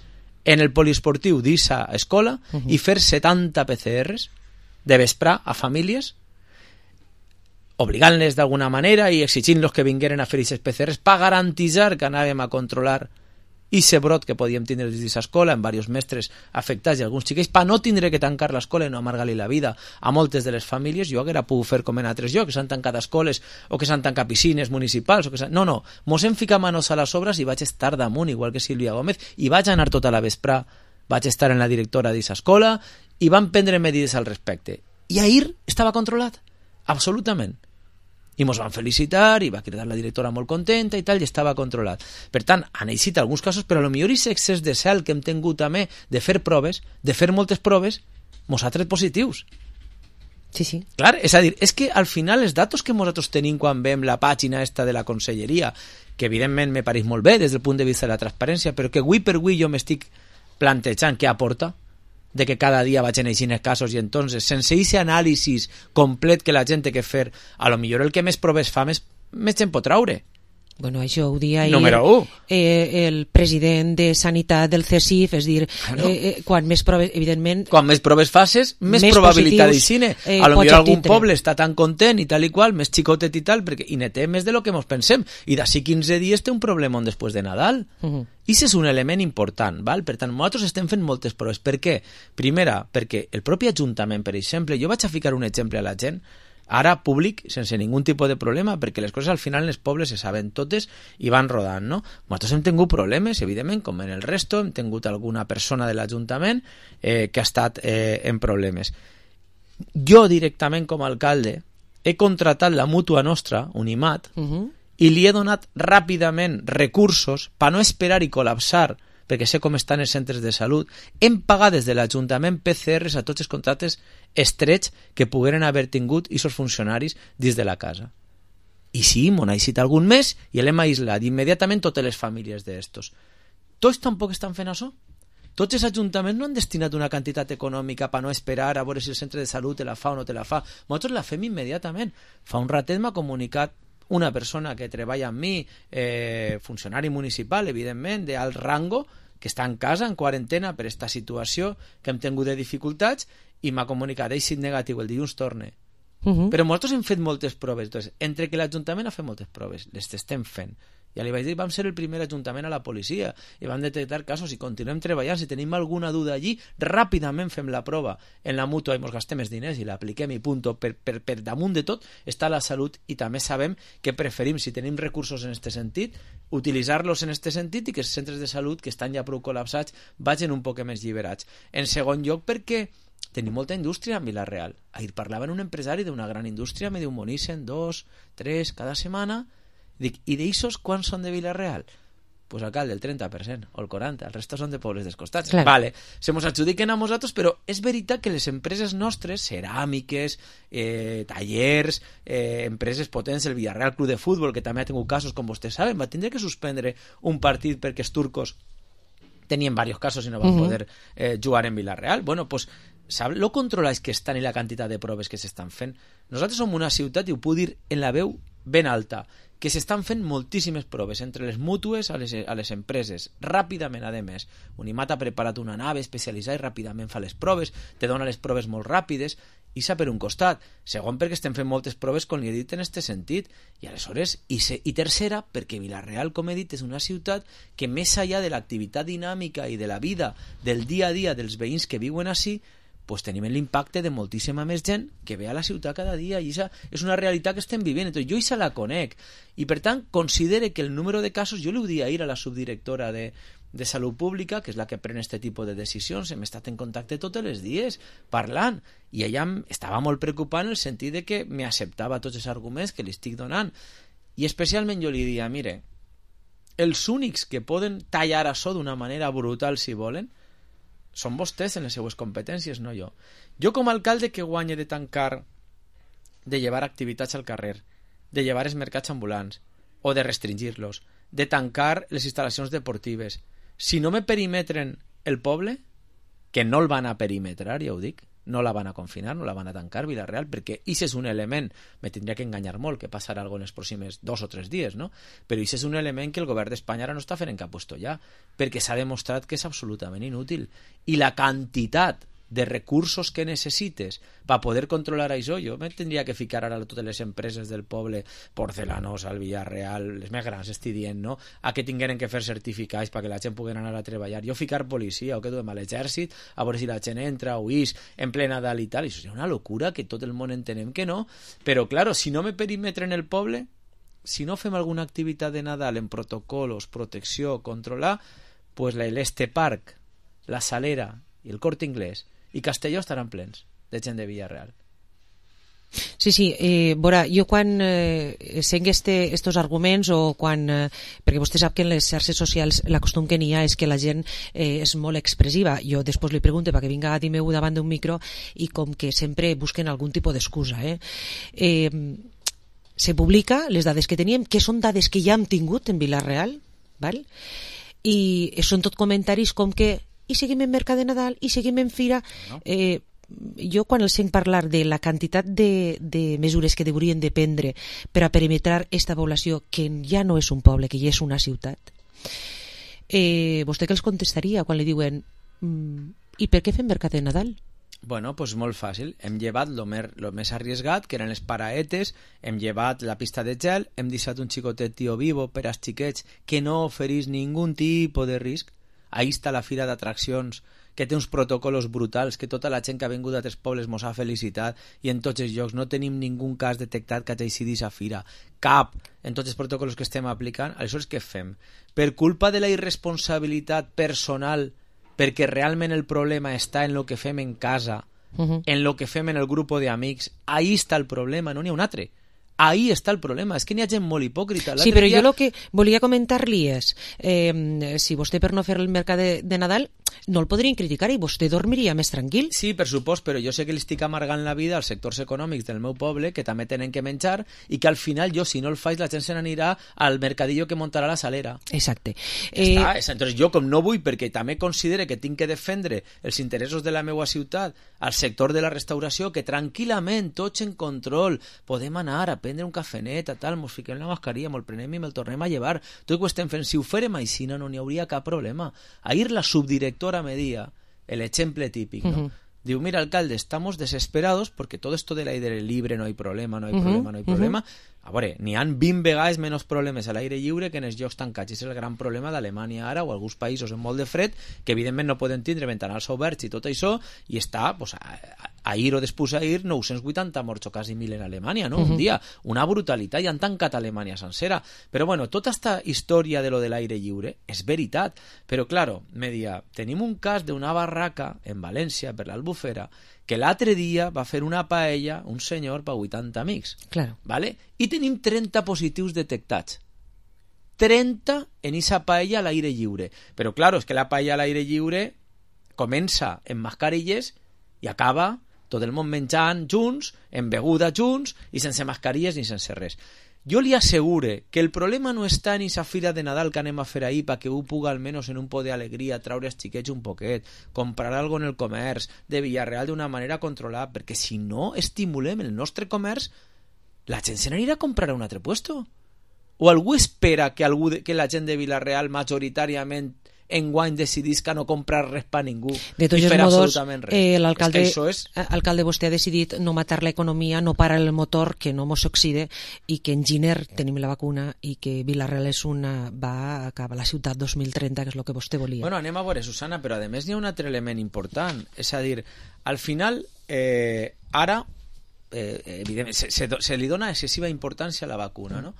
en el poliesportiu d'Issa escola, uh-huh. i fer setanta P C Rs de vesprà a famílies, obligant-les d'alguna manera i exigint-los que vingueren a fer aquests P C Rs per garantitzar que anàvem a controlar aquest brot que podíem tindre des d'aquesta escola, amb diversos mestres afectats i alguns xiquets, per no tindre que tancar l'escola i no amargar-li la vida a moltes de les famílies. Jo haguera pogut fer com en altres llocs, que s'han tancat escoles o que s'han tancat piscines municipals. O que no, no, mos hem ficat manos a les obres i vaig estar damunt, igual que Sílvia Gómez, i vaig anar tota la vesprà, vaig estar en la directora d'aquesta escola i van prendre medides al respecte. I ahir estava controlat, absolutament. I mos van felicitar i va cridar la directora molt contenta i tal, i estava controlat. Per tant, han eixit alguns casos, però potser aquest excés de cel que hem tingut també de fer proves, de fer moltes proves, mos ha tret positius. Sí, sí. Clar, és a dir, és que al final els datos que nosaltres tenim quan veiem la pàgina esta de la conselleria, que evidentment me pareix molt bé des del punt de vista de la transparència, però que avui per avui jo m'estic plantejant què aporta de que cada dia vagin eixint els casos i entonces, sense aquest anàlisi complet que la gent té que fer, a lo millor el que més proves fa, més, més gent pot traure. Bueno, això ho dia ahir Número u. Eh, el president de Sanitat del C S I F, és dir, claro. eh, eh, quan més proves, evidentment... Quan més proves faces, més, més probabilitat d'eixine. Eh, a lo millor algun tindre. Poble està tan content i tal i qual, més xicotet i tal, perquè i ne té més de lo que mos pensem. I d'ací quinze dies té un problemón després de Nadal. Uh -huh. I això és un element important, val? Per tant, nosaltres estem fent moltes proves. Per què? Primera, perquè el propi Ajuntament, per exemple, jo vaig a ficar un exemple a la gent, ara públic, sense ningun tipus de problema, perquè les coses al final en els pobles se saben totes i van rodant, no? Nosaltres hem tingut problemes, evidentment, com en el resto, hem tingut alguna persona de l'Ajuntament eh, que ha estat eh, en problemes. Jo, directament, com a alcalde, he contratat la mútua nostra, Unimat, uh-huh. i li he donat ràpidament recursos per no esperar i col·lapsar, perquè sé com estan els centres de salut. Hem pagat des de l'Ajuntament P C Rs a tots els contractes estrets que pogueren haver tingut i els funcionaris dins de la casa. I sí, m'ho ha eixit algun mes i l'hem aïslat immediatament totes les famílies d'estos. Tots tampoc estan fent això. Tots els ajuntaments no han destinat una quantitat econòmica per no esperar a veure si el centre de salut te la fa o no te la fa. Nosaltres la fem immediatament. Fa un ratet m'ha comunicat una persona que treballa amb mi, eh, funcionari municipal, evidentment, d'alt rango, que està en casa, en quarantena, per aquesta situació que hem tingut de dificultats, i m'ha comunicat, eixit negatiu, el dilluns torne. Uh-huh. Però nosaltres hem fet moltes proves. Entonces, entre que l'Ajuntament ha fet moltes proves, les estem fent. Ja li vaig dir, vam ser el primer ajuntament a la policia i vam detectar casos i continuem treballant. Si tenim alguna duda allí, ràpidament fem la prova en la mútua i ens gastem els diners i l'apliquem i punto. Per, per, per damunt de tot està la salut i també sabem que preferim, si tenim recursos en aquest sentit, utilitzar-los en aquest sentit i que els centres de salut que estan ja prou col·lapsats vagin un poc més lliberats. En segon lloc, perquè tenim molta indústria a Vila-real. Ahir parlava un empresari d'una gran indústria, me diu, monissen dos, tres cada setmana. Dic, i d'aixos quants són de Vila-real? Pues alcalde, el trenta per cent o el quaranta per cent, el resto són de pobles dels costats. Clar. Vale, se mos adjudiquen a nosaltres, però és veritat que les empreses nostres, ceràmiques, eh, tallers, eh, empreses potents, el Villarreal Club de Futbol, que també ha tingut casos, com vostès saben, va tindre que suspendre un partit perquè els turcos tenien diversos casos i no van uh-huh. poder eh, jugar en Vila-real. Bueno, pues sap lo controlats que estan i la quantitat de proves que s'estan fent? Nosaltres som una ciutat, i ho puc dir en la veu ben alta, que s'estan fent moltíssimes proves entre les mútues a les, a les empreses, ràpidament, a més. Unimat ha preparat una nave especialitzada i ràpidament fa les proves, te dona les proves molt ràpides, i s'ha per un costat. Segon, perquè estem fent moltes proves, com li he dit, en aquest sentit. I aleshores, i, se, i tercera, perquè Vila-real, com he dit, és una ciutat que més enllà de l'activitat dinàmica i de la vida del dia a dia dels veïns que viuen ací, pues tenim l'impacte de moltíssima més gent que ve a la ciutat cada dia, i això és una realitat que estem vivint. Entonces, jo això la conec, i per tant considere que el número de casos, jo li ho dia ahir a la subdirectora de, de Salut Pública, que és la que pren aquest tipus de decisions, hem estat en contacte tots els dies parlant, i ella estava molt preocupada en el sentit de que m'acceptava tots els arguments que li estic donant, i especialment jo li dia, mire, els únics que poden tallar això d'una manera brutal si volen són vostès en les seues competències, no jo. Jo com a alcalde que guanye de tancar, de llevar activitats al carrer, de llevar els mercats ambulants, o de restringir-los, de tancar les instal·lacions deportives, si no me perimetren el poble, que no el van a perimetrar, ja ho dic, no la van a confinar, no la van a tancar, Vila-real, perquè això és un element, me tindria que enganyar molt, que passarà algo en els pròxims dos o tres dies, no? Però això és un element que el govern d'Espanya ara no està fent en cap puesto ja, perquè s'ha demostrat que és absolutament inútil. I la quantitat de recursos que necessites per poder controlar això, jo me tindria que ficar ara a totes les empreses del poble, Porcelanos, al Villarreal, les més grans, estic dient, no? A que tingueren que fer certificats perquè la gent pugui anar a treballar. Jo ficar policia, o que duem a l'exèrcit, a veure si la gent entra o ix en ple Nadal i tal, això és una locura que tot el món entenem que no, però, claro, si no me perimetren el poble, si no fem alguna activitat de Nadal en protocolos, protecció, controlar, pues l'Este Park, la Salera i el Corte Inglés i Castelló estaran plens de gent de Villarreal. Sí, sí, eh, Bora, jo quan eh, sent este, estos arguments o quan, eh, perquè vostè sap que en les xarxes socials la costum que n'hi ha és que la gent eh, és molt expressiva, jo després li pregunto perquè vinga a dir meu davant d'un micro i com que sempre busquen algun tipus d'excusa, eh? eh se publica les dades que teníem, que són dades que ja hem tingut en Vila-real, val? I són tot comentaris com que i seguim en Mercat de Nadal, i seguim en Fira, no. eh, jo quan els sent parlar de la quantitat de, de mesures que deurien de prendre per a perimetrar esta població, que ja no és un poble, que ja és una ciutat, eh, vostè què els contestaria quan li diuen mm, i per què fem Mercat de Nadal? Bueno, pues molt fàcil. Hem llevat lo, mer, lo més arriesgat, que eren les paraetes, hem llevat la pista de gel, hem deixat un xicotet tio vivo per als xiquets que no oferís ningú tipus de risc. Ahí està la fira d'atraccions, que té uns protocols brutals, que tota la gent que ha vingut d'altres pobles mos ha felicitat i en tots els llocs no tenim ningú cas detectat que hagi sigut a fira. Cap! En tots els protocols que estem aplicant. Aleshores, què fem? Per culpa de la irresponsabilitat personal, perquè realment el problema està en lo que fem en casa, uh-huh. en lo que fem en el grup d'amics, ahí està el problema, no n'hi ha un altre. Ahí està el problema, és que n'hi ha gent molt hipòcrita. Sí, però dia... jo el que volia comentar-li és, eh, si vostè per no fer el mercat de, de Nadal no el podrien criticar i vostè dormiria més tranquil. Sí, per supost, però jo sé que li estic amargant la vida als sectors econòmics del meu poble, que també tenen que menjar, i que al final jo, si no el faig, la gent se n'anirà al mercadillo que muntarà la salera. Exacte. Eh... Està, entonces jo, com no vull, perquè també considere que tinc que defendre els interessos de la meva ciutat al sector de la restauració, que tranquil·lament, tots en control, podem anar a prendre un cafenet, a tal, mos fiquem la mascarilla, mos prenem i me'l tornem a llevar. Tot ho estem fent. Si ho fèrem així, no n'hi hauria cap problema. Ahir la subdirectora me dia el ejemplo típico, ¿no? Uh-huh. Digo, mira, alcalde, estamos desesperados porque todo esto del aire libre no hay problema, no hay uh-huh. problema, no hay uh-huh. problema. A veure, n'hi ha vint vegades menys problemes a l'aire lliure que en els llocs tancats. És el gran problema d'Alemanya ara o alguns països amb molt de fred que evidentment no poden tindre ventanals oberts i tot això, i està, pues, a, a, ahir o després ahir, nou-cents vuitanta morts o quasi mil en Alemanya, no? Uh-huh. Un dia. Una brutalitat, i han tancat Alemanya sencera. Però bueno, tota esta història de lo de l'aire lliure és veritat. Però, claro, me dia, tenim un cas d'una barraca en València, per l'Albufera, que l'altre dia va fer una paella un senyor per vuitanta amics. Claro. ¿Vale? I tenim trenta positius detectats. trenta en esa paella a l'aire lliure. Però, claro, és que la paella a l'aire lliure comença en mascarilles i acaba tot el món menjant junts, en beguda junts i sense mascarilles ni sense res. Jo li assegure que el problema no està en esa fira de Nadal que anem a fer ahir perquè un puga almenys en un po d'alegria traure els xiquets un poquet, comprar algo en el comerç de Villarreal d'una manera controlada, perquè si no estimulem el nostre comerç, la gent se n'anirà a comprar a un altre puesto. O algú espera que, algú de, que la gent de Villarreal majoritàriament enguany decidís que no comprar res per ningú de tots i fer modos, absolutament res. Eh, l'alcalde, és que és... alcalde, vostè ha decidit no matar l'economia, no parar el motor, que no mos oxide, i que en Giner tenim la vacuna i que Vila-real és una, va a acabar la ciutat dos mil trenta, que és el que vostè volia. Bueno, anem a veure, Susana, però a més n'hi ha un altre element important, és a dir, al final, eh, ara, eh, evidentment, se, se, se li dona excessiva importància a la vacuna, no?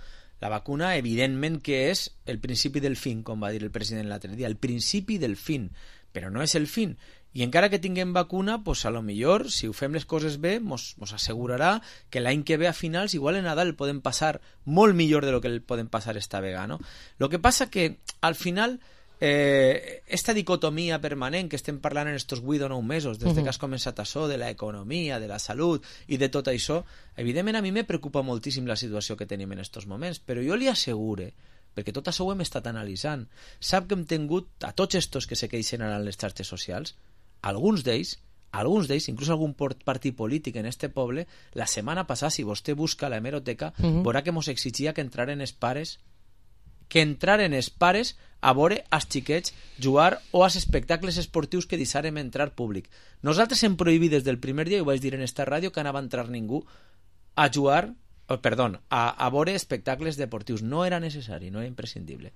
La vacuna, evidentment, que és el principi del fin, com va dir el president l'altre dia, el principi del fin, però no és el fin. I encara que tinguem vacuna, pues a lo millor, si ho fem les coses bé, mos, mos assegurarà que l'any que ve a finals, igual en Nadal podem passar molt millor de lo que podem passar esta vegada, no? Lo que passa que, al final, eh, esta dicotomia permanent que estem parlant en estos vuit o nou mesos, des uh-huh. que has començat això, de l'economia, de la salut i de tot això, evidentment a mi me preocupa moltíssim la situació que tenim en estos moments, però jo li assegure, perquè tot això ho hem estat analitzant, sap que hem tingut a tots estos que se queixen ara en les xarxes socials, alguns d'ells, alguns d'ells, inclús algun partit polític en este poble, la setmana passada, si vostè busca la hemeroteca, uh-huh. veurà que mos exigia que entraren els pares que entraren els pares a veure els xiquets jugar o als espectacles esportius que deixarem entrar públic. Nosaltres hem prohibit des del primer dia, i ho vaig dir en esta ràdio, que anava a entrar ningú a jugar, oh, perdó, a, a veure espectacles deportius. No era necessari, no era imprescindible.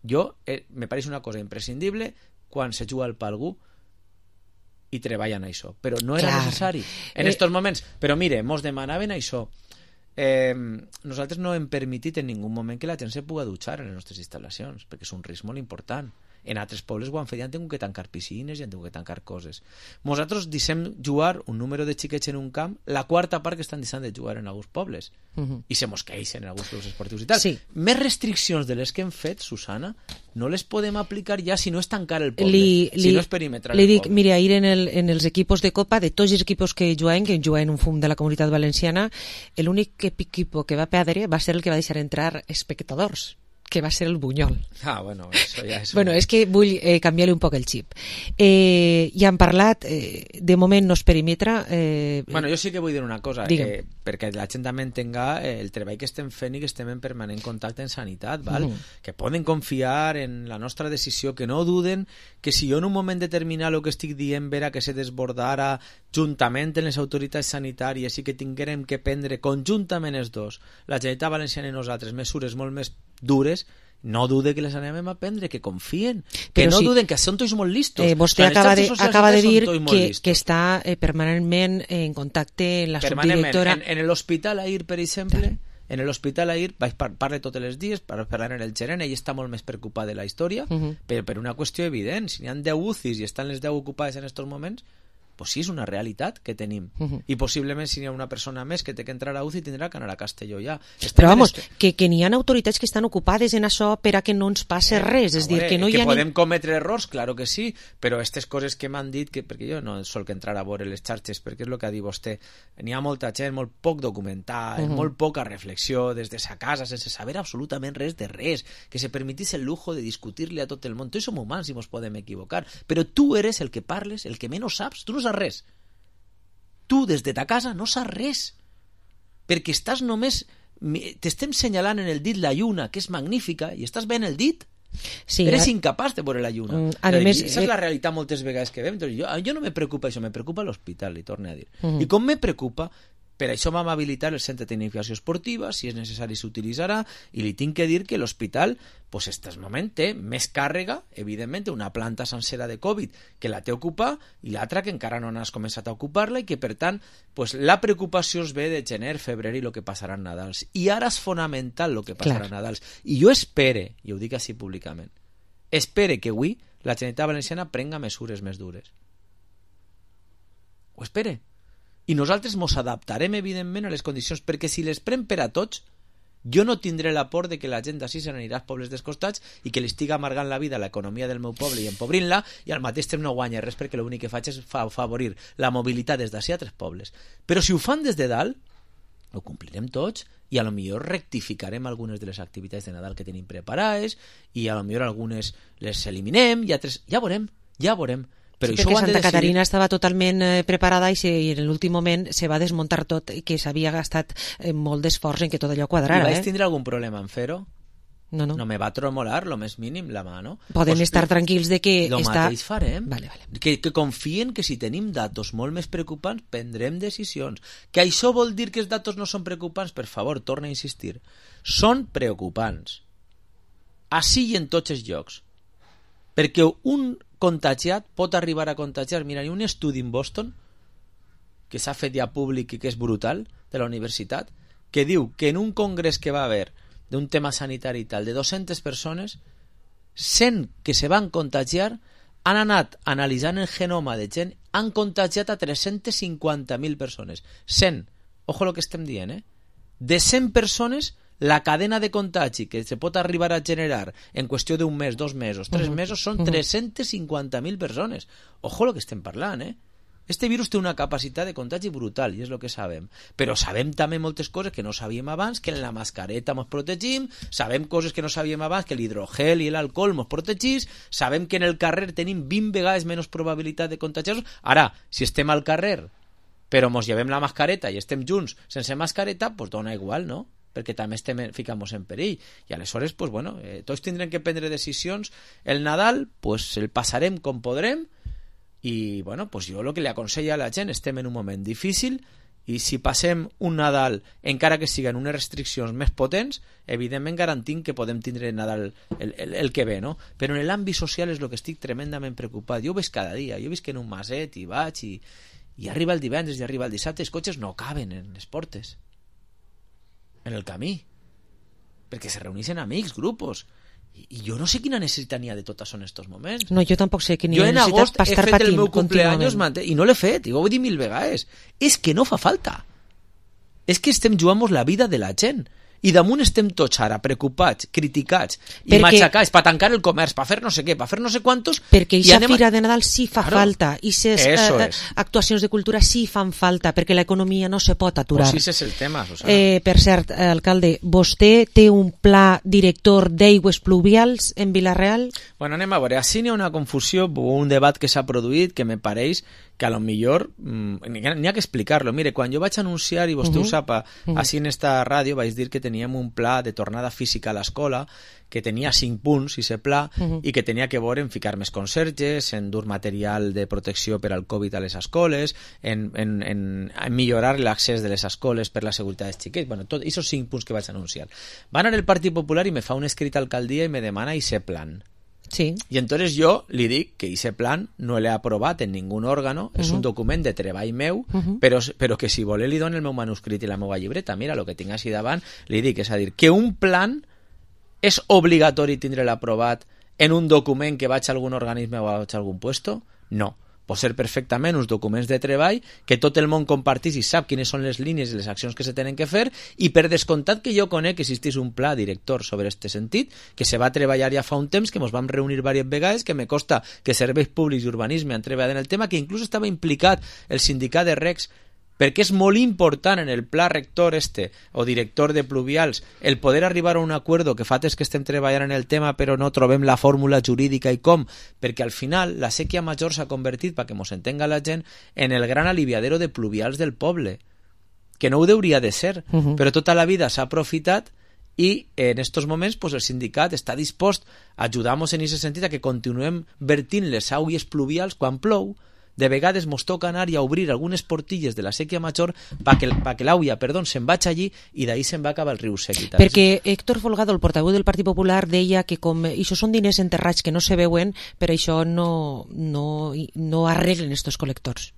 Jo, eh, me pareix una cosa imprescindible quan se juga al pa algú i treballen això, però no era Clar. necessari en eh... estos moments. Però mire, mos demanaven això. Eh, nosaltres no hem permitit en ningú moment que la gent se pugui dutxar en les nostres instal·lacions, perquè és un risc molt important. En altres pobles ho han fet i han tingut que tancar piscines i han tingut que tancar coses. Nosaltres deixem jugar un número de xiquets en un camp, la quarta part que estan deixant de jugar en alguns pobles. Uh-huh. I se mos queixen en alguns clubs esportius i tal. Sí. Més restriccions de les que hem fet, Susana, no les podem aplicar ja si no és tancar el poble, li, si li, no és perimetrar li el dic, poble. mira, ahir en, el, en els equipos de Copa, de tots els equipos que juguen, que juguen un fum de la Comunitat Valenciana, l'únic equip que va perdre va ser el que va deixar entrar espectadors, que va ser el Bunyol. Ah, bueno, això ja és... bueno, és que vull eh, canviar-li un poc el xip. Eh, ja han parlat, eh, de moment no es perimetra... Eh, bueno, jo sí que vull dir una cosa, eh, perquè la gent també entenga eh, el treball que estem fent i que estem en permanent contacte en sanitat, val? Mm. Que poden confiar en la nostra decisió, que no duden que si jo en un moment determinat el que estic dient vera que se desbordara juntament en les autoritats sanitàries i que tinguérem que prendre conjuntament els dos, la Generalitat Valenciana i nosaltres, mesures molt més dures, no dude que les anem a prendre, que confien, que Però no si, duden, que són tots molt listos. Eh, vostè acaba de, acaba de dir que, que està eh, permanentment en contacte en la subdirectora... En, en l'hospital Ahir, per exemple, en l'hospital Ahir, vaig par parlar tots els dies, per parlar en el gerent, ell està molt més preocupat de la història, uh -huh. però per una qüestió evident, si n'hi ha deu U C Is i estan les deu ocupades en aquests moments, pues sí, és una realitat que tenim. Uh-huh. I possiblement si hi ha una persona més que té que entrar a U C I tindrà que anar a Castelló ja. Estem Però vamos, este... que, que n'hi ha autoritats que estan ocupades en això per a que no ens passe eh, res. És dir, que no que hi ha podem ni... cometre errors, claro que sí, però aquestes coses que m'han dit, que, perquè jo no sol que entrar a veure les xarxes, perquè és el que ha dit vostè, n'hi ha molta gent, molt poc documental, uh-huh. molt poca reflexió des de sa casa, sense saber absolutament res de res, que se permitís el lujo de discutir-li a tot el món. Tots som humans i mos podem equivocar, però tu eres el que parles, el que menys saps, tu no saps res. Tu, des de ta casa, no saps res. Perquè estàs només... T'estem senyalant en el dit la lluna, que és magnífica, i estàs veient el dit. Sí, eres a... incapaç de veure la lluna. Mm, a més, Esa eh... és la realitat moltes vegades que veiem. Entonces, jo, jo no me preocupa això, me preocupa l'hospital, li torno a dir. Mm -hmm. I com me preocupa... Per això vam habilitar el centre de tecnificació esportiva, si és necessari s'utilitzarà, i li tinc que dir que l'hospital, pues, en aquest moment té més càrrega, evidentment, una planta sencera de Covid que la té ocupada, i l'altra que encara no has començat a ocupar-la, i que, per tant, pues, la preocupació es ve de gener, febrer i el que passarà en Nadals. I ara és fonamental el que passarà en Nadals. I jo espere, i ho dic així públicament, espere que avui la Generalitat Valenciana prenga mesures més dures. Ho espere. I nosaltres mos adaptarem, evidentment, a les condicions, perquè si les pren per a tots, jo no tindré la por de que la gent d'ací se n'anirà als pobles descostats i que li estigui amargant la vida a l'economia del meu poble i empobrint-la, i al mateix temps no guanya res, perquè l'únic que faig és favorir la mobilitat des d'ací a tres pobles. Però si ho fan des de dalt, ho complirem tots, i a lo millor rectificarem algunes de les activitats de Nadal que tenim preparades, i a lo millor algunes les eliminem, i altres... Ja veurem, ja veurem. Però sí, perquè Santa decidir... Caterina estava totalment eh, preparada i, se, i en l'últim moment se va desmuntar tot i que s'havia gastat eh, molt d'esforç en que tot allò quadrara. I vaig eh? tindre algun problema en fer-ho? No, no. No me va tremolar, lo més mínim, la mà, no? Podem pues, estar tranquils de que lo està... mateix farem. Vale, vale. Que, que confien que si tenim datos molt més preocupants prendrem decisions. Que això vol dir que els datos no són preocupants? Per favor, torna a insistir. Són preocupants. Així i en tots els llocs. Perquè un contagiat pot arribar a contagiar. Mira, hi ha un estudi en Boston que s'ha fet ja públic i que és brutal, de la universitat, que diu que en un congrés que va haver d'un tema sanitari i tal, de dues-centes persones, cent que se van contagiar han anat analitzant el genoma de gent, han contagiat a tres-centes cinquanta mil persones. cent. Ojo lo que estem dient, eh? De cent persones, la cadena de contagi que se pot arribar a generar en qüestió d'un mes, dos mesos, tres uh -huh. mesos, són uh -huh. tres-centes cinquanta mil persones. Ojo lo que estem parlant, eh? Este virus té una capacitat de contagi brutal, i és el que sabem. Però sabem també moltes coses que no sabíem abans, que en la mascareta mos protegim, sabem coses que no sabíem abans, que l'hidrogel i l'alcohol mos protegís, sabem que en el carrer tenim vint vegades menys probabilitat de contagiar-nos. Ara, si estem al carrer, però mos llevem la mascareta i estem junts sense mascareta, doncs dona igual, no? Perquè també estem, ficamos en perill, i aleshores, pues, bueno, eh, tots tindrem que prendre decisions. El Nadal, pues, el passarem com podrem, i bueno, pues jo el que li aconsella a la gent, estem en un moment difícil, i si passem un Nadal, encara que siguin unes restriccions més potents, evidentment garantim que podem tindre Nadal el, el, el que ve, no? Però en l'àmbit social és el que estic tremendament preocupat. Jo ho veig cada dia, jo veig que en un maset i vaig, i, i arriba el divendres i arriba el dissabte, els cotxes no caben en les portes, en el camí, perquè se reuneixen amics, grupos, I jo no sé quina necessitat n'hi ha de tot això en aquests moments. No, jo tampoc sé quina jo necessitat per estar patint. Jo en agost he fet el meu cumpleaños i no l'he fet, i ho he dit mil vegades. És que no fa falta. És que estem jugant la vida de la gent. I damunt estem tots ara preocupats, criticats i perquè, matxacats per tancar el comerç, per fer no sé què, per fer no sé quantos... Perquè aquesta anem... fira de Nadal sí fa claro, falta, i ses eh, es. actuacions de cultura sí fan falta, perquè l'economia no se pot aturar. Pues sí, és el tema, Susana. Eh, per cert, alcalde, vostè té un pla director d'aigües pluvials en Vila-real? Bueno, anem a veure, així n'hi ha una confusió, un debat que s'ha produït que me pareix que a lo millor mmm, n'hi ha que explicar-lo. Mire, quan jo vaig anunciar, i vostè uh -huh. ho sap, uh -huh. així en esta ràdio vaig dir que teníem un pla de tornada física a l'escola que tenia cinc punts, i se pla, uh -huh. i que tenia que veure en ficar més conserges, en dur material de protecció per al Covid a les escoles, en, en, en, en millorar l'accés de les escoles per la seguretat dels xiquets. Bueno, tots aquests cinc punts que vaig anunciar. Va anar el Partit Popular i me fa un escrit a alcaldia i me demana ese plan. Sí. Y entonces yo li dic que ese plan no l'he aprovat en ningún òrgano, uh-huh. és un document de treball meu, uh-huh. però, però que si vol li dono el meu manuscrit i la meva llibreta, mira, el que tinc així davant, li dic, és a dir, que un plan és obligatori tindre l'aprovat en un document que vaig a algun organisme o vaig a algun puesto? No. Pot ser perfectament uns documents de treball que tot el món compartís i sap quines són les línies i les accions que se tenen que fer, i per descomptat que jo conec que existís un pla director sobre este sentit, que se va treballar ja fa un temps, que ens vam reunir diverses vegades, que me costa que Serveis Públics i Urbanisme han treballat en el tema, que inclús estava implicat el sindicat de recs, perquè és molt important en el pla rector este, o director de pluvials, el poder arribar a un acuerdo que fa temps que estem treballant en el tema però no trobem la fórmula jurídica i com, perquè al final la sèquia major s'ha convertit, perquè mos entenga la gent, en el gran aliviadero de pluvials del poble, que no ho hauria de ser, uh-huh. però tota la vida s'ha aprofitat, i en estos moments pues, el sindicat està dispost a ajudar-nos en aquest sentit a que continuem vertint les aigües pluvials quan plou. De vegades mos toca anar i a obrir algunes portilles de la sèquia major perquè pa que l'auia, perdó, se'n vaig allí i d'ahí se'n va acabar el riu sec. Perquè Héctor Folgado, el portaveu del Partit Popular, deia que com això són diners enterrats que no se veuen, però això no, no, no arreglen estos col·lectors.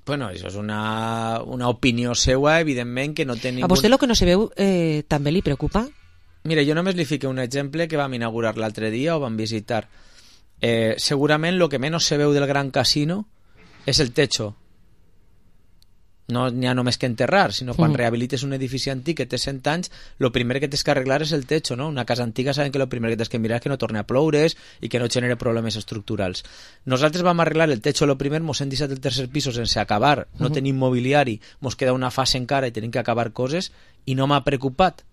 Bueno, això és una, una opinió seua, evidentment, que no té ningú... A vostè el que no se veu eh, també li preocupa? Mira, jo només li fico un exemple que vam inaugurar l'altre dia o vam visitar. Eh, segurament el que menys se veu del Gran Casino és el techo. No n'hi ha només que enterrar, sinó quan mm. rehabilites un edifici antic que té cent anys, el primer que tens que arreglar és el techo, no? Una casa antiga saben que el primer que tens que mirar és que no torni a ploure i que no genere problemes estructurals. Nosaltres vam arreglar el techo el primer, mos hem deixat el tercer piso sense acabar, no mm. tenim mobiliari, mos queda una fase encara i tenim que acabar coses, i no m'ha preocupat.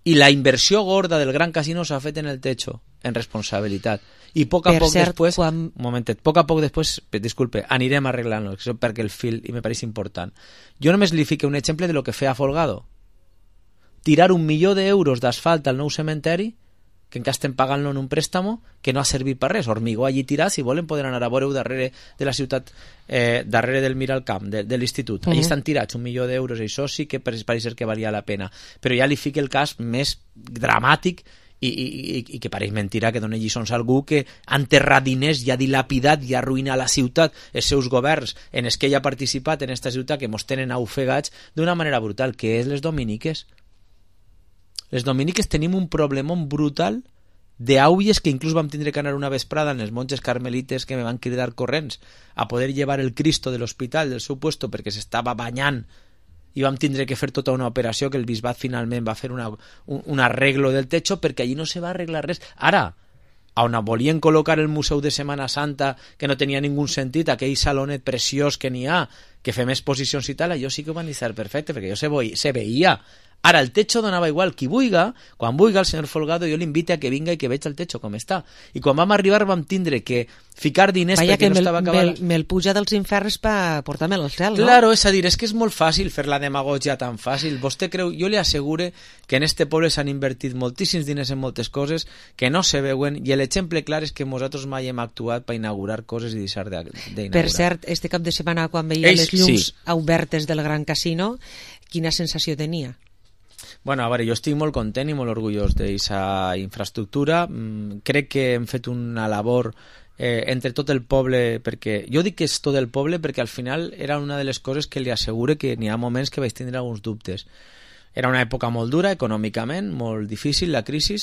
I la inversió gorda del Gran Casino s'ha fet en el techo, en responsabilitat. I poc a per poc cert, després, quan... un momentet, poc a poc després, disculpe, anirem arreglant-lo, perquè el fil i me pareix important. Jo només li fico un exemple de lo que feia Folgado. Tirar un milió d'euros d'asfalt al nou cementeri, que encara estem pagant-lo en un préstamo, que no ha servit per res. Hormigó allí tirat, si volen poden anar a veure-ho darrere de la ciutat, eh, darrere del Miralcamp, de, de l'institut. Uh-huh. Allí estan tirats un milió d'euros, i això sí que pareix ser que valia la pena. Però ja li fico el cas més dramàtic i, i, i, i que pareix mentira que doni lliçons a algú que ha enterrat diners i ha dilapidat i ha arruïnat la ciutat, els seus governs en els que ell ha participat en aquesta ciutat, que mos tenen ofegats d'una manera brutal, que és les dominiques. Les dominiques tenim un problemón brutal d'aulles que inclús vam tindre que anar una vesprada en les monges carmelites que me van cridar corrents a poder llevar el Cristo de l'hospital del seu puesto perquè s'estava banyant, i vam tindre que fer tota una operació que el bisbat finalment va fer una, un, un arreglo del techo perquè allí no se va arreglar res. Ara, on volien col·locar el Museu de Setmana Santa, que no tenia ningú sentit, aquell salonet preciós que n'hi ha, que fem exposicions i tal, allò sí que ho van dir perfecte, perquè jo se, ve, se veia. Ara, el techo donava igual qui vulga, quan vulga el senyor Folgado jo l'invite a que vinga i que veig el techo com està. I quan vam arribar vam tindre que ficar diners Vaya perquè que no estava acabat. Me'l me puja dels inferns per portar-me'l al cel, no? Claro, és a dir, és que és molt fàcil fer la demagogia tan fàcil. Vostè creu, jo li assegure que en este poble s'han invertit moltíssims diners en moltes coses que no se veuen, i l'exemple clar és que nosaltres mai hem actuat per inaugurar coses i deixar d'inaugurar. Per cert, este cap de setmana quan veia Ells, les llums sí. obertes del Gran Casino, quina sensació tenia? Bueno, a veure, jo estic molt content i molt orgullós d'aquesta infraestructura. Mm, crec que hem fet una labor eh, entre tot el poble, perquè jo dic que és tot el poble perquè al final era una de les coses que li assegure que n'hi ha moments que vaig tindre alguns dubtes. Era una època molt dura econòmicament, molt difícil, la crisi,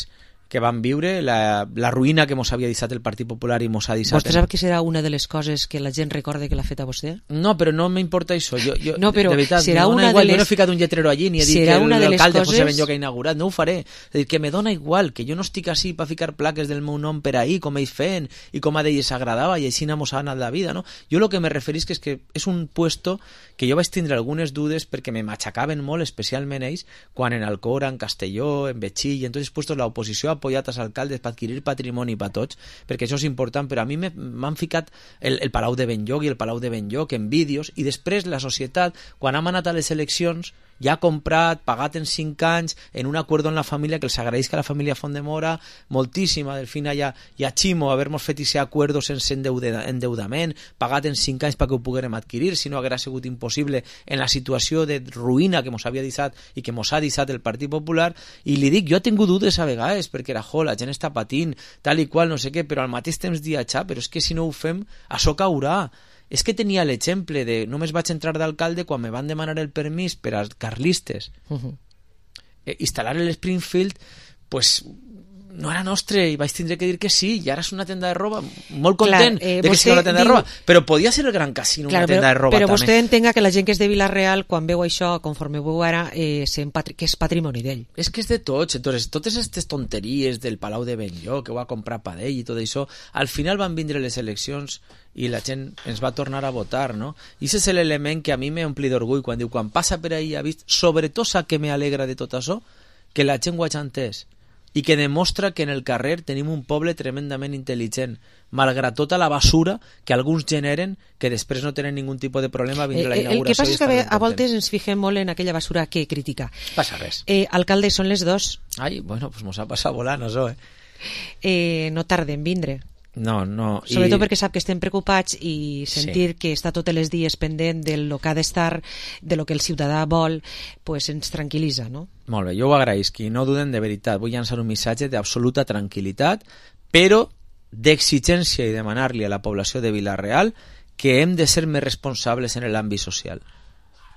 que vam viure, la, la ruïna que mos havia deixat el Partit Popular i mos ha deixat... Vostè sap que serà una de les coses que la gent recorde que l'ha fet a vostè? No, però no m'importa això. Jo, jo, no, però de veritat, serà una igual. de les... Jo no he ficat un lletrero allí ni he dit que l'alcalde coses... José Benlloc ha inaugurat. No ho faré. És dir, que me dona igual, que jo no estic així per ficar plaques del meu nom per ahí, com ells feien, i com a d'ells agradava, i així mos ha anat la vida, no? Jo el que me referisc és que és un puesto que jo vaig tindre algunes dudes perquè me machacaven molt, especialment ells, quan en Alcora, en Castelló, en Betxí, i en tots els puestos l'oposició ha apoyat als alcaldes per adquirir patrimoni per tots, perquè això és important, però a mi m'han ficat el, el Palau de Benlloc i el Palau de Benlloc en vídeos, i després la societat, quan hem anat a les eleccions, ja ha comprat, pagat en cinc anys, en un acord amb la família, que els agraeix que la família Font de Mora, moltíssima, Delfina i a, i a Ximo, haver-nos fet aquest acord sense endeudament, pagat en cinc anys perquè ho poguérem adquirir, si no haguera sigut impossible en la situació de ruïna que mos havia deixat i que mos ha deixat el Partit Popular. I li dic, jo he tingut dubtes a vegades, perquè era, jo, la gent està patint, tal i qual, no sé què, però al mateix temps dia, xa, però és que si no ho fem, això caurà. És que tenia l'exemple de només vaig entrar d'alcalde quan me van demanar el permís per als carlistes uh-huh. eh, instal·lar l'Springfield, pues no era nostre i vaig tindre que dir que sí, i ara és una tenda de roba, molt content Clar, eh, de que sigui una tenda diu... de roba, però podia ser el Gran Casino Clar, una tenda però, de roba però també. Vostè entenga que la gent que és de Vila-real quan veu això, conforme veu ara eh, patri... que és patrimoni d'ell. És que és de tots, entonces totes aquestes tonteries del Palau de Benlloc que ho va comprar per ell i tot això, al final van vindre les eleccions i la gent ens va tornar a votar, no? I aquest és l'element que a mi m'ompli d'orgull quan diu, quan passa per ahí ha vist, sobretot sap que m'alegra de tot això, que la gent ho ha entès i que demostra que en el carrer tenim un poble tremendament intel·ligent, malgrat tota la basura que alguns generen, que després no tenen ningun tipus de problema a vindre eh, la inauguració. El que passa és que a voltes ens fixem molt en aquella basura que critica. Passa res. Eh, alcalde, són les dos. Ai, bueno, pues mos ha passat volant això, eh? eh no tarden vindre. No, no. Sobretot I... perquè sap que estem preocupats i sentir sí. que està tots els dies pendent del que ha d'estar, de lo que el ciutadà vol, pues ens tranquil·litza, no? Molt bé, jo ho agraïsc i no duden de veritat. Vull llançar un missatge d'absoluta tranquil·litat, però d'exigència i demanar-li a la població de Vila-real que hem de ser més responsables en l'àmbit social,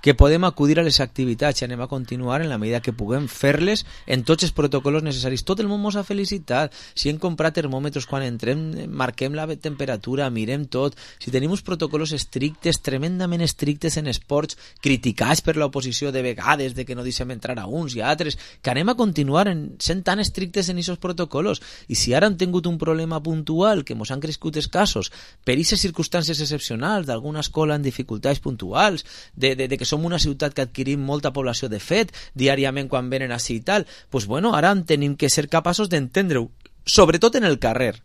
que podem acudir a les activitats i anem a continuar en la medida que puguem fer-les en tots els protocols necessaris. Tot el món ens ha felicitat. Si hem comprat termòmetres quan entrem, marquem la temperatura, mirem tot. Si tenim uns protocols estrictes, tremendament estrictes en esports, criticats per l'oposició de vegades, de que no deixem entrar a uns i a altres, que anem a continuar en, sent tan estrictes en aquests protocols. I si ara hem tingut un problema puntual, que ens han crescut els casos, per aquestes circumstàncies excepcionals, d'alguna escola en dificultats puntuals, de, de, de que som una ciutat que adquirim molta població de fet diàriament quan venen així i tal, pues bueno, ara tenim que ser capaços d'entendre-ho, sobretot en el carrer,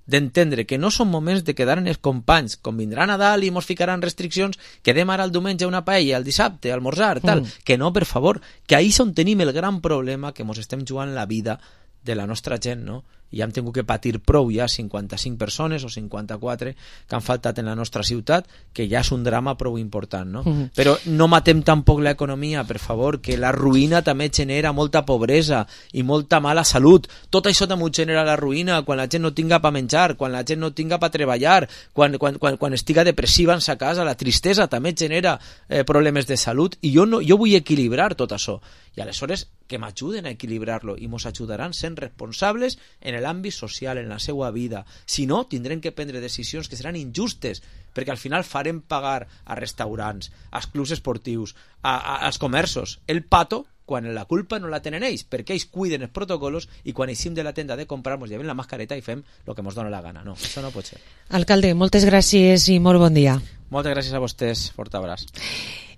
d'entendre que no són moments de quedar en els companys, com vindrà Nadal i mos ficaran restriccions, quedem ara el diumenge una paella, el dissabte, almorzar, tal, mm. que no, per favor, que ahí és on tenim el gran problema, que mos estem jugant la vida de la nostra gent, no? I hem tingut que patir prou ja cinquanta-cinc persones o cinquanta-quatre que han faltat en la nostra ciutat, que ja és un drama prou important, no? Mm-hmm. Però no matem tampoc l'economia, per favor, que la ruïna també genera molta pobresa i molta mala salut. Tot això també genera la ruïna quan la gent no tinga per menjar, quan la gent no tinga per treballar, quan, quan, quan, quan estiga depressiva en sa casa, la tristesa també genera eh, problemes de salut, i jo, no, jo vull equilibrar tot això. I aleshores que m'ajuden a equilibrar-lo i mos ajudaran sent responsables en l'àmbit social, en la seva vida. Si no, tindrem que prendre decisions que seran injustes, perquè al final farem pagar a restaurants, als clubs esportius, a, a, als comerços, el pato, quan la culpa no la tenen ells, perquè ells cuiden els protocols i quan eixim de la tenda de comprar mos llevem la mascareta i fem el que mos dona la gana. No, això no pot ser. Alcalde, moltes gràcies i molt bon dia. Moltes gràcies a vostès, fort abraç.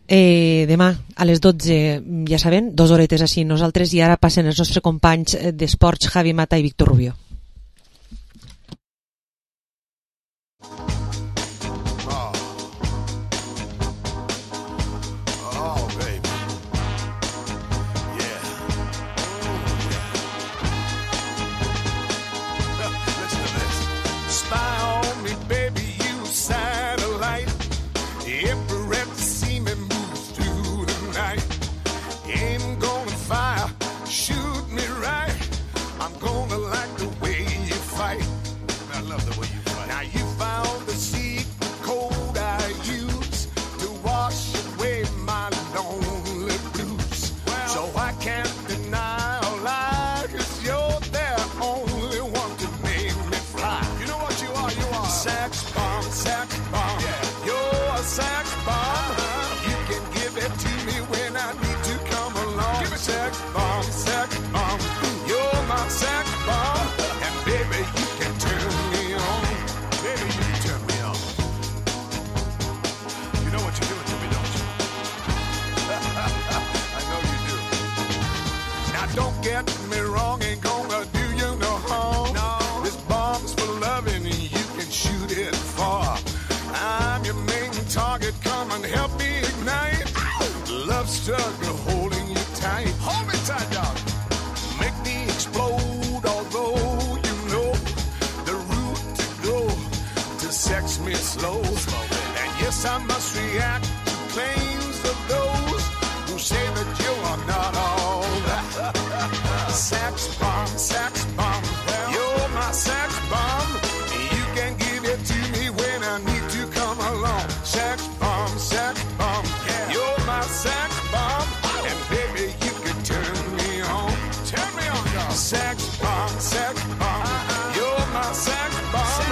Eh, demà a les dotze, ja saben, dues horetes així nosaltres, i ara passen els nostres companys d'esports Javi Mata i Víctor Rubio. Shoot me right, I'm gonna like the get me wrong, ain't gonna do you no harm. No. This bomb's for loving and you can shoot it far. I'm your main target, come and help me ignite. Love struggle holding you tight. Hold me tight, dog. Make me explode, although you know the route to go to sex me slow. And yes, I must react to claims of those who say that you are not all that. Sex bomb, sex bomb, you're my sex bomb. You can give it to me when I need to come along. Sex bomb, sex bomb, you're my sex bomb. And baby, you can turn me on. Turn me on, dog. Sex bomb, sex bomb, you're my sex bomb.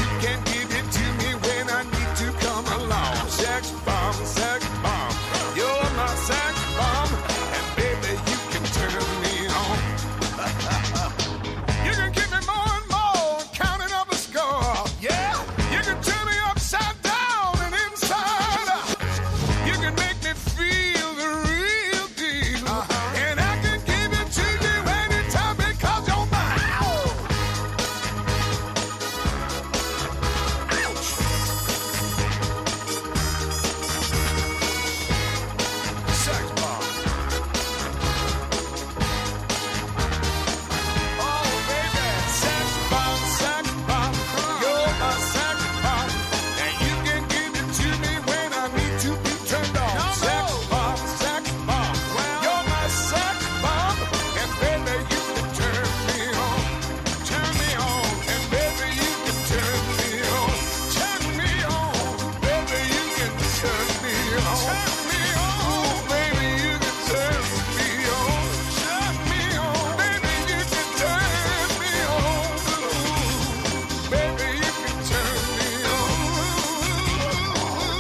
You can give it to me when I need to come along. Sex bomb, sex bomb, you're my sex bomb. And baby, you can turn me on. You can give me more and more, counting up a score. Yeah, you can turn me upside down and inside out. You can make me feel the real deal. Uh-huh. And I can give it to you anytime because you're mine. Ouch. Sex bomb. Oh, baby. Sex bomb, sex bomb. You're my sex bomb. And you can give it to me when I need to be turned on. Sex bomb, sex bomb. You're my sex bomb. And baby, you can turn me on. Turn me on. And baby, you can turn me on. Turn me on. Baby, you can turn me on. Turn me on. Baby, you can turn me on. Turn me on. Baby, you can turn me on. Baby, you can turn me on.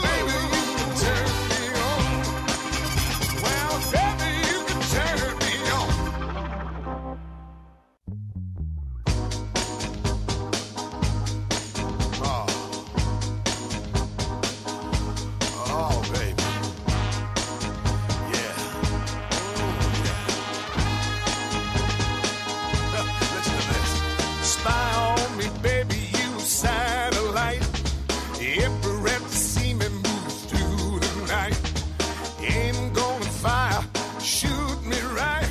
Baby, you can turn me on. Well, baby, you can turn me on. Oh. Oh, baby. Yeah. Listen to this. Spy on me, baby, you satellite. Infrared to see me move through the night. Aim gonna fire, shoot me right.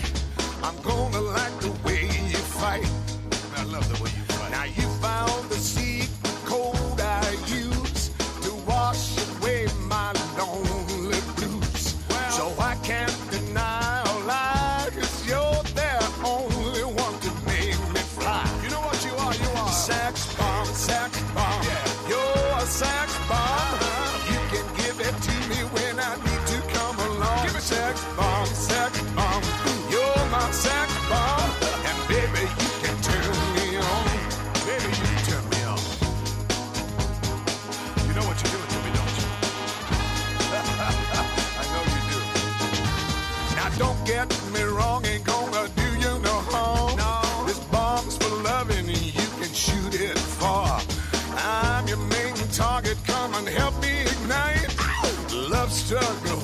I'm gonna like the way you fight. I love the way you fight. Now you found the secret code I use to wash away my lonely blues. So I can't deny or lie, 'cause you're the only one to make me fly. You know what you are? You are sex bomb, sex bomb. Yeah. You're a sex bomb. You can give it to me when I need to come along. Give me sex bomb, sex bomb. You're my sex bomb. And baby, you can turn me on. Baby, you can turn me on. You know what you're doing to me, don't you? I know you do. Now don't get me wrong, ain't gonna do you no harm. No. This bomb's for loving and you can shoot it far. I'm your main target, come and help me ignite. Love struggle